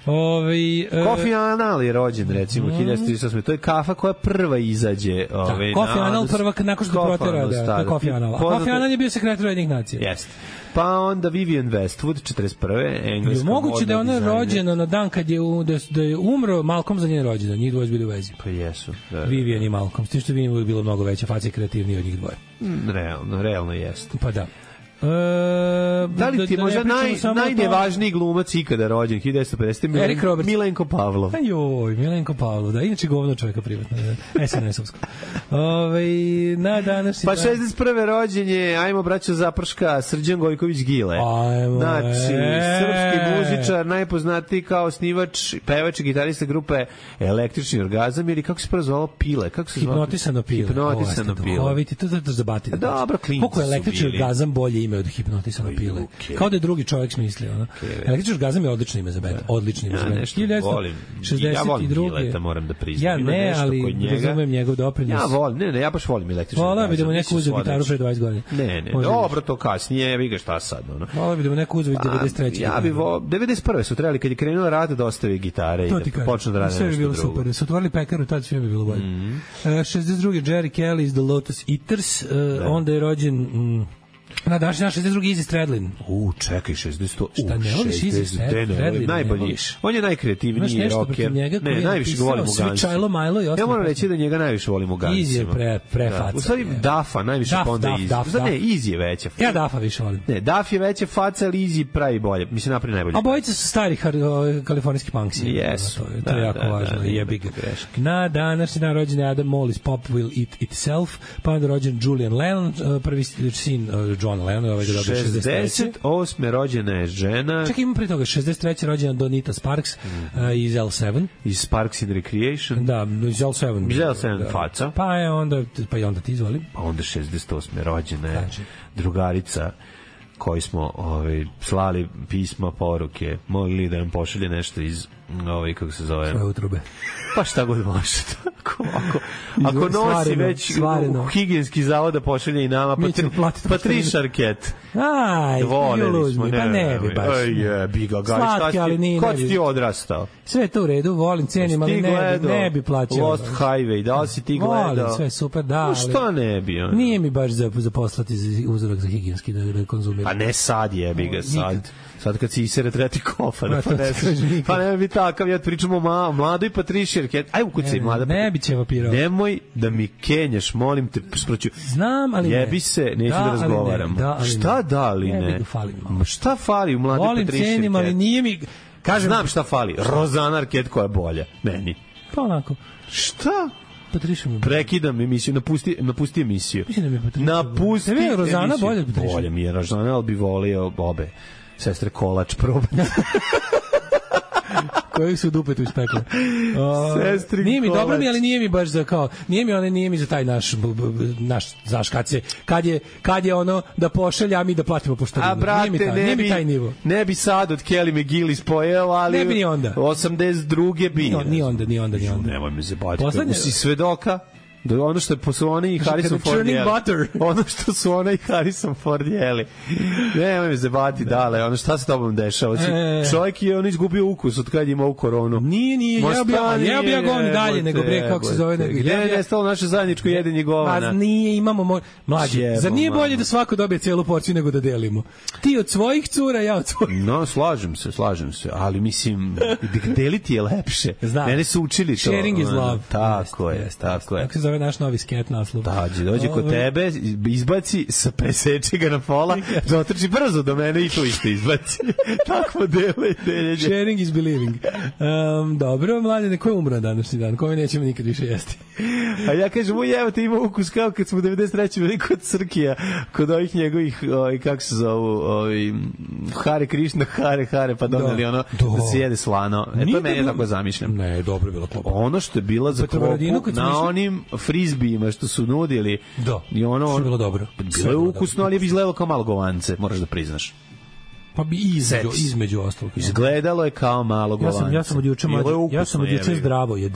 Ovi, uh, Kofi Annan je rođen recimo mm. hiljadu devetsto trideset osme. To je kafa koja prva izađe, ovaj da, Kofi Annan prva nakon što protera da, da Kofi Annan. Kofi Annan je bio sekretar Ujedinjenih nacija. Jeste. Pa onda Vivienne Westwood četrdeset prve engleska modna. Moguće da je ona rođena na dan kad je u, da, da je umro Malcolm za njen rođendan. Njih dvoje bili u vezi. Pa jesu. Da, Vivienne i Malcolm. S tim što Vivienne je bilo mnogo veća faca i kreativnija od njih dvoje. Mm, realno, realno jeste. Pa da. E, da li ti je da, možda naj, najnevažniji glumac ikada rođen hiljadu devetsto pedesete. Eric Roberts. Milenko Pavlov. Ajoj, Milenko Pavlov, da, inače govno čovjeka privatno, S N S-ovsko. Ove, na danas pa šezdeset prve rođen je, ajmo braćo Zaprška, Srđan Gojković Gile. Ajmo, znači, e. srpski muzičar, najpoznatiji kao snivač, pevač i gitarista grupe Električni orgazam, ili kako se prvo zvalo Pile? Kako se Hipnotisano Pile. Hipnotisano Pile. Ovo, vidite, to je zabati. Dobro, klinci koliko je Električni orgazam bolje ime od Hipnotisano Pile. Okay. Kao da je drugi čovjek smislio. No? Okay. Električni orgazam je odlično ime za band. Odlično ime za band. Ja volim. Ja volim Pileta, moram da priznam. Ja ne, ali razumem njegov doprinos. Ja volim, ne, ne, ja baš volim Električni orgazam. Volim bi da mu neko uzeo gitaru pre dvadeset godina. Ne, ne, dobro, to kasnije, vi ga šta sad. Ono. Volim bi da mu neko uzeo devedeset treće. Ja bi vo... devedeset prve su trebali, kad je krenuo rad, da ostavi gitare i da počnu da rade nešto drugo. Sve bi bilo super. Su otvorili pekaru, tad sve bi bilo bolje. šezdeset druge Jerry Kelly iz The Lotus Eaters, onda je rođen... Na daš naš šezdeset drugi Izzy Stradlin. U, čekaj, šezdeset. U, šta ne voliš Izzy Stradlin? Najbolji. On je najkreativniji rocker. Ne, najviše ga volim u Gunsima. Čajlo Majlo i ja moram reći da njega najviše volim u Gunsima. Izzy je pre, pre faca. U stvari, Dafa najviše pa onda Izzy. Zad ne, Izzy je veća. Ja Dafa više volim. Ne, Daf je veća faca, ali Izzy pravi bolje. Mislim, napravi najbolje. A bojice su stari kalifornijski punksi. Jesu. To je jako važno. Jebi ga. Na današnji dan rođen je Adam Mollis, Pop Will Eat Itself, pa onda rođen Julian Lennon, prvi sin Johna Lennona, ovaj da šezdeset osme rođena je žena. Čekaj, imam pre toga, šezdeset treće rođena Donita Sparks mm-hmm. uh, iz L sedam. Iz Sparks and Recreation. Da, iz L sedam. Iz L sedam da. Faca. Pa je onda, pa i onda ti izvoli. Pa onda šezdeset osme rođena je znači. Drugarica koji smo ovaj, slali pisma, poruke, mogli da nam pošalje nešto iz ovaj, kako se zove? Svoje utrube. Pa šta god može. Ako, ako, ako nosi svareno, već svareno. U higijenski zavod da pošalje i nama, pa, tri, pa tri šarket. Aj, voleli smo. Ne, pa ne bi baš. Aj, je, biga, gaj, slatki, ali nije. Kod ti odrastao? Sve je to u redu, volim, cijenim, ali ne bi, ne bi plaćao. Lost Highway, da li si ti gledao? Volim, sve super, da. No šta ne bi? On? Nije mi baš za, za poslati uzorak za higijenski da, da konzumiram. Pa ne sad je, biga, sad. Sad kad si isere treba ti kofar, pa ne pa ne bi takav, ja pričamo o mladoj Patrišjerke. Aj u kuci mlada. Ne bi će vapirao. Nemoj da mi kenjaš, molim te, sproću. Znam, ali jebi ne. se, neću da, da razgovaram. Ne, da, ali šta da ali ne? ne? Fali šta fali u mladoj Patrišjerke? Volim, cenim, ali nije mi... Kažem, znam šta fali. Rozana Arquette koja je bolja. Meni. Pa onako. Šta? Patriša mi. Prekidam emisiju, napusti, napusti emisiju. Mislim da mi je Patriša. Napusti emisiju. Rozana bolje od Patriša. Bolje mi je Rozana, ali bi volio obe. Sestre Kolač probati. koji su dupetu ispekle. O, Sestrin nije mi dobro kolač. mi, ali nije mi baš za kao, nije mi one, nije mi za taj naš, b, b, b, naš, znaš, kad se, kad je, kad je ono da pošalje, a mi da platimo poštarinu. A brate, nije mi, taj, ne, nije bi, mi taj nivo. ne bi sad od Kelly McGillis pojeo, ali Ne bi ni onda. osamdeset druge bi. Ni, ni onda, ni onda, ni onda. Nemoj me zabaviti. Poslednje- Si svedoka da ono što su oni i Harrison Kada Ford churning jeli. butter. Ono što su ona i Harrison Ford jeli. Nemoj me zabaviti, dale. Ono šta se tobom dešava? Si, E. čovjek je on izgubio ukus od kad je imao koronu. Nije, nije, Ma jeo bi ja, stani, jeo bi ja govno dalje, jebote, nego bre, kako se zove, jebote. nego. Gde jeo bi je ja- nestalo naše zajedničko jedenje govana? Pa nije, imamo mo... mlađe. Jebo, Zar nije bolje mamo. da svako dobije celu porciju nego da delimo? Ti od svojih cura, ja od svojih. No, slažem se, slažem se, ali mislim, deliti je lepše. Znam. Mene su učili to. Sharing is ono, love. Tako je, Jeste, tako je. Kako se zove naš novi sket naslov? Dođe, dođe kod Ove, tebe, izbaci, sa preseče ga na pola, dotrči brzo do mene i tu isto izbaci. Tako dele, deljenje. Sharing is believing. Um, dobro, mladine, ko je umro današnji dan? Kome nećemo nikad više jesti? A ja kažem, uj, evo te ima ukus kao kad smo u devedeset trećem bili kod Crkija, kod ovih njegovih, ovaj, kako se zovu, ovaj, Hare Krišna, Hare Hare, pa doneli Da. ono Da. da se jede slano. E, Nije to meni je bilo- tako zamišljam. Ne, dobro je bilo klopa. Ono što je bila za Petrovaradinu, klopu kad smo na išli- onim frizbijima što su nudili. Da, I ono, što je bilo dobro. Sve Bilo je bilo ukusno, dobro. ali je izgledalo kao malo govance, moraš da priznaš. Pa bi između, Seti se. između ostalog. Izgledalo je kao malo Ja govance. sam, ja sam od juče Bilo je mlađe, ukusno, ja sam od juče jebi ga. zdravojed.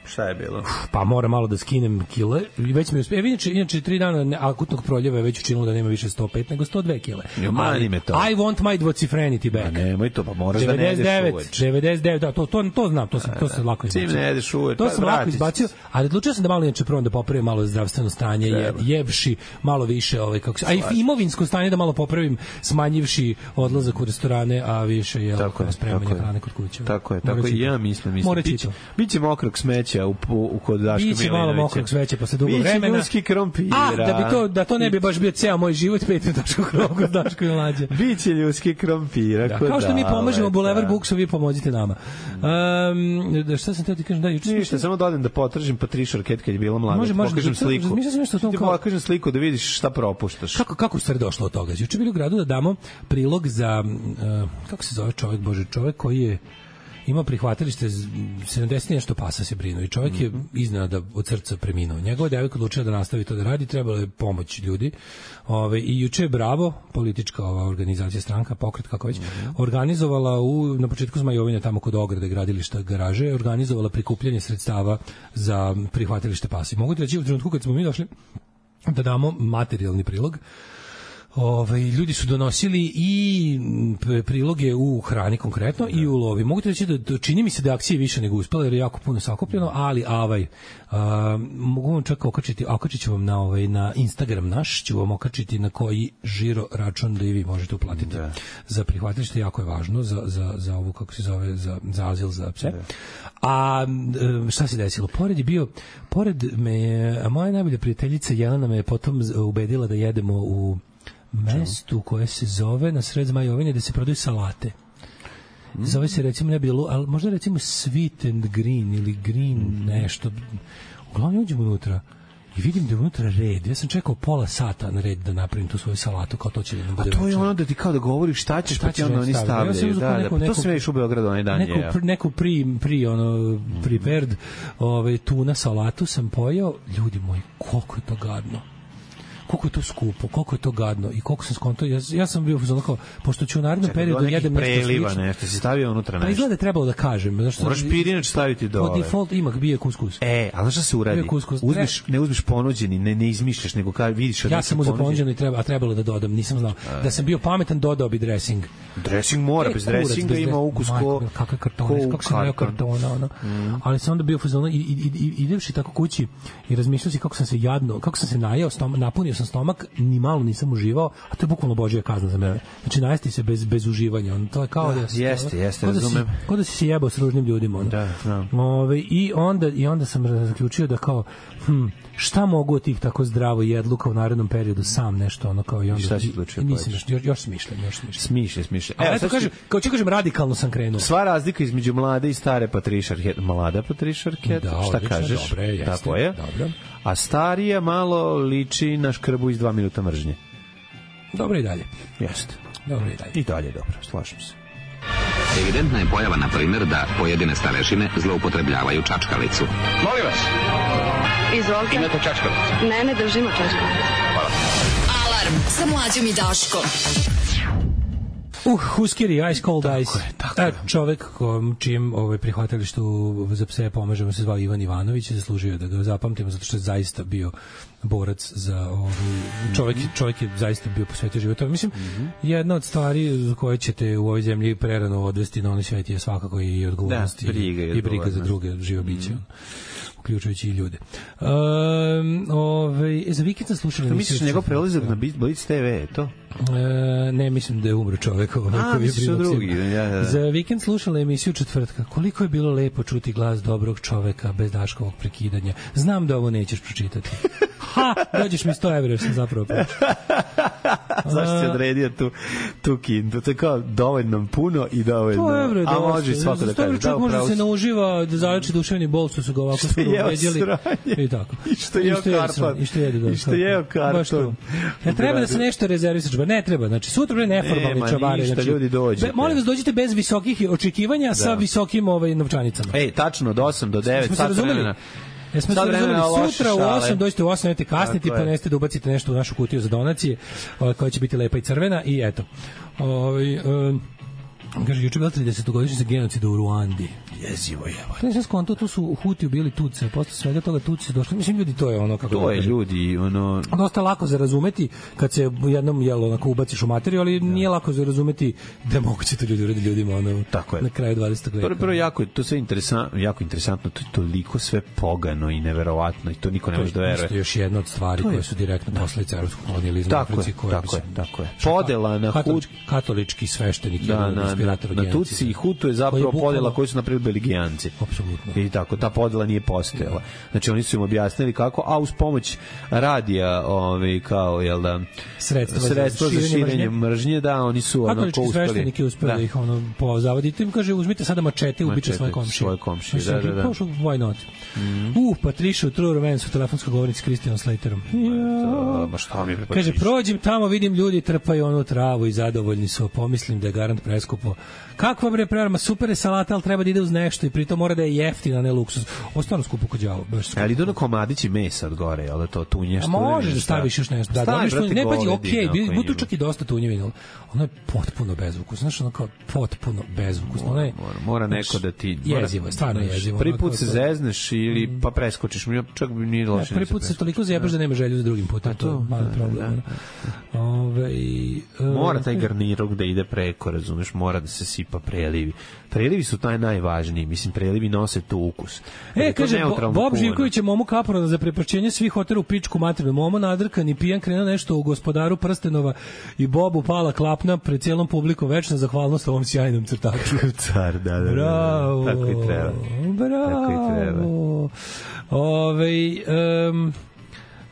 Šta je bilo? Pa mora malo da skinem kile. I već mi uspe. E, inače, inače tri dana ne- akutnog proljeva je već učinilo da nema više sto pet nego sto dve kile. Jo, mani me to. I want my dvocifrenity back. Pa nemoj to, pa moraš da ne devedeset jedeš devet, uveč. devedeset devet, da, to, to, to znam, to sam, to sam lako Čim izbacio. ne jedeš uveč, To pa sam lako vratit će izbacio, se. ali odlučio sam da malo inače prvo da popravim malo zdravstveno stanje, je, Treba. jevši malo više, ovaj, kako se, a i imovinsko stanje da malo popravim, smanjivši odlazak u restorane, a više je Tako je, spremanje tako je. hrane kod kuće. Tako je, Morat tako ću i to. ja mislim, mislim. Morat ću Biće, to. biće mokrog smeća u, u, u kod Daška Milinovića. Biće malo mokrog sveća posle dugo Biće vremena. ljudski krompira. A, da bi to, da to ne bi baš bio ceo moj život, petnaest tačka kod Daško i Mlađe. Biće ljudski krompira. Da, kod kao što mi Dale, pomažemo Bulevar da. Buksu, vi pomozite nama. Um, da, šta sam teo ti kažem? Da, juče sam Ništa, samo da odem da potržim Patricia Arquette kad je bila mlada. Može, Može, može, pokažem da- sliku. razmišljao sam nešto o tom Ti kao- pokažem sliku da vidiš šta propuštaš. Kako kako je stvar došlo od toga? Juče bili u gradu da damo prilog za uh, kako se zove čovjek, bože, čovjek koji je imao prihvatilište z- sedamdeset i nešto pasa se brinuo i čovjek je iznenada od srca preminuo. Njegova devojka odlučila da nastavi to da radi, trebalo je pomoć ljudi. Ove, i juče je Bravo, politička ova organizacija, stranka, pokret, kako već, organizovala u, na početku Zmajovine, tamo kod ograde gradilišta garaže, organizovala prikupljanje sredstava za prihvatilište pasa. I mogu ti reći u trenutku kad smo mi došli da damo materijalni prilog, Ove, ljudi su donosili i p- priloge u hrani konkretno i u lovi. Mogu ti reći da, da čini mi se da akcije više nego uspela jer je jako puno sakupljeno, ali avaj, a, mogu vam čak okačiti, okačit ću vam na, ovaj, na Instagram naš, ću vam okačiti na koji žiro račun da i vi možete uplatiti Da. za prihvatilište, jako je važno za, za, za ovu, kako se zove, za, za azil za pse. A e, šta se desilo? Pored je bio, pored me, je- a moja najbolja prijateljica Jelena me je potom z- ubedila da jedemo u mestu koje se zove na sred Zmajovine gde se prodaju salate. Zove se recimo ne bilo, ali možda recimo Sweet and Green ili Green nešto. Uglavnom uđemo unutra i vidim da je unutra red. Ja sam čekao pola sata na red da napravim tu svoju salatu, kao to će da nam bude A to je večer. ono da ti kao da govoriš šta ćeš, Šta pa ti ćeš onda da oni stavljaju. Ja sam stavljaju. uzeo Da, da, neku- pa to neku- sam vidiš u Beogradu onaj dan neku, jeo. pr, neku pri, pri ono, prepared ovaj, tuna salatu sam pojeo. Ljudi moji, koliko je to gadno. Koliko je to skupo, koliko je to gadno i koliko sam skontao. Ja, ja sam bio uzalno kao, pošto ću u narednom Čekaj, periodu bilo nekih jedem nešto preliva, slično. nešto, si stavio unutra Pa nešto. izgleda je trebalo da kažem. Zašto, Moraš pirinač staviti po dole. default ima bio je kuskus. E, a znaš šta se uradi? Bio kuskus. Uzmeš, ne uzmeš ponuđeni, ne, ne izmišljaš, nego kao vidiš... Ja sam uzeo ponuđeno i treba, a trebalo da dodam, nisam znao. Da sam bio pametan, dodao bi dressing. Dressing mora, E, bez kurac, dressinga bez ima dres- ukus Majko, ko... kakve kartone, ko u kako sam najao karton. kartona, ono. Ali sam onda bio u fazonu i, i, i, i idevši tako kući i razmišljao si kako sam se jadno, kako sam se najao, stom, napunio sam stomak, ni malo nisam uživao, a to je bukvalno božja kazna za mene. Znači najesti se bez, bez uživanja, ono, to je kao da, si- jeste, jeste, kao da si- razumem. Kao da si se jebao s ružnim ljudima, ono. Da, znam. Ove, i onda i onda sam zaključio da kao hm, šta mogu od tih tako zdravo jedluka u narednom periodu sam nešto ono kao i onda šta si odlučio nisam pojedeš? još, još, još smišljam, još smišljam. Smišlja, smišlja. Ali eto sad ću- kažem, kao ću kažem radikalno sam krenuo. Sva razlika između mlade i stare Patricia Arquette. Mlada Patricia Arquette, Da, šta odlično, kažeš? dobro je, jeste, Tako je. dobro. A starija malo liči na škrbu iz dva minuta mržnje. Dobro i dalje. Jeste. Dobro i dalje. I dalje dobro, slažem se. Evidentna je pojava, na primjer, da pojedine starešine zloupotrebljavaju čačkalicu. Molim vas. Izvolite. Imate čačkalicu? Ne, ne držimo čačkalicu. Hvala. Alarm sa Mlađom i Daškom. Uh, Huskeri, Ice Cold tako Ice. Je, tako je. Čovek kom, čijem ovaj, prihvatilištu za pse pomažemo se zvao Ivan Ivanović, zaslužio da ga zapamtimo zato što je zaista bio borac za ovaj, čovek, čovek je zaista bio posvetio život. Mislim, mm-hmm. jedna od stvari koje ćete u ovoj zemlji prerano odvesti na onaj svet je svakako i odgovornost da, briga i, i briga za druge živo biće. Mm-hmm. Uključujući i ljude. Um, ovaj, za vikend sam slušali... To misliš njegov prelazak na Blitz te ve, je to? E, ne, mislim da je umro čovek. Ovaj, A, misliš o drugi. Ja, ja. Za vikend slušala emisiju četvrtka. Koliko je bilo lepo čuti glas dobrog čoveka bez Daškovog prekidanja. Znam da ovo nećeš pročitati. Ha, dođeš mi sto evra jer sam zapravo pročitao. Zašto si odredio tu, tu kintu? To je kao dovoljno puno i dovoljno. To evre, a može svako da kaže. Da, može se nauživa da zaleči duševni bol, što su ga ovako skoro uveđali. I tako. I što je karton. I što je I što je karton. Ja treba da se nešto rezervisaš, ba ne treba. Znači sutra bre neformalni čabari, znači ljudi dođete. Molim vas dođite bez visokih očekivanja da. Sa visokim ovaj novčanicama. Ej, tačno od osam do devet sat vremena. Jesmo se razumeli, sutra u osam dođete u osam, nemojte kasniti, pa neste da ubacite nešto u našu kutiju za donacije, koja će biti lepa i crvena i eto. Ovaj um, kaže, juče bila tridesetogodišnjica genocida u Ruandi. Jezivo je. To je sve skonto, tu su u Hutiju bili Tutsi, posle svega toga Tutsi došli. Mislim, ljudi, to je ono kako... To je ljudi, ono... Dosta lako za razumeti kad se jednom, jel, onako ubaciš u materiju, ali da. Nije lako za razumeti da moguće to ljudi uredi ljudima, ono, tako je. Na kraju dvadesetog veka. Prvo, prvo jako je, to sve interesantno, jako interesantno, to je toliko sve pogano i neverovatno i to niko ne može da veruje. To je još jedna od stvari koje su direktno posledice evropskog kolonijalizma u Africi. Tako je, tako je. Podela na Hut... Katolički sveštenik je inspirator na Tutsi i Hutu je zapravo podela koju su napravili Belgijanci. Apsolutno. I tako, ta podela nije postojala. Znači, oni su im objasnili kako, a uz pomoć radija, ovaj, kao, jel da, sredstva, sredstva za širenje mržnje. mržnje, da, oni su ono, katolički sveštenik je uspio da ih ono pozavaditi. Im kaže, uzmite sada mačete i ubiče svoje komšije. Svoje komšije, da, da, da. Pošao, why not? Mm. Uh, Patricia u True Romance u telefonskoj govornici s Kristijanom Slaterom. Ja. Ma šta mi je kaže, prođem tamo, vidim ljudi trpaju onu travu i zadovoljni su, pomislim da je garant preskupo. Kakva bre prerama, super je salata, ali treba da ide uz nešto i pritom mora da je jeftina, ne luksuz. Ovo stvarno skupo kod đavo, baš skupo. Ali idu na komadići mesa od gore, jel da to tunje što? A možeš da staviš još nešto. Da, dobiš tu, ne pađi, okej, okay, budu čak i dosta tunjevina. Ono je potpuno bezvukusno, znaš, ono kao potpuno bezvukusno. Ono je, mora, mora neko da ti... Jezivo je, stvarno jezivo. Prvi put se zezneš ili pa preskočiš, čak bi nije loše. Prvi put se toliko zajebaš da nema želju za drugim putem, to je malo problem. Mora taj garnirog da ide preko, razumeš, mora da se sipa prelivi. Prelivi su taj najvažniji, mislim, prelivi nose tu ukus. E, kaže, Bo, Bob Živković je Momu Kaprona za prepašćenje svih hotela u pičku materinu. Momo nadrkan i pijan krenuo nešto u Gospodaru prstenova i Bobu pala klapna pred cijelom publikom, večna zahvalnost ovom sjajnom crtaču. Car, da, da, da. Bravo. Tako i treba. Bravo. Tako i treba. Ove, um,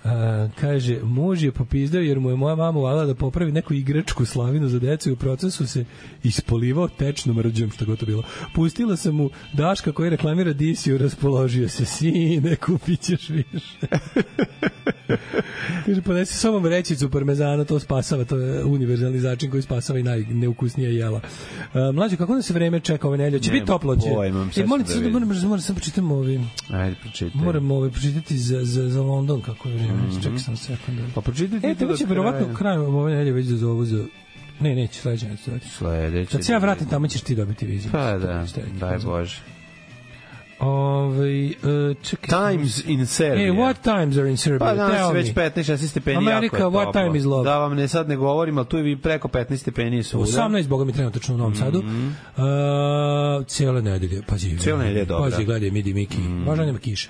A, kaže, muž je popizdao jer mu je moja mama uvala da popravi neku igračku slavinu za decu i u procesu se ispolivao tečnom rđom, što god to bilo. Pustila sam mu Daška koji reklamira Disiju, raspoložio se, sine, kupit ćeš više. Kaže, ponesi sobom rećicu parmezana, to spasava, to je univerzalni začin koji spasava i najneukusnije jela. A, mlađe, kako da se vreme čeka ove nedelje? Će biti toplo? Će? E, molim se da moram, moram sam pročitam ovi... Ajde, pročitaj. Moram ovi pročitati za, za, za London, kako je vrijeme. Mm-hmm. Čekaj sam sekund. Pa pročitajte. E, tebe će verovatno krajem ove nedelje već da zovu za... Ne, neće, sledeće neće. Sledeće. Kad se ja vratim tamo ćeš ti dobiti vizu. Pa da, daj Bože. Ove, uh, čekaj. Times in Serbia. E, what times are in Serbia? Pa danas je već petnaest šesnaest stepeni. Amerika, jako je what time is love? Da vam ne sad ne govorim, ali tu je preko petnaest stepeni svuda. osamnaest, boga mi trenutno u Novom Sadu. Mm -hmm. uh, cijele nedelje, pazi. Cijele nedelje, dobro. Pazi, gledaj, midi Miki. Mm. Možda nema kiše.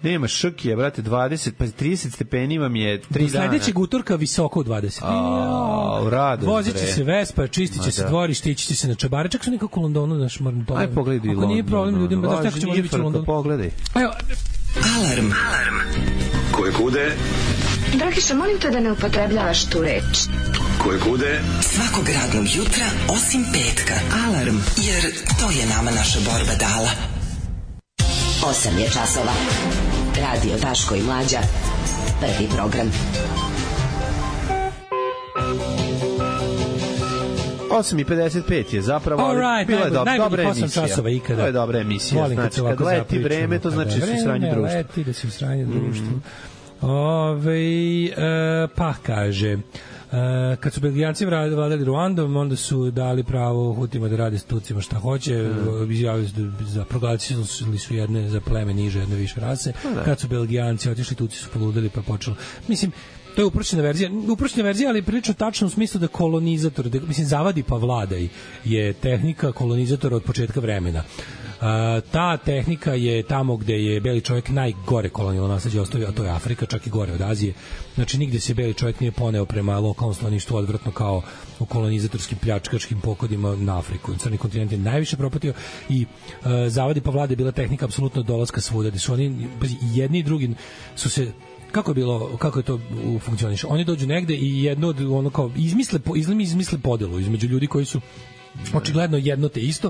Nema šrkije, brate, dvadeset, pa trideset stepeni vam je tri dana. Do sledećeg utorka visoko u dvadeset. A, rado. Vozit će se Vespa, čistit će se dvorište, ići će se na čabare. Čak su nekako u Londonu, znaš, moram to... Aj, pogledaj London. Ako nije problem ljudima, da tako će možda biti u Londonu. Pogledaj. Evo. Alarm. Alarm. Koje kude? Dragiša, molim te da ne upotrebljavaš tu reč. Koje kude? Svakog radnog jutra, osim petka. Alarm, jer to je nama naša borba dala. osam je časova. Radio Daško i Mlađa. Prvi program. osam i pedeset pet je zapravo, ali All right, bila je do, dobra najbolji osam emisija. časova ikada. To je dobra emisija. Volim Znači, se kad ovako leti vreme, to znači da si u sranju društva. Leti da si u sranju društvu. Ove, e, pa kaže... Uh, kad su Belgijanci vladali Ruandom, onda su dali pravo Hutima da rade s Tucima šta hoće, mm. izjavili su da za proglasili su jedne za pleme niže, jedne više rase. Mm. Kad su Belgijanci otišli, Tuci su poludeli pa počelo. Mislim, to je uprošćena verzija, uprošćena verzija, ali prilično tačno u smislu da kolonizator, da, mislim, zavadi pa vladaj je tehnika kolonizatora od početka vremena. Uh, ta tehnika je tamo gde je beli čovjek najgore kolonijalno nasleđe ostavio, a to je Afrika, čak i gore od Azije. Znači, nigde se beli čovjek nije poneo prema lokalnom stanovništvu odvratno kao u kolonizatorskim pljačkaškim pokodima na Afriku. Crni kontinent je najviše propatio i uh, zavadi pa vlade je bila tehnika apsolutno dolaska svuda, gde su oni, jedni i drugi su se kako je bilo, kako je to funkcioniše. Oni dođu negde i jedno od ono kao izmisle izlimi izmisle podelu između ljudi koji su očigledno jedno te isto.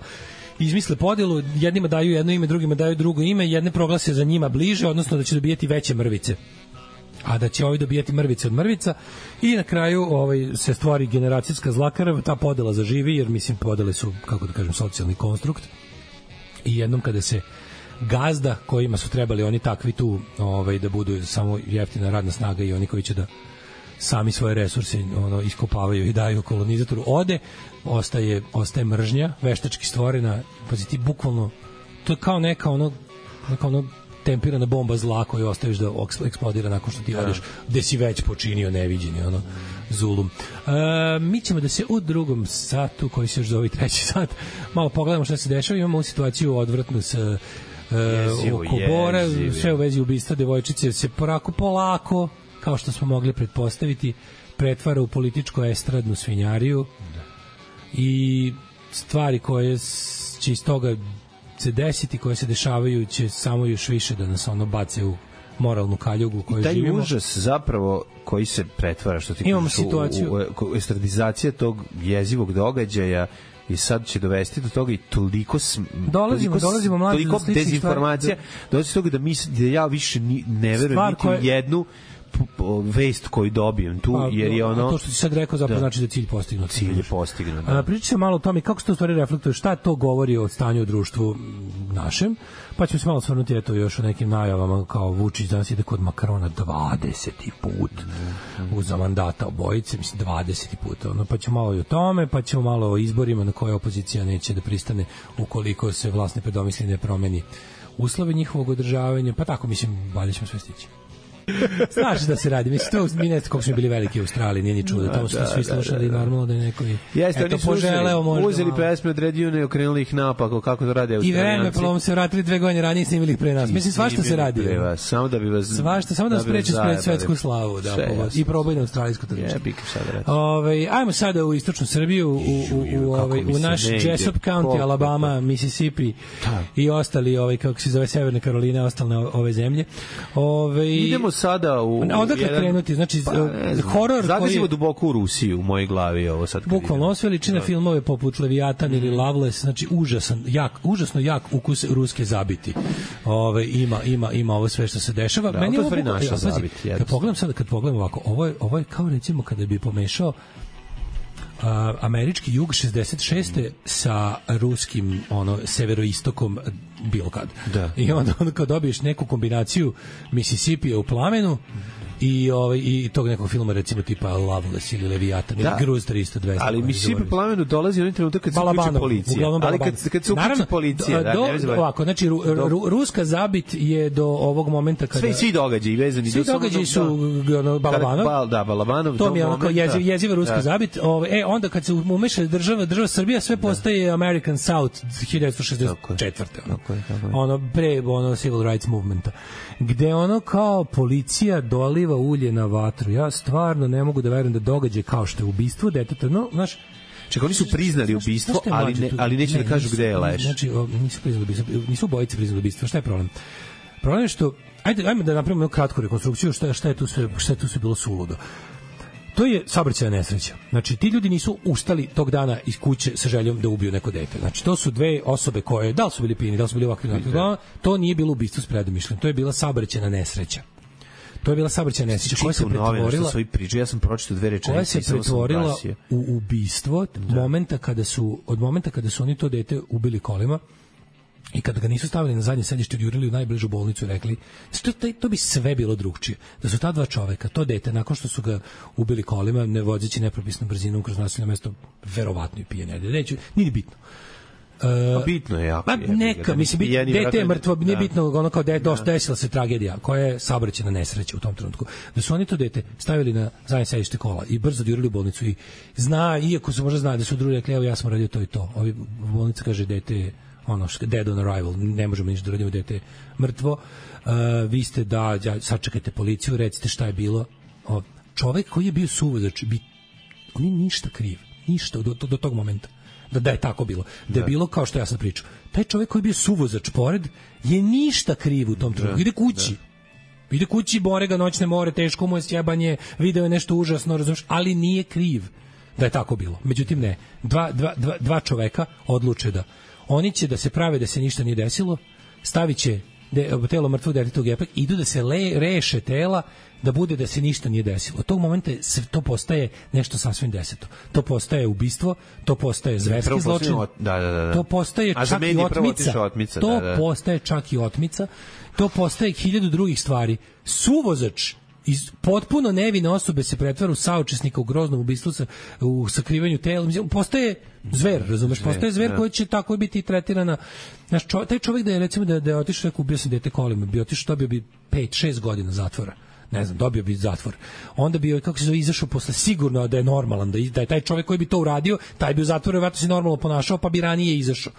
Izmisle podelu, jednima daju jedno ime, drugima daju drugo ime, jedne proglase za njima bliže, odnosno da će dobijati veće mrvice, a da će ovi dobijati mrvice od mrvica i na kraju ovaj, se stvori generacijska zlakarava, ta podela zaživi, jer mislim podele su, kako da kažem, socijalni konstrukt i jednom kada se gazda kojima su trebali oni takvi tu ovaj, da budu samo jeftina radna snaga i oni koji će da sami svoje resurse ono iskopavaju i daju kolonizatoru ode, ostaje ostaje mržnja veštački stvorena, pazi ti bukvalno to je kao neka ono neka ono tempirana bomba zla koju ostaviš da eksplodira nakon što ti odeš gde si već počinio neviđeni ono zulum. E, mi ćemo da se u drugom satu koji se još zove treći sat malo pogledamo šta se dešava, imamo situaciju odvratnu sa e, oko Bora, sve u vezi ubistva devojčice se porako polako kao što smo mogli pretpostaviti, pretvara u političko-estradnu svinjariju i stvari koje će iz toga se desiti, koje se dešavaju, će samo još više da nas ono bace u moralnu kaljugu u kojoj živimo. Taj užas zapravo koji se pretvara, što ti imamo kažeš, situaciju. U, u, u estradizacija tog jezivog događaja i sad će dovesti do toga i toliko sm, dolazimo, toliko, dolazimo mlađe toliko dezinformacija, da, dolazi do toga da, mi, da ja više ni, ne verujem niti koje... jednu vest koju dobijem tu, pa, jer je ono... To što ti sad rekao zapravo da. Znači da je cilj postignut. Cilj je postignut, da. Priča se malo o tome kako se to u stvari reflektuje, šta to govori o stanju u društvu našem, pa ćemo se malo svrnuti eto još o nekim najavama kao Vučić danas ide kod Makrona dvadeseti put mm. uz mandata obojice, mislim dvadeseti put, ono, pa ćemo malo i o tome, pa ćemo malo o izborima na koje opozicija neće da pristane ukoliko se vlast ne predomisli ne promeni uslove njihovog održavanja, pa tako mislim, valjda ćemo sve stići. Znaš da se radi, mislim, to mi ne znam kako smo bili veliki u Australiji, nije ni čudo, tamo su da, svi slušali, da, da, da. Normalno da je neko i jeste, eto, poželeo možda. Uzeli pesme od Red Union i okrenuli ih napako, kako to rade Australijanci. I vreme, pa se vratili dve godine ranije i snimili ih pre nas. Mislim, svašta se radi. Vas, samo da bi vas... Svašta, samo da vas preče spred svetsku slavu, da, i probaj na australijsku tržište. Ove, ajmo sada u istočnu Srbiju, u, u, u, ovaj, u naš Jessup County, Alabama, Mississippi i ostali, ovaj, kako se zove, Severne Karoline, ostale ove zemlje. Ove, idemo sada u odakle jedan... krenuti, znači pa, horor zagazimo duboko u Rusiju u mojoj glavi ovo sad. Bukvalno osve liči na filmove poput Leviatan mm. ili Loveless, znači užasan, jak, užasno jak ukus ruske zabiti. Ove ima ima ima ovo sve što se dešava. Da, meni to ovo naša zabiti. Kad pogledam sad, kad pogledam ovako, ovo je ovo je kao recimo kada bi pomešao Uh, američki jug šezdeset šeste sa ruskim ono severoistokom bilo kad. Da. I onda, onda kad dobiješ neku kombinaciju Mississippi u plamenu i ovaj i tog nekog filma recimo tipa Loveless ili Leviatan ili Gruz tristo dvesta. Ali Mississippi plamenu dolazi onaj trenutak kad se uključi policija. Ali kad kad se uključi policija, da, do, ne znam. Ovako, znači ru, ru, ruska zabit je do ovog momenta kada sve svi događaji vezani svi do događaji su ono Balabanov. Bal, da, Balabanov. To mi je onako jeziv, jeziva ruska da. Zabit. Ove, e onda kad se umeša država, država Srbija sve postaje da. American South hiljadu devetsto šezdeset četvrte Ono, tako je, tako je. ono pre ono civil rights movementa. Gde ono kao policija doliva ulje na vatru. Ja stvarno ne mogu da verujem da događaj kao što je ubistvo deteta, no, znaš, čekaj, oni su priznali ubistvo, ali ne, ali neće ne, da kažu gde je leš. Znači, nisu priznali ubistvo, nisu obojice priznali ubistvo. Šta je problem? Problem je što, ajde, ajme da napravimo jednu kratku rekonstrukciju, šta, šta je tu sve, šta je tu sve bilo suludo. To je saobraćajna nesreća. Znači, ti ljudi nisu ustali tog dana iz kuće sa željom da ubiju neko dete. Znači, to su dve osobe koje, da li su bili pijeni, da li su bili ovakvi, to nije bilo ubistvo s predomišljem, to je bila saobraćajna nesreća. To je bila saobraćajna nesreća koja se pretvorila, ja sam pročitao dve rečenice, koja se pretvorila u ubistvo momenta kada su, od momenta kada su oni to dete ubili kolima i kada ga nisu stavili na zadnje sedište, jurili u najbližu bolnicu i rekli, to, to bi sve bilo drugčije. Da su ta dva čoveka, to dete, nakon što su ga ubili kolima, ne vozeći nepropisnom brzinom kroz naseljeno mesto, verovatno i pijene. Neću, nije bitno. Uh, bitno je jako. Pa neka, mislim, bit, dete je mrtvo, nije bitno, ono kao da je desila se tragedija, koja je saobraćajna nesreća u tom trenutku. Da su oni to dete stavili na zadnje sedište kola i brzo jurili u bolnicu i zna, iako su možda zna da su drugi rekli, evo ja sam radio to i to. Ovi bolnica kaže, dete je ono što dead on arrival, ne možemo ništa da radimo, dete je mrtvo. Uh, vi ste da, ja, sačekajte policiju, recite šta je bilo. O, čovek koji je bio suvozač, bi, on je ništa kriv, ništa do, do, do tog momenta. Da, da je tako bilo. Da je bilo kao što ja sad pričam. Taj čovjek koji je bio suvozač pored je ništa kriv u tom trenutku. Ide kući. Da. Ide kući, bore ga noćne more, teško mu je sjebanje, video je nešto užasno, razumiješ, ali nije kriv da je tako bilo. Međutim, ne. Dva, dva, dva, dva čoveka odluče da oni će da se prave da se ništa nije desilo, stavit će de, telo mrtvog deteta u gepak, idu da se le, reše tela, da bude da se ništa nije desilo. Od tog momenta to postaje nešto sasvim deseto. To postaje ubistvo, to postaje zverski zločin, da, da, da. to postaje A čak i otmica, otmica to da, da. postaje čak i otmica, to postaje hiljadu drugih stvari. Suvozač iz potpuno nevine osobe se pretvara u saučesnika u groznom ubistvu sa, u sakrivanju tela. Postaje zver, razumeš? Postaje zver koji će tako biti tretirana. Znaš, čo, taj čovjek da je, recimo, da, da je otišao, rekao, ubio sam dete kolima, bi otišao, dobio bi pet šest godina zatvora. Ne znam, dobio bi zatvor. Onda bi, kako se zove, izašao posle, sigurno da je normalan, da, da je taj čovjek koji bi to uradio, taj bi u zatvoru vjerojatno se normalno ponašao, pa bi ranije izašao.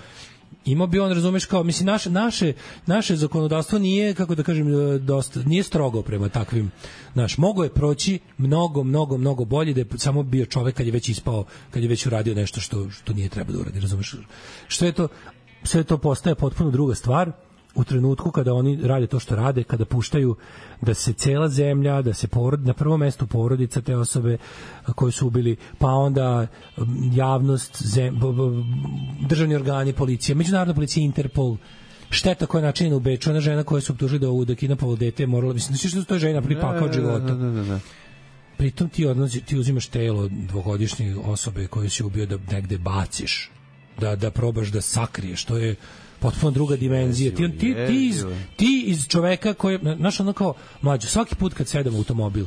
Imao bi on, razumeš, kao, mislim, naše, naše, naše zakonodavstvo nije, kako da kažem, dosta, nije strogo prema takvim, znaš, mogo je proći mnogo, mnogo, mnogo bolje da je samo bio čovek kad je već ispao, kad je već uradio nešto što, što nije treba da uradi, razumeš? Što je to, sve to postaje potpuno druga stvar u trenutku kada oni rade to što rade, kada puštaju da se cela zemlja, da se porod, na prvom mestu porodica te osobe koju su ubili, pa onda javnost, zem, državni organi, policija, međunarodna policija, Interpol, šteta koja je načinjena u Beču, ona žena koja su optužili da ovu da kidnapovalo dete, morala, mislim, znači što to je žena pripaka od života. Da, da, da. Pritom ti, odnosi, ti uzimaš telo dvogodišnje osobe koju si ubio da negde baciš, da, da probaš da sakriješ, to je potpuno druga dimenzija. Ti, ti, ti, iz, ti iz čoveka koji, znaš, ono kao, mlađo, svaki put kad sedamo u automobil,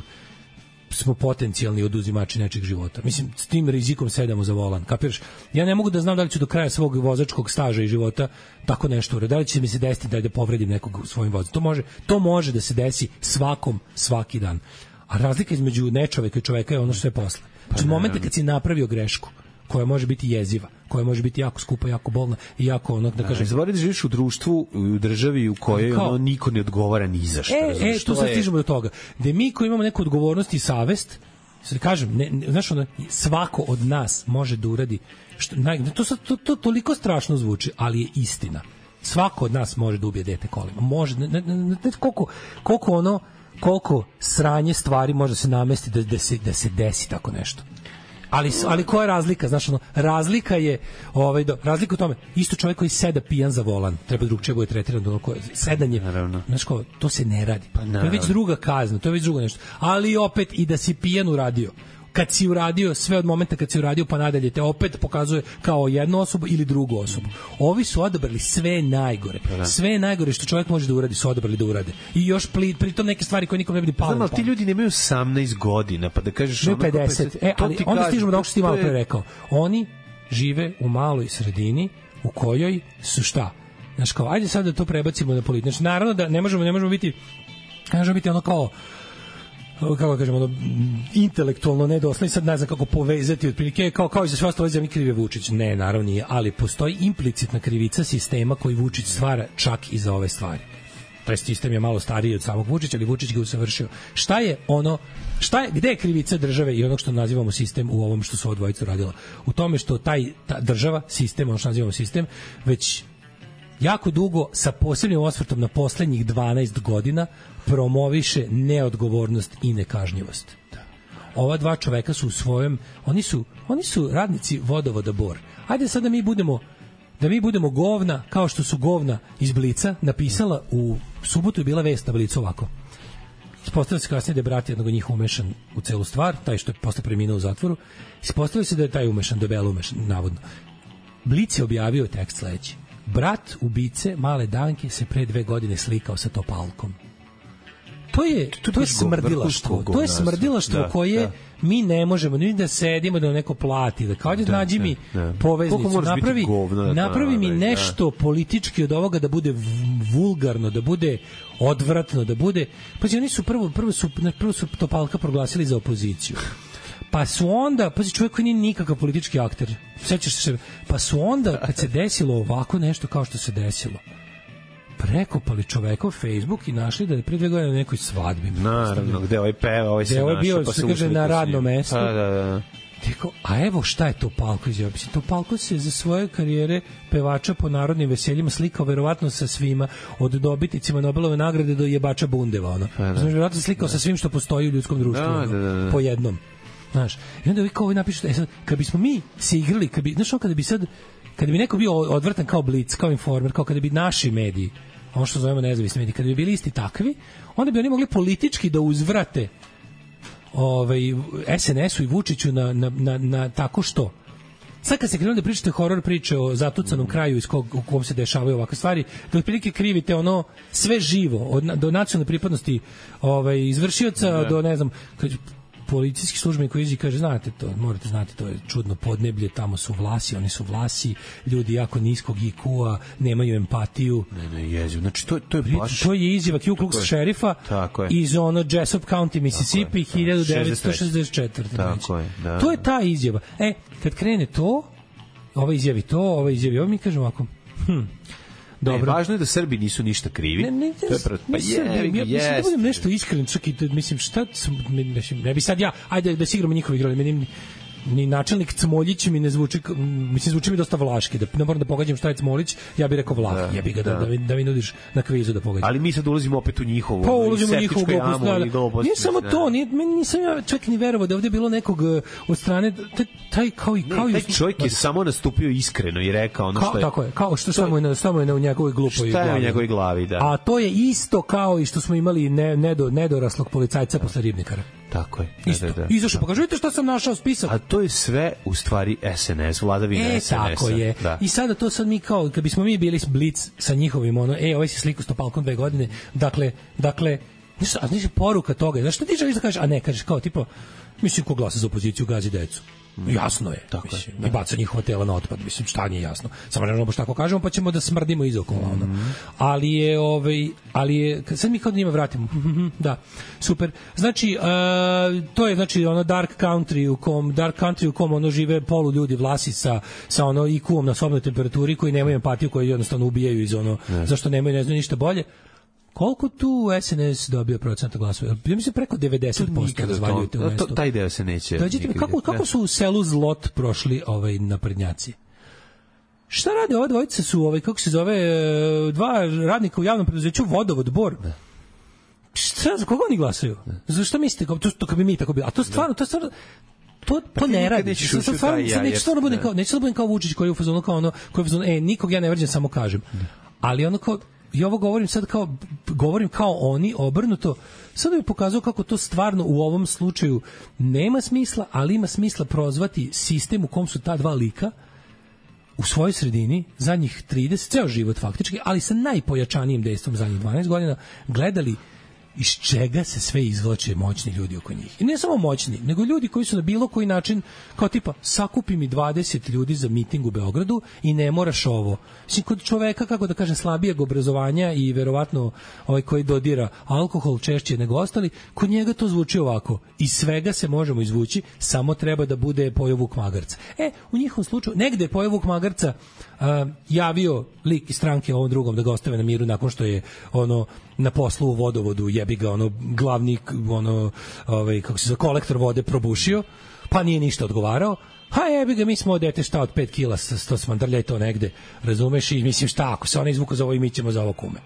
smo potencijalni oduzimači nečeg života. Mislim, s tim rizikom sedamo za volan. Kapiraš? Ja ne mogu da znam da li ću do kraja svog vozačkog staža i života tako nešto uraditi. Da li će mi se desiti da, da povredim nekog svojim vozom. To može, to može da se desi svakom, svaki dan. A razlika između nečoveka i čoveka je ono što je posle. Znači, u momente kad si napravio grešku, koja može biti jeziva, koja može biti jako skupa, jako bolna i jako ono, da kažem... Zaboravi da živiš u društvu, u državi u kojoj kao, ono, niko ne odgovara ni za što. E, e, tu sad stižemo do toga. Da mi koji imamo neku odgovornost i savest, sad kažem, ne, ne, znaš, ono, svako od nas može da uradi, što, naj, to, sad, to, to toliko strašno zvuči, ali je istina. Svako od nas može da ubije dete kolima. Može, ne, ne, ne, ne, koliko, koliko ono, koliko sranje stvari može se namesti da, da, se, da se desi tako nešto. Ali, ali koja je razlika? Znaš, ono, razlika je, ovaj, do, razlika u tome, isto čovjek koji seda pijan za volan, treba drugčije bude tretiran, ono koje, sedanje, znaš ko, to se ne radi. Pa, to je već druga kazna, to je već drugo nešto. Ali opet i da si pijan uradio. Kad si uradio, sve od momenta kad si uradio pa nadalje te opet pokazuje kao jednu osobu ili drugu osobu. Ovi su odabrali sve najgore. Sve najgore što čovjek može da uradi su odabrali da urade. I još pritom neke stvari koje nikom ne bi palo. Znam, ali ti ljudi nemaju osamnaest godina, pa da kažeš... Ne pedeset. E, ali onda kažem, stižemo da ovo što ti malo pre rekao. Oni žive u maloj sredini u kojoj su šta? Znaš kao, ajde sad da to prebacimo na politiku. Znači, naravno da ne možemo, ne možemo biti, ne možemo biti ono kao kako kažemo, ono, intelektualno nedosledni, sad ne znam kako povezati otprilike, kao, kao i za sve ostalo zemlje krive Vučić. Ne, naravno nije, ali postoji implicitna krivica sistema koji Vučić stvara čak i za ove stvari. Taj sistem je malo stariji od samog Vučića, ali Vučić ga usavršio. Šta je ono, šta je, gde je krivica države i onog što nazivamo sistem u ovom što su odvojica radila? U tome što taj ta država, sistem, ono što nazivamo sistem, već jako dugo sa posebnim osvrtom na poslednjih dvanaest godina promoviše neodgovornost i nekažnjivost. Ova dva čoveka su u svojem, oni su, oni su radnici vodovoda Bor. Ajde sad da mi budemo da mi budemo govna, kao što su govna iz Blica napisala u subotu je bila vest na Blicu ovako. Ispostavilo se kasnije da je brat jednog od njih umešan u celu stvar, taj što je posle preminuo u zatvoru. Ispostavilo se da je taj umešan, debelo umešan, navodno. Blic je objavio tekst sledeći. Brat ubice male Danke se pre dve godine slikao sa Topalkom. To je, to, to je smrdilaštvo. To je smrdilaštvo da, koje da. mi ne možemo ni da sedimo da neko plati, da kao da nađi mi da. poveznicu, napravi, govno, napravi mi nešto da. politički od ovoga da bude vulgarno, da bude odvratno, da bude... Pa oni su prvo, prvo su, prvo su Topalka proglasili za opoziciju. Pa su onda, pazi, čovjek koji nije nikakav politički akter, sećaš se, pa su onda, kad se desilo ovako nešto kao što se desilo, prekopali čovekov Facebook i našli da je pre dve godine na nekoj svadbi. Naravno, gde ovaj peva, ovaj se našao, ovaj bio, pa se kaže, na radnom mestu. Da, da, da. Tiko, a evo šta je Topalko izjavio. Topalko se za svoje karijere pevača po narodnim veseljima slikao verovatno sa svima, od dobitnicima Nobelove nagrade do jebača bundeva. Ono. Pa, znači, verovatno se slikao da. sa svim što postoji u ljudskom društvu. Da, ono, da, da, da. Po jednom. Znaš, i onda vi kao ovaj napišete, e sad, kad bismo mi se igrali, kad bi, znaš, kada bi sad, kada bi neko bio odvrtan kao Blic, kao Informer, kao kada bi naši mediji, ono što zovemo nezavisni mediji, kada bi bili isti takvi, onda bi oni mogli politički da uzvrate ovaj, es en esu i Vučiću na, na, na, na tako što. Sad kad se krenuli da pričate horor priče o zatucanom kraju iz kog, u kom se dešavaju ovakve stvari, da otprilike krivite ono sve živo, od, do nacionalne pripadnosti ovaj, izvršioca, ne. do ne znam, policijski službenik koji izi kaže, znate to, morate znati, to je čudno podneblje, tamo su Vlasi, oni su Vlasi, ljudi jako niskog i kua, nemaju empatiju. Ne, ne, jeziv. Znači, to, to je baš... To je izjava Ku Klux šerifa iz ono Jessup County, Mississippi, hiljadu devetsto šezdeset četvrte. Tako je, da. To je ta izjava. E, kad krene to, ova izjavi to, ova izjavi ovo, mi kažemo ovako, hm, dobro. Ne, važno je da Srbi nisu ništa krivi. Ne, ne, to je prvo. Pa je, ja, mislim da budem nešto iskren, čak i da, mislim, šta, mislim, ne bi sad ja, ajde da se igramo njihovi igrali, meni ni načelnik Cmoljić mi ne zvuči, mislim, zvuči mi dosta vlaški, da ne moram da pogađam šta je Cmoljić, ja bih rekao Vlah, da, ja bih ga da, da, da, mi, da mi nudiš na kvizu da pogađam. Ali mi sad ulazimo opet u njihovu, pa ulazimo u njihovu jamu, da, da. Nije samo to, nije, nisam ja čak ni verovao da ovdje je bilo nekog od strane, taj kao i... Kao ne, taj čovjek je samo nastupio iskreno i rekao ono što je... Tako je, kao što samo je na, samo je na u njegovoj glupoj glavi. Šta je u njegovoj glavi, da. A to je isto kao i što smo imali ne, nedo, nedoraslog policajca posle Ribnikara. Tako je. Isto. Da, da, da. Izašao, pa kažete šta sam našao spisak. A to je sve u stvari es en es, vladavina e, es en esa. Tako je. Da. I sada to sad mi kao, kad bismo mi bili Blic sa njihovim, ono, e, ovaj si sliku s Topalkom dve godine, dakle, dakle, nešto, a nešto poruka toga, znaš, što ti želiš da kažeš, a ne, kažeš kao, tipo, mislim, ko glasa za opoziciju, gazi decu. Jasno je, tako mislim, je. I baca njihova tela na otpad, mislim, šta nije jasno. Samo ne baš tako kažemo, pa ćemo da smrdimo iz okolo, ono. Mm. Ali je, ovaj, ali je, sad mi kao da njima vratimo. Da, super. Znači, uh, to je, znači, ono dark country u kom, dark country u kom ono žive polu ljudi Vlasi sa, sa ono I Q-om na sobnoj temperaturi, koji nemaju empatiju, koji jednostavno ubijaju iz ono, ne. Zašto nemaju, ne znaju ništa bolje. Koliko tu es en es dobio procenta glasova? Ja mislim preko devedeset posto razvaljujete u mestu. Taj deo se neće. Dođite mi, kako, kako su u selu Zlot prošli ovaj naprednjaci? Šta rade ova dvojica su, ovaj, kako se zove, dva radnika u javnom preduzeću Vodovod Bor? Da. Šta, za koga oni glasaju? Za što mislite? To, to kad bi mi tako bilo. A to stvarno, to stvarno, to, to ne radi. Neće stvarno bude kao, neće stvarno bude kao Vučić koji je u fazonu kao ono, koji je u fazonu, e, nikog ja ne vređam, samo kažem. Ali ono kao, i ovo govorim sad kao, govorim kao oni, obrnuto, sad da bih pokazao kako to stvarno u ovom slučaju nema smisla, ali ima smisla prozvati sistem u kom su ta dva lika u svojoj sredini, zadnjih trideset, ceo život faktički, ali sa najpojačanijim dejstvom zadnjih dvanaest godina, gledali iz čega se sve izvlače moćni ljudi oko njih. I ne samo moćni, nego ljudi koji su na bilo koji način, kao tipa, sakupi mi dvadeset ljudi za miting u Beogradu i ne moraš ovo. Mislim, kod čoveka, kako da kažem, slabijeg obrazovanja i verovatno ovaj koji dodira alkohol češće nego ostali, kod njega to zvuči ovako. Iz svega se možemo izvući, samo treba da bude pojeo vuk magarca. E, u njihovom slučaju, negde je pojeo vuk magarca uh, javio lik iz stranke ovom drugom da ga ostave na miru nakon što je ono na poslu u vodovodu jebi ga ono glavni ono ovaj kako se zove kolektor vode probušio, pa nije ništa odgovarao. Ha jebi ga, mi smo dete šta od pet kila sto smandrlja i to negde, razumeš, i mislim šta ako se ona izvuka za ovo i mi ćemo za ovo kume.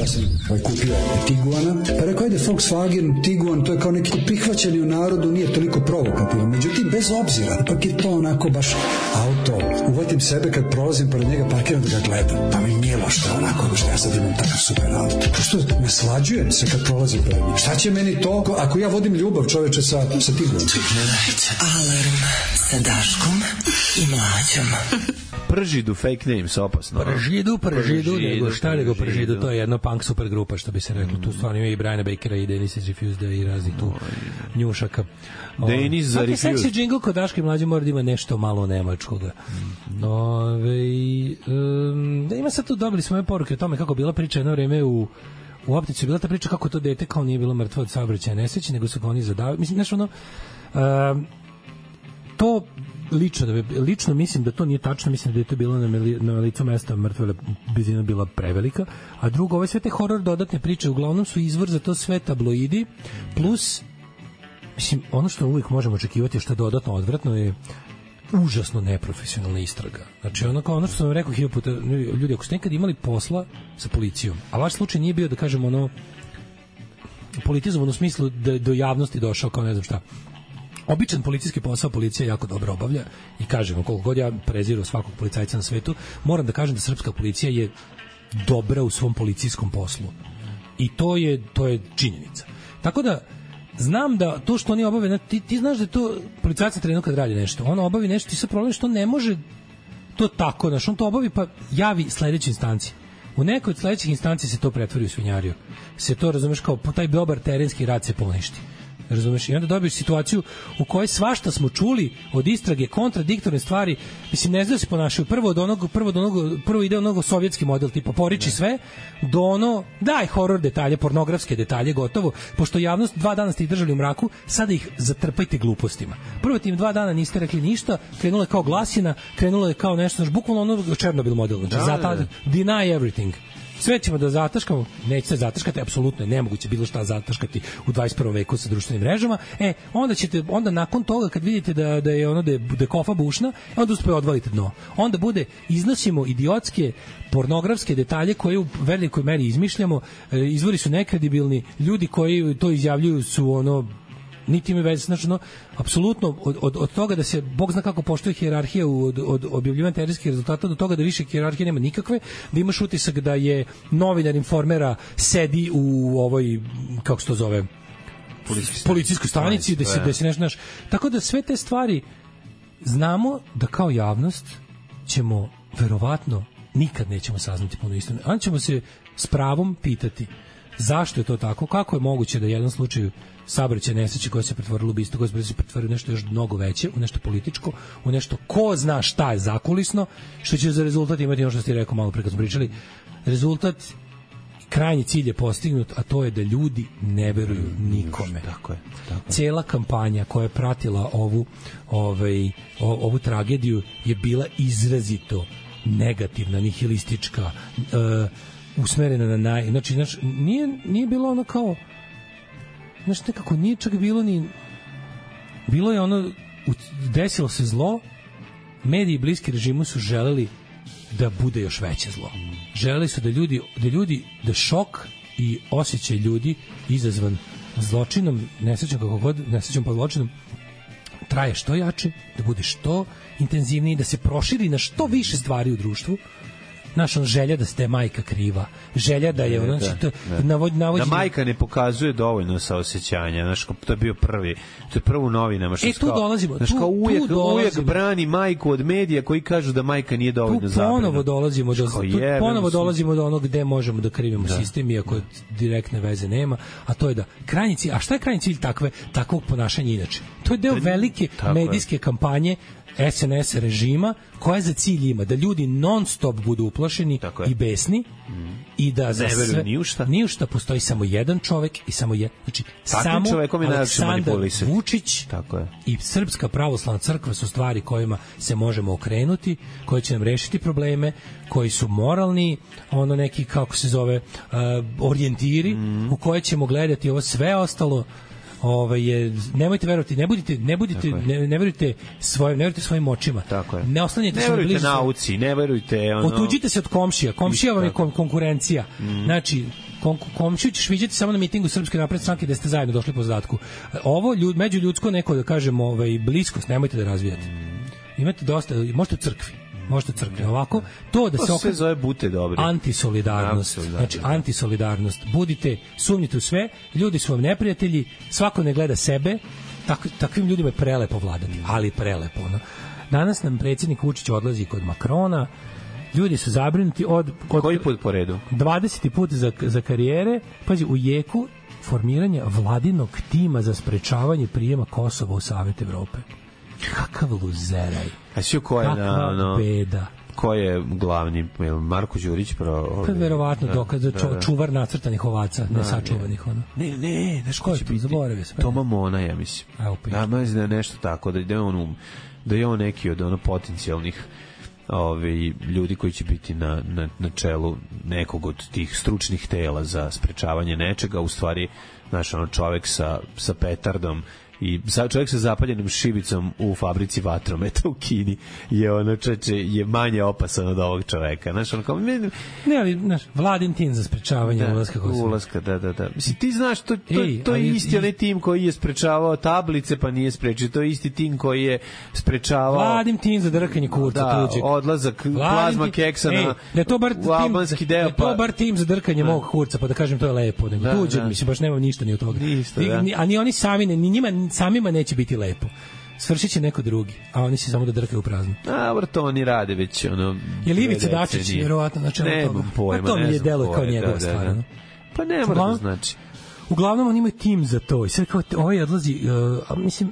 ja sam ovaj, kupio Tiguana, pa rekao, ajde Volkswagen, Tiguan, to je kao neki prihvaćeni u narodu, nije toliko provokativan. Međutim, bez obzira, ipak je to onako baš auto. Uvatim sebe kad prolazim pored njega, parkiram da ga gledam. Pa mi nije lošto onako, što ja sad imam takav super auto. Što ne slađujem se kad prolazim pored njega. Šta će meni to, ako ja vodim ljubav čoveče sa, sa Tiguanom? Alarm sa Daškom i Mlađom. Pržidu, fake names, opasno. Pržidu, pržidu, pržidu nego šta nego pržidu, to je jedna punk super grupa, što bi se reklo. Tu stvarno ima i Briana Bakera i Dennis is Refused i raznih tu njušaka. Dennis za Refused. Svaki seksi džingl kod Daške i Mlađe mora da ima nešto malo nemačkoga. Ove, um, da ima sad tu, dobili smo ove poruke o tome kako bila priča jedno vreme u u optici, bila ta priča kako to dete kao nije bilo mrtvo od saobraćaja nesreće, nego su ga oni zadavili. Mislim, znaš, ono, um, to lično, da bi, lično mislim da to nije tačno, mislim da je to bilo na, meli, na licu mesta mrtve blizina bila prevelika, a drugo, ove sve te horor dodatne priče uglavnom su izvor za to sve tabloidi, plus mislim, ono što uvijek možemo očekivati što je dodatno odvratno je užasno neprofesionalna istraga. Znači, ono, kao ono što sam vam rekao hiljadu puta, ljudi, ako ste nekad imali posla sa policijom, a vaš slučaj nije bio, da kažem, ono politizovan u smislu da do javnosti došao kao ne znam šta, običan policijski posao policija jako dobro obavlja i kažem, koliko god ja preziru svakog policajca na svetu, moram da kažem da srpska policija je dobra u svom policijskom poslu. I to je, to je činjenica. Tako da, znam da to što oni obave, ti, ti znaš da je to policajac trenutno kad radi nešto, on obavi nešto i sad problem što ne može to tako, znaš, on to obavi pa javi sledećoj instanci. U nekoj od sledećih instanci se to pretvori u svinjariju. Se to, razumeš, kao taj dobar terenski rad se poništi. Razumeš? I onda dobiješ situaciju u kojoj svašta smo čuli od istrage, kontradiktorne stvari, mislim, ne znaju se ponašaju. Prvo od onog, prvo od onog, prvo ide onog sovjetski model, tipa poriči sve, do ono, daj horor detalje, pornografske detalje, gotovo, pošto javnost dva dana ste ih držali u mraku, sada ih zatrpajte glupostima. Prvo tim dva dana niste rekli ništa, krenulo je kao glasina, krenulo je kao nešto, znaš, bukvalno ono Černobil model, znači, da, zata, deny everything. Sve ćemo da zataškamo, neće se zataškati, apsolutno je nemoguće bilo šta zataškati u dvadeset prvom veku sa društvenim mrežama. E, onda ćete, onda nakon toga kad vidite da, da je ono da je, da je kofa bušna, onda uspije odvalite dno. Onda bude, iznosimo idiotske pornografske detalje koje u velikoj meri izmišljamo, izvori su nekredibilni, ljudi koji to izjavljuju su ono niti ima veze, znači, no, apsolutno od, od, od toga da se, Bog zna kako poštuje hijerarhija od, od objavljivanja terenskih rezultata do toga da više hijerarhije nema nikakve, da imaš utisak da je novinar Informera sedi u ovoj, kako se to zove, policijskoj stanici, da se, da se nešto, naš. Tako da sve te stvari znamo da kao javnost ćemo verovatno nikad nećemo saznati puno istine. Onda ćemo se s pravom pitati zašto je to tako, kako je moguće da u jednom slučaju saobraćaj nesreće koja se pretvorila u ubistvo, koja se pretvorila u nešto još mnogo veće, u nešto političko, u nešto ko zna šta je zakulisno, što će za rezultat imati ono što ste rekao malo pre kad smo pričali. Rezultat, krajnji cilj je postignut, a to je da ljudi ne veruju nikome. Tako je. Tako je. Cela kampanja koja je pratila ovu, ovaj, ovu tragediju je bila izrazito negativna, nihilistička, uh, usmerena na naj... Znači, znači nije, nije bilo ono kao... Znači, nekako nije čak bilo ni... Bilo je ono... Desilo se zlo, mediji bliski režimu su želeli da bude još veće zlo. Želeli su da ljudi, da ljudi, da šok i osjećaj ljudi izazvan zločinom, nesrećom kako god, nesrećom pa zločinom, traje što jače, da bude što intenzivniji, da se proširi na što više stvari u društvu. Naša želja da ste majka kriva, želja da je ono, znači, to, navod, navod, da majka ne pokazuje dovoljno saosećanja, znači, to je bio prvi, to je prvo u novinama, što e, tu kao, dolazimo, znači, tu, kao uvijek, tu dolazimo, uvijek brani majku od medija koji kažu da majka nije dovoljno zabrana. Tu ponovo dolazimo do, tu ponovo dolazimo do onog gde možemo da krivimo da. sistem, iako direktne veze nema, a to je da krajnji cilj, a šta je krajnji cilj takve, takvog ponašanja inače? To je deo velike medijske je. kampanje S N S režima koja za cilj ima da ljudi non stop budu uplašeni i besni mm. i da za sve ni u šta. ni u šta postoji samo jedan čovek i samo je znači Takvim samo Aleksandar Vučić tako je. I Srpska pravoslavna crkva su stvari kojima se možemo okrenuti, koje će nam rešiti probleme, koji su moralni, ono neki kako se zove uh, orijentiri mm. u koje ćemo gledati ovo sve ostalo. Ovaj je nemojte verovati, ne budite ne budite ne, ne verujte svojim ne verujte svojim očima. Tako je. Ne oslanjajte se na blizu. Ne verujte nauci, ne verujte ono. Otuđite se od komšija. Komšija vam je kon, konkurencija. Mm. Znači, kom, komšiju ćeš viđati samo na mitingu Srpske napredne stranke gde ste zajedno došli po zadatku. Ovo ljud, međuljudsko neko da kažemo ovaj, bliskost, nemojte da razvijate. Imate dosta, možete u crkvi. Možete u crkvi. Ovako, to da se okre... sve zove bute dobri. Antisolidarnost. Znači, antisolidarnost. Budite, sumnjite u sve, ljudi su vam neprijatelji, svako ne gleda sebe, tak, takvim ljudima je prelepo vladati, ali prelepo. No. Danas nam predsjednik Vučić odlazi kod Makrona, ljudi su zabrinuti od... od koji put po redu? dvadeseti put za, za karijere, pazi, u jeku formiranja vladinog tima za sprečavanje prijema Kosova u Savet Evrope. Kakav luzeraj. A si ko je na... No, beda. Ko je glavni? Marko Đurić? Pro, pa verovatno dokaz da, da, da. čuvar nacrtanih ovaca, ne sačuvanih. Ono. Ne, ne, znaš ko će biti? Zaboravio sam. Toma Mona, ja mislim. Ja mislim da je nešto tako, da je on, um, da je on neki od ono potencijalnih Ove, ljudi koji će biti na, na, na čelu nekog od tih stručnih tela za sprečavanje nečega, u stvari znaš, ono, čovek sa, sa petardom i čovjek sa zapaljenom šibicom u fabrici vatrometa u Kini je ono čeče, je manje opasan od ovog čoveka. Znaš, ono kao... Ne, ne ali, znaš, Vladin tim za sprečavanje da, ulaska Kosova. Ulaska, da, da, da. Mislim, ti znaš, to, to, Ej, to je ali, isti onaj tim koji je sprečavao tablice, pa nije sprečio. To je isti tim koji je sprečavao... Vladin tim za drkanje kurca da, tuđeg. odlazak plazma tim, keksa ej, na da to bar u albanski tim, deo. Da to bar tim za drkanje da. Mog kurca, pa da kažem to je lepo. Nego da, tuđeg, da. Mislim, baš nemam ništa ni od toga. Ništa, ni, da. ni, a ni oni sami, ni njima samima neće biti lepo. Svršit će neko drugi, a oni se samo da drkaju u prazno. A, dobro, to oni rade već, ono... Je Ivica Dačić, vjerovatno, na čemu toga? Pojma, pa to mi je deluje kao njegova da, stvar. Da, da. Pa ne mora da znači. Uglavnom, oni imaju tim za to. I sad kao, ovaj odlazi, uh, mislim,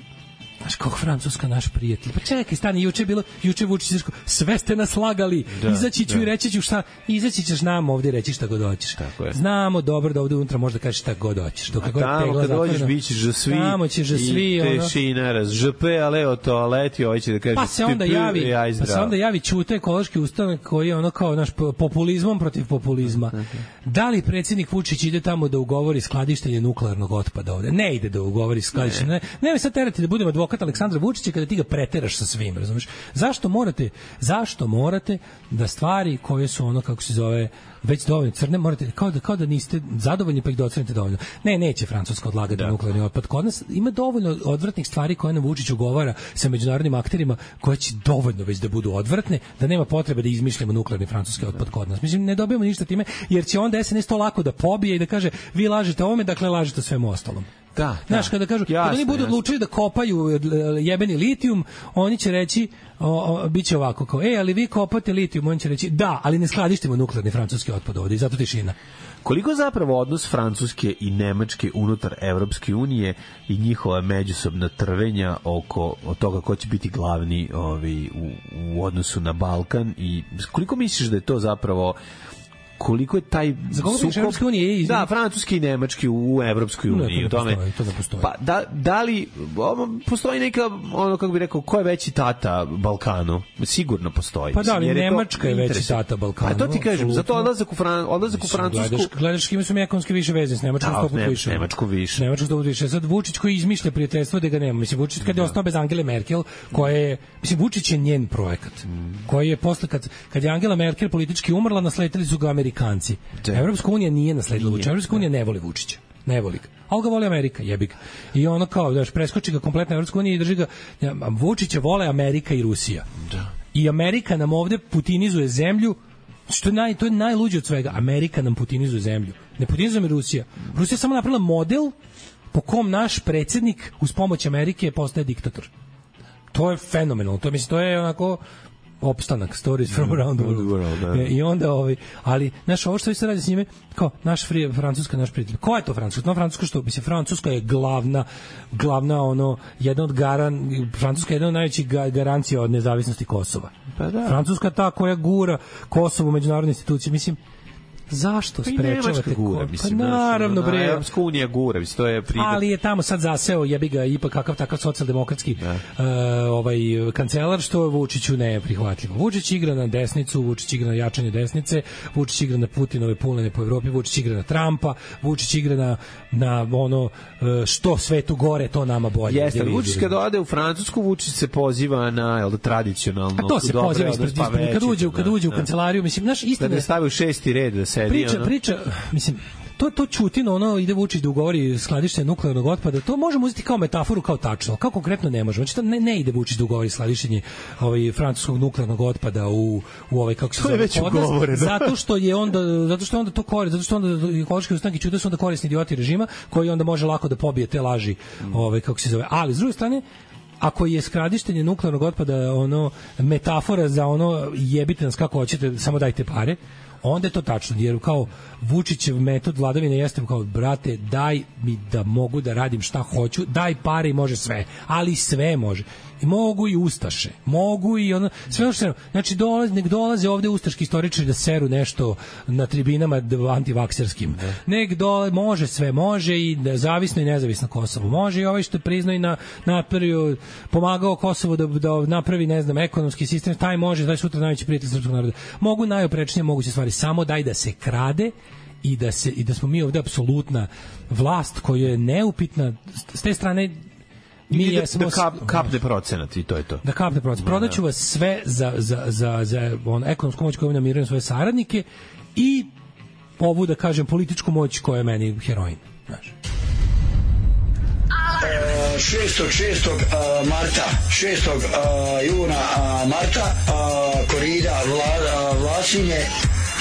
znaš, kako Francuska, naš prijatelj. Pa čekaj, stani, juče je bilo, juče Vučić Srško, sve ste nas lagali, da, izaći ću da. I reći ću šta, izaći ćeš nam ovdje reći šta god hoćeš. Znamo dobro da ovdje unutra možda kažeš šta god hoćeš. A tamo kad dođeš bit ćeš za svi, tamo ćeš za svi, i tešina, raz, žpe, ale o toaleti, ovaj će da kaže... Pa se onda javi, pa se onda javi Ćute, ekološki ustanak koji je ono kao naš populizmom protiv populizma. Da li predsjednik Vučić ide tamo da ugovori skladištenje nuklearnog otpada ovde? Ne ide da ugovori skladištenje. Ne, ne me sad terati da budemo advokat Aleksandra Vučića kada ti ga preteraš sa svim, razumeš? Zašto morate, zašto morate da stvari koje su ono, kako se zove, već dovoljno crne, morate, kao da, kao da niste zadovoljni pa ih docenite dovoljno. Ne, neće Francuska odlagati da. Nuklearni otpad. Kod nas ima dovoljno odvratnih stvari koje nam Vučić ugovara sa međunarodnim akterima koje će dovoljno već da budu odvratne, da nema potrebe da izmišljamo nuklearni francuski otpad kod nas. Mislim, ne dobijamo ništa time, jer će onda S N S to lako da pobije i da kaže, vi lažete ovome, dakle lažete svemu ostalom. Da, znaš, kada kažu, jasne, kada oni budu odlučili da kopaju jebeni litijum, oni će reći, o, o, bit će ovako, kao, e, ali vi kopate litijum, oni će reći, da, ali ne skladištimo nuklearni francuski otpad ovde i zato tišina. Koliko zapravo odnos Francuske i Nemačke unutar Evropske unije i njihova međusobna trvenja oko od toga ko će biti glavni ovaj, u, u odnosu na Balkan i koliko misliš da je to zapravo koliko je taj sukob unije, da, francuski i nemački u, u Evropskoj uniji, ne, to, ne postoji, to ne postoji. Pa da, da li postoji neka, ono kako bi rekao, ko je veći tata Balkanu? Sigurno postoji. Pa da, ali Nemačka je veći tata Balkanu. Pa to ti kažem, zato odlazak u, Fran, odlazak u Francusku... Gledaš, gledaš kime su mi ekonomski više veze s Nemačkom sto puta više. Nemačko više. Nemačko sto puta više. Sad Vučić koji izmišlja prijateljstvo da ga nema. Mislim, Vučić kad je ostao bez Angele Merkel, koja je... Mislim, Vučić je njen projekat. Koji je posle, kad, kad je Angela Merkel politički umrla, nasledili su ga Amerikanci. Evropska unija nije nasledila Vučića. Evropska unija ne voli Vučića. Ne voli ga. Ali ga voli Amerika, jebi ga. I ono kao, daš, preskoči ga kompletna Evropska unija i drži ga... Vučića vole Amerika i Rusija. Da. I Amerika nam ovde putinizuje zemlju, što je, naj, to je najluđe od svega. Amerika nam putinizuje zemlju. Ne putinizuje mi Rusija. Rusija je samo napravila model po kom naš predsjednik uz pomoć Amerike postaje diktator. To je fenomenalno. To, mislim, to je onako... opstanak, stories from around the world. world da. I onda, ovaj, ali, znaš, ovo što vi se radi s njime, kao, naš free, Francuska, naš prijatelj. Ko je to Francuska? No, Francuska što? Mislim, Francuska je glavna, glavna, ono, jedna od garan, Francuska je jedna od najvećih garancija od nezavisnosti Kosova. Pa da. Francuska ta koja gura Kosovo u međunarodne institucije. Mislim, zašto sprečavate gura, mislim, pa naravno bre, Evropska unija gura, mislim, to je pridat. Ali je tamo sad zaseo, jebi ga, ipak kakav takav socijaldemokratski uh, ovaj kancelar, što Vučiću ne je prihvatljivo. Vučić igra na desnicu, Vučić igra na jačanje desnice, Vučić igra na Putinove pulene po Evropi, Vučić igra na Trumpa, Vučić igra na, na ono što svetu gore, to nama bolje. Jeste, Vučić kad ode u Francusku, Vučić se poziva na, jel da, tradicionalno. A to se poziva ispred, ispred, kad uđe, kad uđe u kancelariju, mislim, naš istina. Da ne stavi u šesti red da sedi, priča, ono. priča, mislim, to to Ćutino, ono ide Vučić da ugovori skladištenje nuklearnog otpada, to možemo uzeti kao metaforu, kao tačno, kao konkretno ne možemo. Znači, to ne, ne ide Vučić da ugovori skladištenje ovaj, francuskog nuklearnog otpada u, u ovaj, kako se zove, već ugovoreno. Zato što je onda, zato što je onda to koristi, zato što onda ekološki ustanke Ćute su onda korisni idioti režima, koji onda može lako da pobije te laži, ovaj, kako se zove. Ali, s druge strane, ako je skladištenje nuklearnog otpada ono metafora za ono jebite nas kako hoćete, samo dajte pare, onda je to tačno, jer kao Vučićev metod vladavine jeste kao, brate, daj mi da mogu da radim šta hoću, daj pare i može sve, ali sve može. I mogu i ustaše, mogu i ono, sve ono što se, znači dolaze, nek dolaze ovde ustaški istoričari da seru nešto na tribinama antivakserskim. Nek dolaze, može sve, može i zavisno i nezavisno Kosovo, može i ovaj što je priznao i na, napravio, pomagao Kosovo da, da napravi, ne znam, ekonomski sistem, taj može, taj sutra najveći prijatelj srpskog naroda. Mogu najoprečnije moguće stvari, samo daj da se krade i da, se, i da smo mi ovde apsolutna vlast koja je neupitna, s te strane mi jesmo da kap, kapne procenat i to je to. Da kapne procenat. Prodaću vas sve za, za, za, za on, ekonomsku moć koju namirujem svoje saradnike i ovu, da kažem, političku moć koja je meni heroin. Znaš. šestog šestog marta šestog juna marta korida Vla, Vlasinje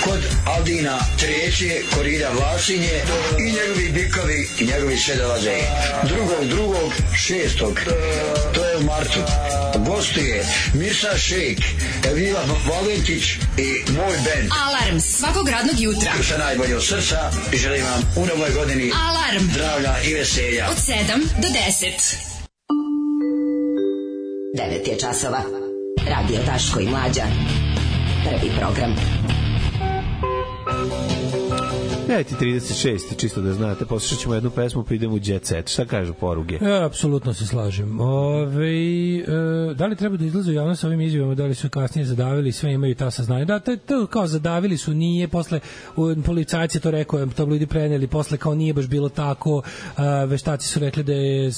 kod Aldina treće korida Vlasinje i njegovi bikovi i njegovi sve dolaze. Drugog, drugog, šestog, to je u martu. Gostuje Mirsa Šejk, Evila Valentić i moj band. Alarm svakog radnog jutra. Sa najbolje od srca i želim vam u novoj godini Alarm. Zdravlja i veselja. Od sedam do deset. devet je časova. Radio Daško i Mlađa. Prvi program. devet i trideset šest, čisto da znate, poslušat ćemo jednu pesmu, pa idemo u Jet Set. Šta kažu poruge? Ja, apsolutno se slažem. Ove, e, da li treba da izlazu javno sa ovim izjavama, da li su kasnije zadavili, sve imaju ta saznanja? Da, to, to kao zadavili su, nije, posle policajci to rekao, tabloidi preneli, posle kao nije baš bilo tako, a, veštaci su rekli da je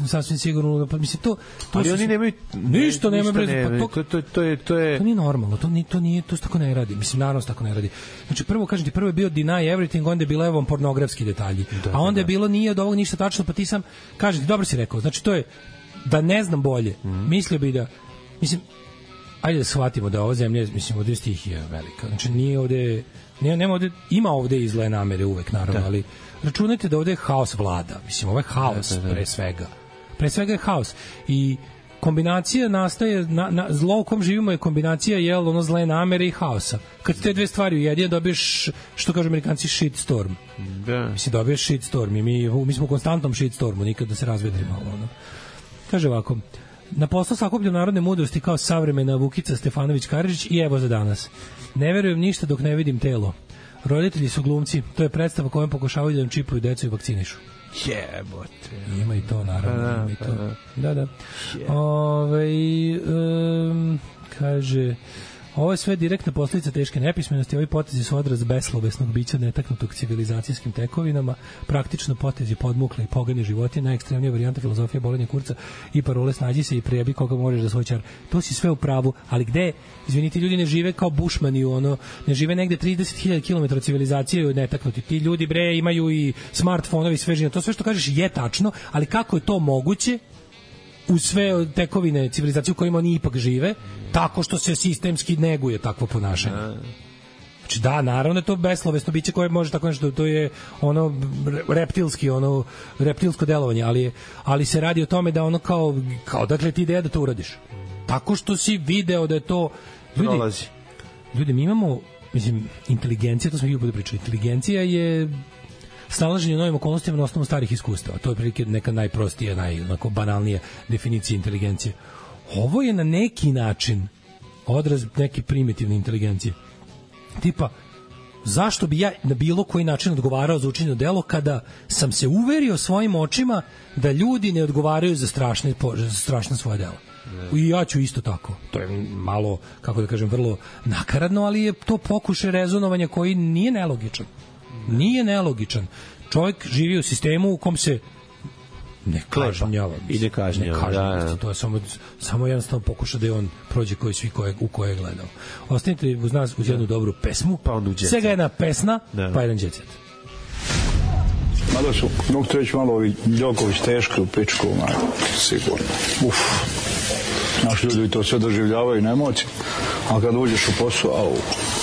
sasvim sigurno, pa mislim, to... to ali su, oni nemaju... Ništa nema brez... Ne, to, to, to, to, je, to je... To nije normalno, to, nije, to, nije, to se tako ne radi. Mislim, naravno se tako ne radi. Znači, prvo, kažem ti, prvo je bio deny everything, onda je bilo evo pornografski detalji. Da, a onda je bilo nije od ovog ništa tačno, pa ti sam, kažem ti, dobro si rekao, znači to je, da ne znam bolje, mm. mislio bi da, mislim, ajde da shvatimo da ova zemlja, mislim, ovde je stihija velika. Znači, nije ovde, nije, nema ovde, ima ovde i zle namere uvek, naravno, da. Ali računajte da ovde haos vlada. Mislim, ovo je haos, da, da, da. pre svega. Pre svega je haos. I kombinacija nastaje, na, na, zlo u kom živimo je kombinacija, jel, ono zle namere i haosa. Kad te dve stvari ujedinjene, dobiješ, što kažu Amerikanci, shitstorm. Da. Mislim, dobiješ shitstorm i mi, mi smo u konstantnom shitstormu, nikad da se razvedrimo. Ono. Kaže ovako, na poslu sakupljam narodne mudrosti kao savremena Vukica Stefanović Karadžić i evo za danas. Ne verujem ništa dok ne vidim telo. Roditelji su glumci, to je predstava kojom pokušavaju da nam čipuju decu i vakcinišu. Jebote. Ima i to, naravno. Da, ima i to. da. Da, da. Ove, um, kaže, ovo je sve direktna posljedica teške nepismenosti. Ovi potezi su odraz beslovesnog bića netaknutog civilizacijskim tekovinama, praktično potezi podmukle i pogane životinje, najekstremnija varijanta filozofije bolenja kurca i parole snađi se i prijebi koga možeš za svoj čar. To si sve u pravu, ali gde? Izvinite, ljudi ne žive kao bušmani, ono, ne žive negde trideset hiljada kilometara civilizacije netaknuti. Ti ljudi, bre, imaju i smartfonovi, sve žive. To sve što kažeš je tačno, ali kako je to moguće u sve tekovine civilizacije u kojima oni ipak žive, tako što se sistemski neguje takvo ponašanje. Znači da, naravno je to beslovesno biće koje može tako nešto, to je ono reptilski, ono reptilsko delovanje, ali, ali se radi o tome da ono kao, kao dakle ti ideja da to uradiš. Tako što si video da je to... Ljudi, prolazi. Ljudi, mi imamo, mislim, inteligencija, to smo ih bude pričali, inteligencija je snalaženje u novim okolnostima na osnovu starih iskustava. To je prilike neka najprostija, naj, onako banalnija definicija inteligencije. Ovo je na neki način odraz neke primitivne inteligencije. Tipa, zašto bi ja na bilo koji način odgovarao za učinjeno delo kada sam se uverio svojim očima da ljudi ne odgovaraju za strašne, za strašne svoje delo. I ja ću isto tako. To je malo, kako da kažem, vrlo nakaradno, ali je to pokušaj rezonovanja koji nije nelogičan. Nije nelogičan. Čovjek živi u sistemu u kom se ne kažnjava. I ne kažnjava. Ne kažnjava. Da, da. To je samo, samo jednostavno pokuša da je on prođe koji svi koje, u koje je gledao. Ostanite uz nas uz jednu dobru pesmu. Pa onda u Jet Set. Svega jedna pesna, da. Pa jedan Jet Set. Mada su, mogu to reći malo ovi Đoković teški u pičku, maj, sigurno. Uf. Naši ljudi to sve doživljavaju na emociji, a kad uđeš u posao, au.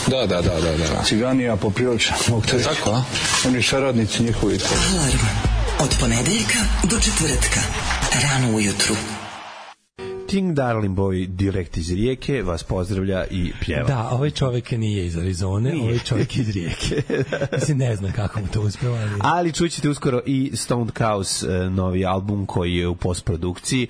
Da, da, da, da, da. Ciganija poprilično, mogu to reći. Tako, a? Oni saradnici njihovi. Alarm od ponedeljka do četvrtka, rano ujutru. King Darling Boy direkt iz Rijeke vas pozdravlja i pjeva. Da, ovaj čovjek nije iz Arizone, nije. Ovaj čovjek iz Rijeke. Mislim, ne znam kako mu to uspeva. Ali, ali čućete uskoro i Stoned Cows novi album koji je u postprodukciji.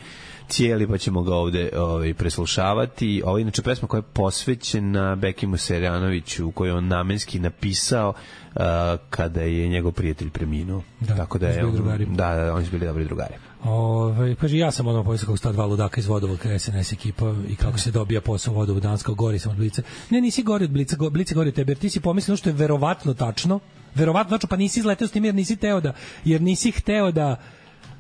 Cijeli, pa ćemo ga ovde ovaj, preslušavati. Ovo je inače pesma koja je posvećena Bekimu Serjanoviću, koju je on namenski napisao uh, kada je njegov prijatelj preminuo. Da, tako da je on, da, da, oni su bili dobri drugari. Ove, kaže, ja sam ono povijest kako sta dva ludaka iz Vodovoda S N S ekipa i kako se dobija posao u Vodovod Danska, gori sam od Blica. Ne, nisi gori od Blica, go, Blica gori od tebe, jer ti si pomislio što je verovatno tačno, verovatno tačno, pa nisi izleteo s tim jer nisi teo da, jer nisi hteo da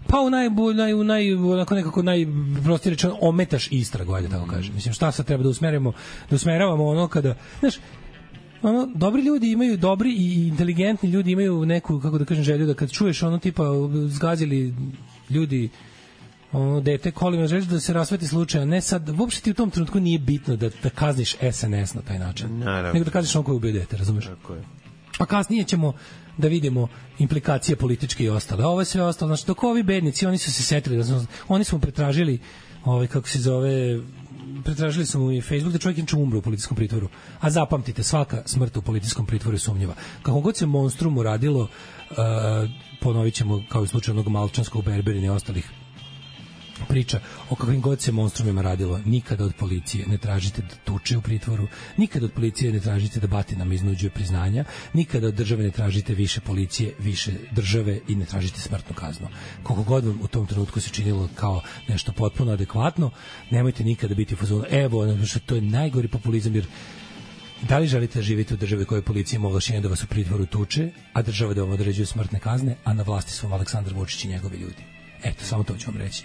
pa u naj, naj, u naj, onako nekako najprostije rečeno ometaš istragu, ajde tako kažem. Mislim, šta sad treba da usmerimo, da usmeravamo ono kada, znaš, ono, dobri ljudi imaju, dobri i inteligentni ljudi imaju neku, kako da kažem, želju da kad čuješ ono tipa zgazili ljudi ono dete kolima, želiš da se rasveti slučaj, ne sad, uopšte ti u tom trenutku nije bitno da, da kazniš S N S na taj način, naravno, nego da kazniš ono koji ubio dete, razumeš? Tako je. A kasnije ćemo da vidimo implikacije političke i ostale. Ovo je sve ostalo. Znači, dok ovi bednici, oni su se setili, oni su mu pretražili, ovaj, kako se zove, pretražili su mu i Facebook da čovjek inče umre u policijskom pritvoru. A zapamtite, svaka smrt u policijskom pritvoru je sumnjiva. Kako god se monstrumu radilo, uh, ponovit ćemo kao u slučaju onog Malčanskog, Berberina i ostalih priča o kakvim god se monstrumima radilo, nikada od policije ne tražite da tuče u pritvoru, nikada od policije ne tražite da batinama iznuđuje priznanja, nikada od države ne tražite više policije, više države i ne tražite smrtnu kaznu. Koliko god vam u tom trenutku se činilo kao nešto potpuno adekvatno, nemojte nikada biti u fazonu, evo, što to je najgori populizam, jer da li želite živjeti u državi koje policija ima ovlašćenje da vas u pritvoru tuče, a država da vam određuje smrtne kazne, a na vlasti su vam Aleksandar Vučić i njegovi ljudi. Eto, samo to ću vam reći.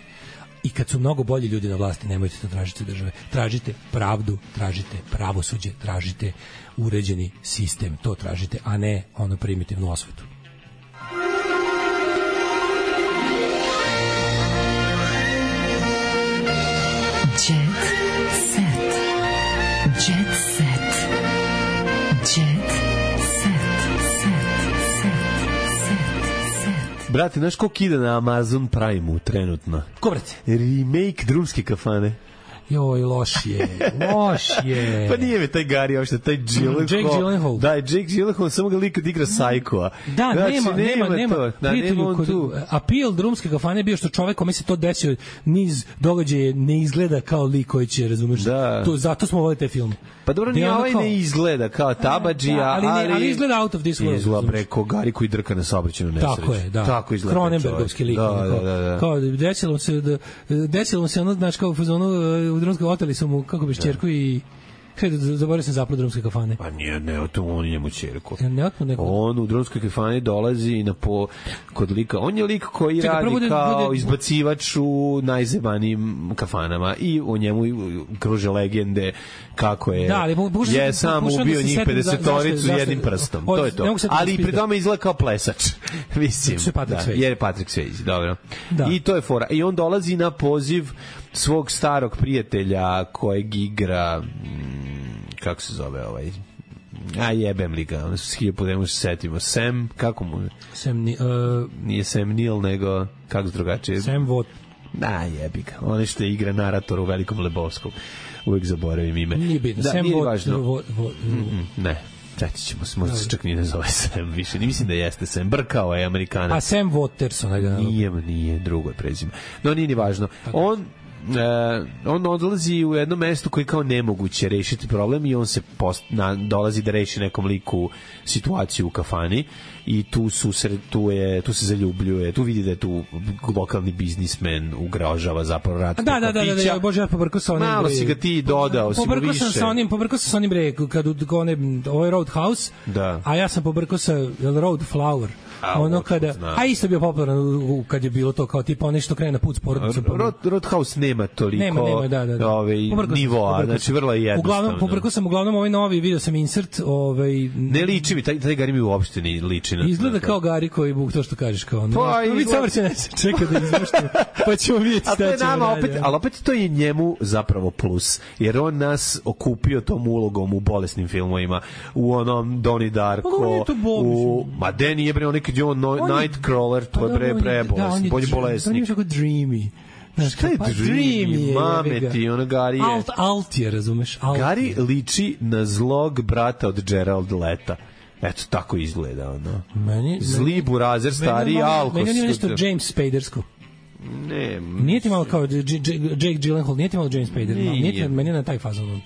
I kad su mnogo bolji ljudi na vlasti, nemojte to tražiti države. Tražite pravdu, tražite pravosuđe, tražite uređeni sistem, to tražite, a ne ono primitivnu osvetu. Jet set. Jet set. Jet Brate, znaš koliko ide na Amazon Prime-u trenutno? Ko, brate? Remake Drumske kafane. Joj, loš je, loš je. Pa nije mi taj Gary, ošte, taj Gyllenhaal. Jake Gyllenhaal. Da, Jake Gyllenhaal, samo ga lika igra Psycho-a. Da, znači, nema, nema, nema. To. Da, nema on tu. Appeal Drumske kafane je bio što čovek kome se to desio, niz događaja ne izgleda kao lik koji će, razumeš, da. To, zato smo volili te film. Pa dobro, ni ovaj kao... ne izgleda kao Tabadžija, da, ali, ali, ne, ali izgleda out of this world. Izgleda preko Gari koji drka na saobraćajnu nesreću. Tako je, da. Tako izgleda. Cronenbergovski lik. Da, da, da, da. Kao, desilo se, da, desilo se ono, znači, kao u fazonu, u Drumskoj oteli su mu, kako bi šćerku i... Hej, zaboravio sam zapad Drumske kafane. Pa nije, ne, to on je njemu ćerku. Ne, otmo neko. On u Drumskoj kafani dolazi na po, kod lika. On je lik koji Čekaj, radi bude, kao bude... izbacivač u najzebanijim kafanama i u njemu kruže legende kako je. Da, ali pokušam, je sam ubio da njih pedesetoricu jednim prstom. To je to. Ali pri tome izgleda kao plesač. Mislim. Da, je Patrick Swayze, dobro. Da. I to je fora. I on dolazi na poziv svog starog prijatelja kojeg igra kako se zove ovaj a jebem li ga, ono su skije po nemu se setimo Sam, kako mu Sam, uh, nije Sam Neill nego kako se drugačije Sam Vot da jebi ga, on što igra narator u Velikom Lebovskom, uvijek zaboravim ime nije bitno, da, Sam nije Vot, važno Vot, Vot, mm, ne Četit ćemo se, možda se čak nije ne zove Sam više. Ne mislim da jeste Sam, brkao je Amerikanac. A Sam Waterson? Nije, nije, drugo je prezime. No, nije ni važno. On Uh, on odlazi u jedno mesto koji kao nemoguće rešiti problem i on se post, na, dolazi da reši nekom liku situaciju u kafani i tu, su, tu, je, tu se zaljubljuje, tu vidi da je tu lokalni biznismen ugrožava zapravo rad da, da, da, da, da, Bože, ja pobrkao sa onim malo si ga ti dodao, si mu više sam sa onim, pobrkao sam sa onim bre, kad u one, ovo je Roadhouse, da. A ja sam pobrkao sa Road Flower A, ono Watford, kada, znam. a isto bio popularan u- u- kad je bilo to kao tipa ono što krene na put s porodicom. pa- Rod, Roadhouse nema toliko Nema, nema, da, da, da. Ovaj, Pobrkao sam se, nivoa, pobrkao znači sam. vrlo je jednostavno. Uglavnom, pobrkao sam uglavnom ovaj novi, video sam insert, ovaj, Ne liči mi, taj, taj Gari mi uopšte ne liči na izgleda na- kao Gari koji buk to što kažeš kao ono. Pa, Pa, vi izgleda- savrće ne se čeka da izmašte, pa ćemo vidjeti A to je šta ćemo nama dalje. opet, ali opet to je njemu zapravo plus, jer on nas okupio tom ulogom u bolesnim filmovima, u onom Donnie Darko, Pa dobro, nije to bol, u... Ma de nije bre, on nekad je on, no, On je- Nightcrawler, to Pa je bre dobro, on je- da, on prebolesni, je bolji dr- On bolesnik. je tako dreamy. Znaš, Šta je pa, dreamy, je, mame jebi ga. ti, ono Gari je... Alt, alt je, razumeš? Alt Gari je. liči na zlog brata od Gerald Leta. Eto, tako izgleda, ono. Meni, Zli burazer, stari meni, alkos. Meni je nešto James Spadersko. Ne, Nije ti malo kao J- J- Jake Gyllenhaal, nije ti malo James Spader, malo, nije ti, Nije. meni je na taj fazon.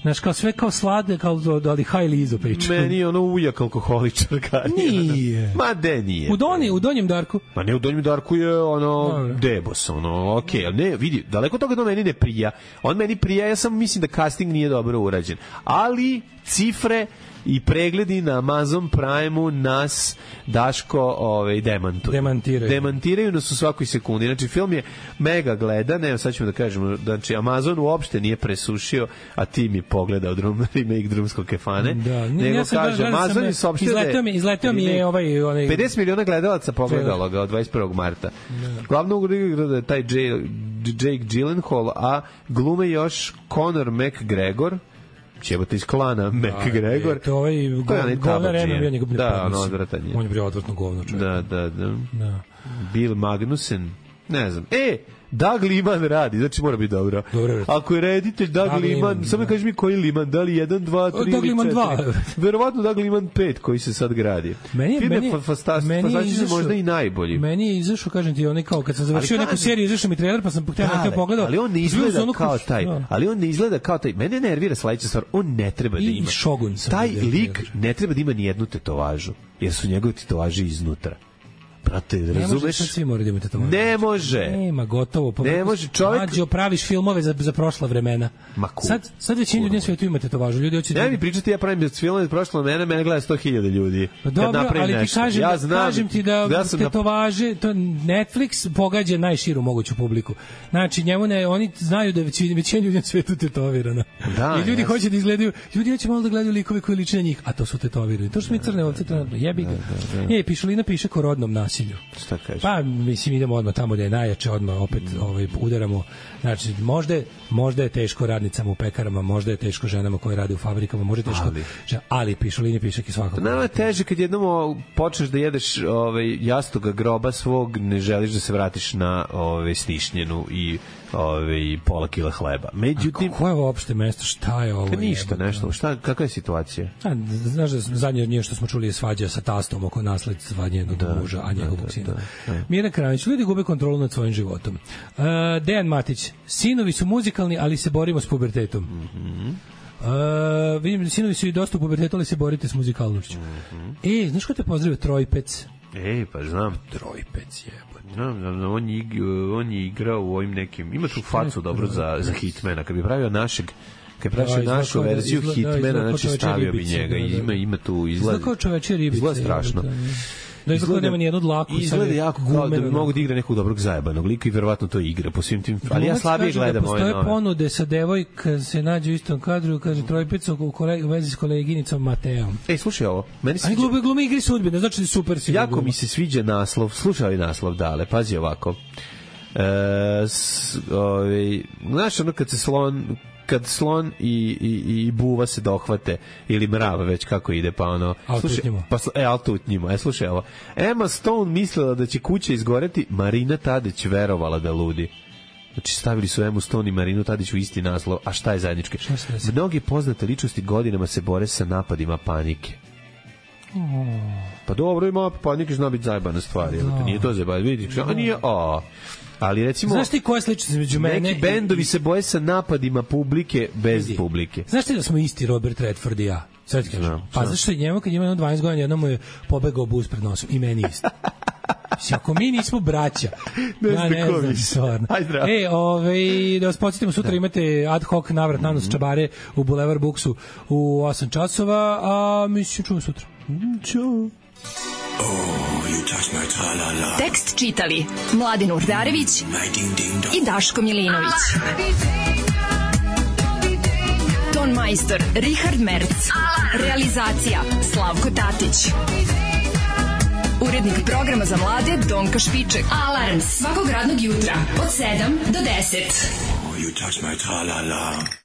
Znaš, kao sve kao slade, kao ali highly izo priča. meni je ono ujak alkoholičar Gari. Nije. Ma de nije. U Doni, u Donjem Darku. Ma ne, u Donjem Darku je ono Dobro. debos, ono, okej, okay, ne, vidi, daleko od toga da meni ne prija. On meni prija, ja samo mislim da casting nije dobro urađen. Ali cifre i pregledi na Amazon Prime-u nas Daško ovaj, demantuju. Demantiraju. Demantiraju nas u svakoj sekundi. Znači, film je mega gledan, evo sad ćemo da kažemo, znači, Amazon uopšte nije presušio, a ti mi pogledao drum, remake Drumskog kefane. Da, ne, nego ja sam kaže, gledao sam, Amazon je saopštio da je- izletao mi, izletao mi je ovaj, onaj, pedeset miliona gledalaca pogledalo ga od dvadeset prvog marta. Glavno ulogu igra je taj J- Jake Gyllenhaal, a glume još Conor McGregor, ćebate iz klana McGregor. to ovaj To je onaj govnar tabađija. Eno, ja njega ne Da, podnosim. ono odvratan je. On je bio odvrtno govno čovjek. Da, da, da. Da. Bill Magnussen, ne znam. E, Doug Liman radi, znači mora biti dobro. Dobro. Ako je reditelj Doug, Doug Liman, Liman, samo da. kaži mi koji Liman, da li jedan, dva, tri Doug ili Liman dva. četiri? Verovatno Doug Liman pet koji se sad gradi. Meni je- Film meni je- fa- fasta- meni je fantastičan, izašao- možda i najbolji. Meni je izašao, kažem ti, onaj kao kad sam završio Ali neku kažem- seriju, izašao mi trailer, pa sam htio na Da, to pogledao. ali on ne Bio izgleda sam ono kao kuć- taj. da. Ali on ne izgleda kao taj. Mene nervira sledeća stvar, on ne treba da I- ima. i Shogun sam Taj vidio lik trailer. ne treba da ima ni jednu tetovažu, jer su njegove tetovaže iznutra. Brate, Ne može, razumeš? sad svi moraju da imate to. Ne može. Nema, gotovo. Pa Ne može, čovjek- Mlađo, praviš filmove za, za prošla vremena. Ma cool. Sad, sad većina ljudi na svijetu ima tetovažu. Ljudi hoće da... Ne mi pričati, ja pravim film iz prošlo mene, mene gleda sto hiljada ljudi. Pa Kad dobro, napravim ali ti nešto. kažem, ja da, znam, kažem ti da ja sam na- tetovaže, to Netflix pogađa najširu moguću publiku. Znači, njemu ne, oni znaju da je većina, većina ljudi na svetu tetovirana. Da, I ljudi jasno. hoće da izgledaju, ljudi hoće malo da gledaju likove koji liče na njih, a to su tetovirani. To što mi crne ovce trenutno, jebi ga. E, Pišulina piše ko rodnom nasilju. Šta kažeš? Pa, mislim, idemo odmah tamo da je najjače, odmah opet ovaj, udaramo. Znači, možda je, možda je teško radnicama u pekarama, možda je teško ženama koje rade u fabrikama, možda je teško, Ali. ali, ali Pišulini pišek i svakako. Nama je teže kad jednom o, počneš da jedeš ovaj, jastoga groba svog, ne želiš da se vratiš na ovaj, snišnjenu i ovaj, pola kila hleba. Međutim, Koje je ovo opšte mesto? Šta je ovo? kad ništa, jebote? nešto. Šta, kakva je situacija? A, znaš da zadnje od nje što smo čuli je svađa sa tastom oko nasledstva njenog muža, a njegovog da, sina. da, da. Mira Kranić, ljudi gube kontrolu nad svojim životom. Uh, Dejan Matić, sinovi su muzikalni, ali se borimo s pubertetom. Mhm. Uh, vidim da sinovi su i dosta u pubertetu, ali se borite s muzikalnošću. Mhm. E, znaš ko te pozdravio? Trojpec. Ej, pa znam. Trojpec je. Znam, znam, znam, on, je, ig- on je igrao u ovim nekim... Ima tu facu dobro za, za Hitmana. Kad bi pravio našeg... Kad bi Da, pravio izgleda našu kao da- verziju izgleda- Hitmana, izgleda kao znači čovečija stavio bi ribica, njega. da, da. Ima, ima tu izgled... Izgleda kao čovečija ribica. Izgleda strašno. jebote, Da izgleda nema ni jednu dlaku. Izgleda sad je jako kao da bi gumeno. mogu da igra nekog dobrog zajebanog lika i verovatno to igra po svim tim... Ali ja Glumac slabije kaže da gledam ove postoje nove. ponude sa devojka se nađe u istom kadru, kaže Trojpeca u, kolega, u vezi s koleginicom Mateom. Ej, slušaj ovo. Meni se Ani sviđa- glumi, glumi igri sudbine, znači da je super si. Jako mi se sviđa naslov. Slušaj ovaj naslov, dale, pazi ovako. E, s, ovaj, znaš ono kad se slon kad slon i, i, i buva se dohvate ili mrav već kako ide pa ono Al slušaj, tutnjimo. pa sl- e al tutnjimo. E slušaj ovo. Emma Stone mislila da će kuća izgoreti, Marina Tadić verovala da ludi. Znači stavili su Emmu Stone i Marinu Tadić u isti naslov, a šta je zajednički? se desilo? Mnogi poznate ličnosti godinama se bore sa napadima panike. Pa dobro, ima panike, zna biti zajebana stvar, jel te, nije to zajebana, vidiš, a nije, a, ali recimo, Znaš ti koja je sličnost između mene? neki bendovi se boje sa napadima publike bez Vidi. publike. Znaš ti da smo isti Robert Redford i ja? Sad ti kažem. Znam, Pa znam. zašto je njemu kad ima jedno dvanaest godina, jednom mu je pobegao bus pred nosom i meni isto. Mislim, ako mi nismo braća, Ne ja znam ne ko znam, vi ste. stvarno. Aj, zdravo. E, ovaj, da vas podsjetimo, sutra imate ad hoc navrat na nos čabare u Boulevard Booksu u osam časova, a mi se čujemo sutra. Ćao. Tekst čitali Mladin Urdarević i Daško Milinović. Ton majstor Richard Merc. Realizacija Slavko Tatić. Urednik programa za mlade Donka Špiček. Alarms svakog radnog jutra od sedam do deset. You touch my tra-la-la.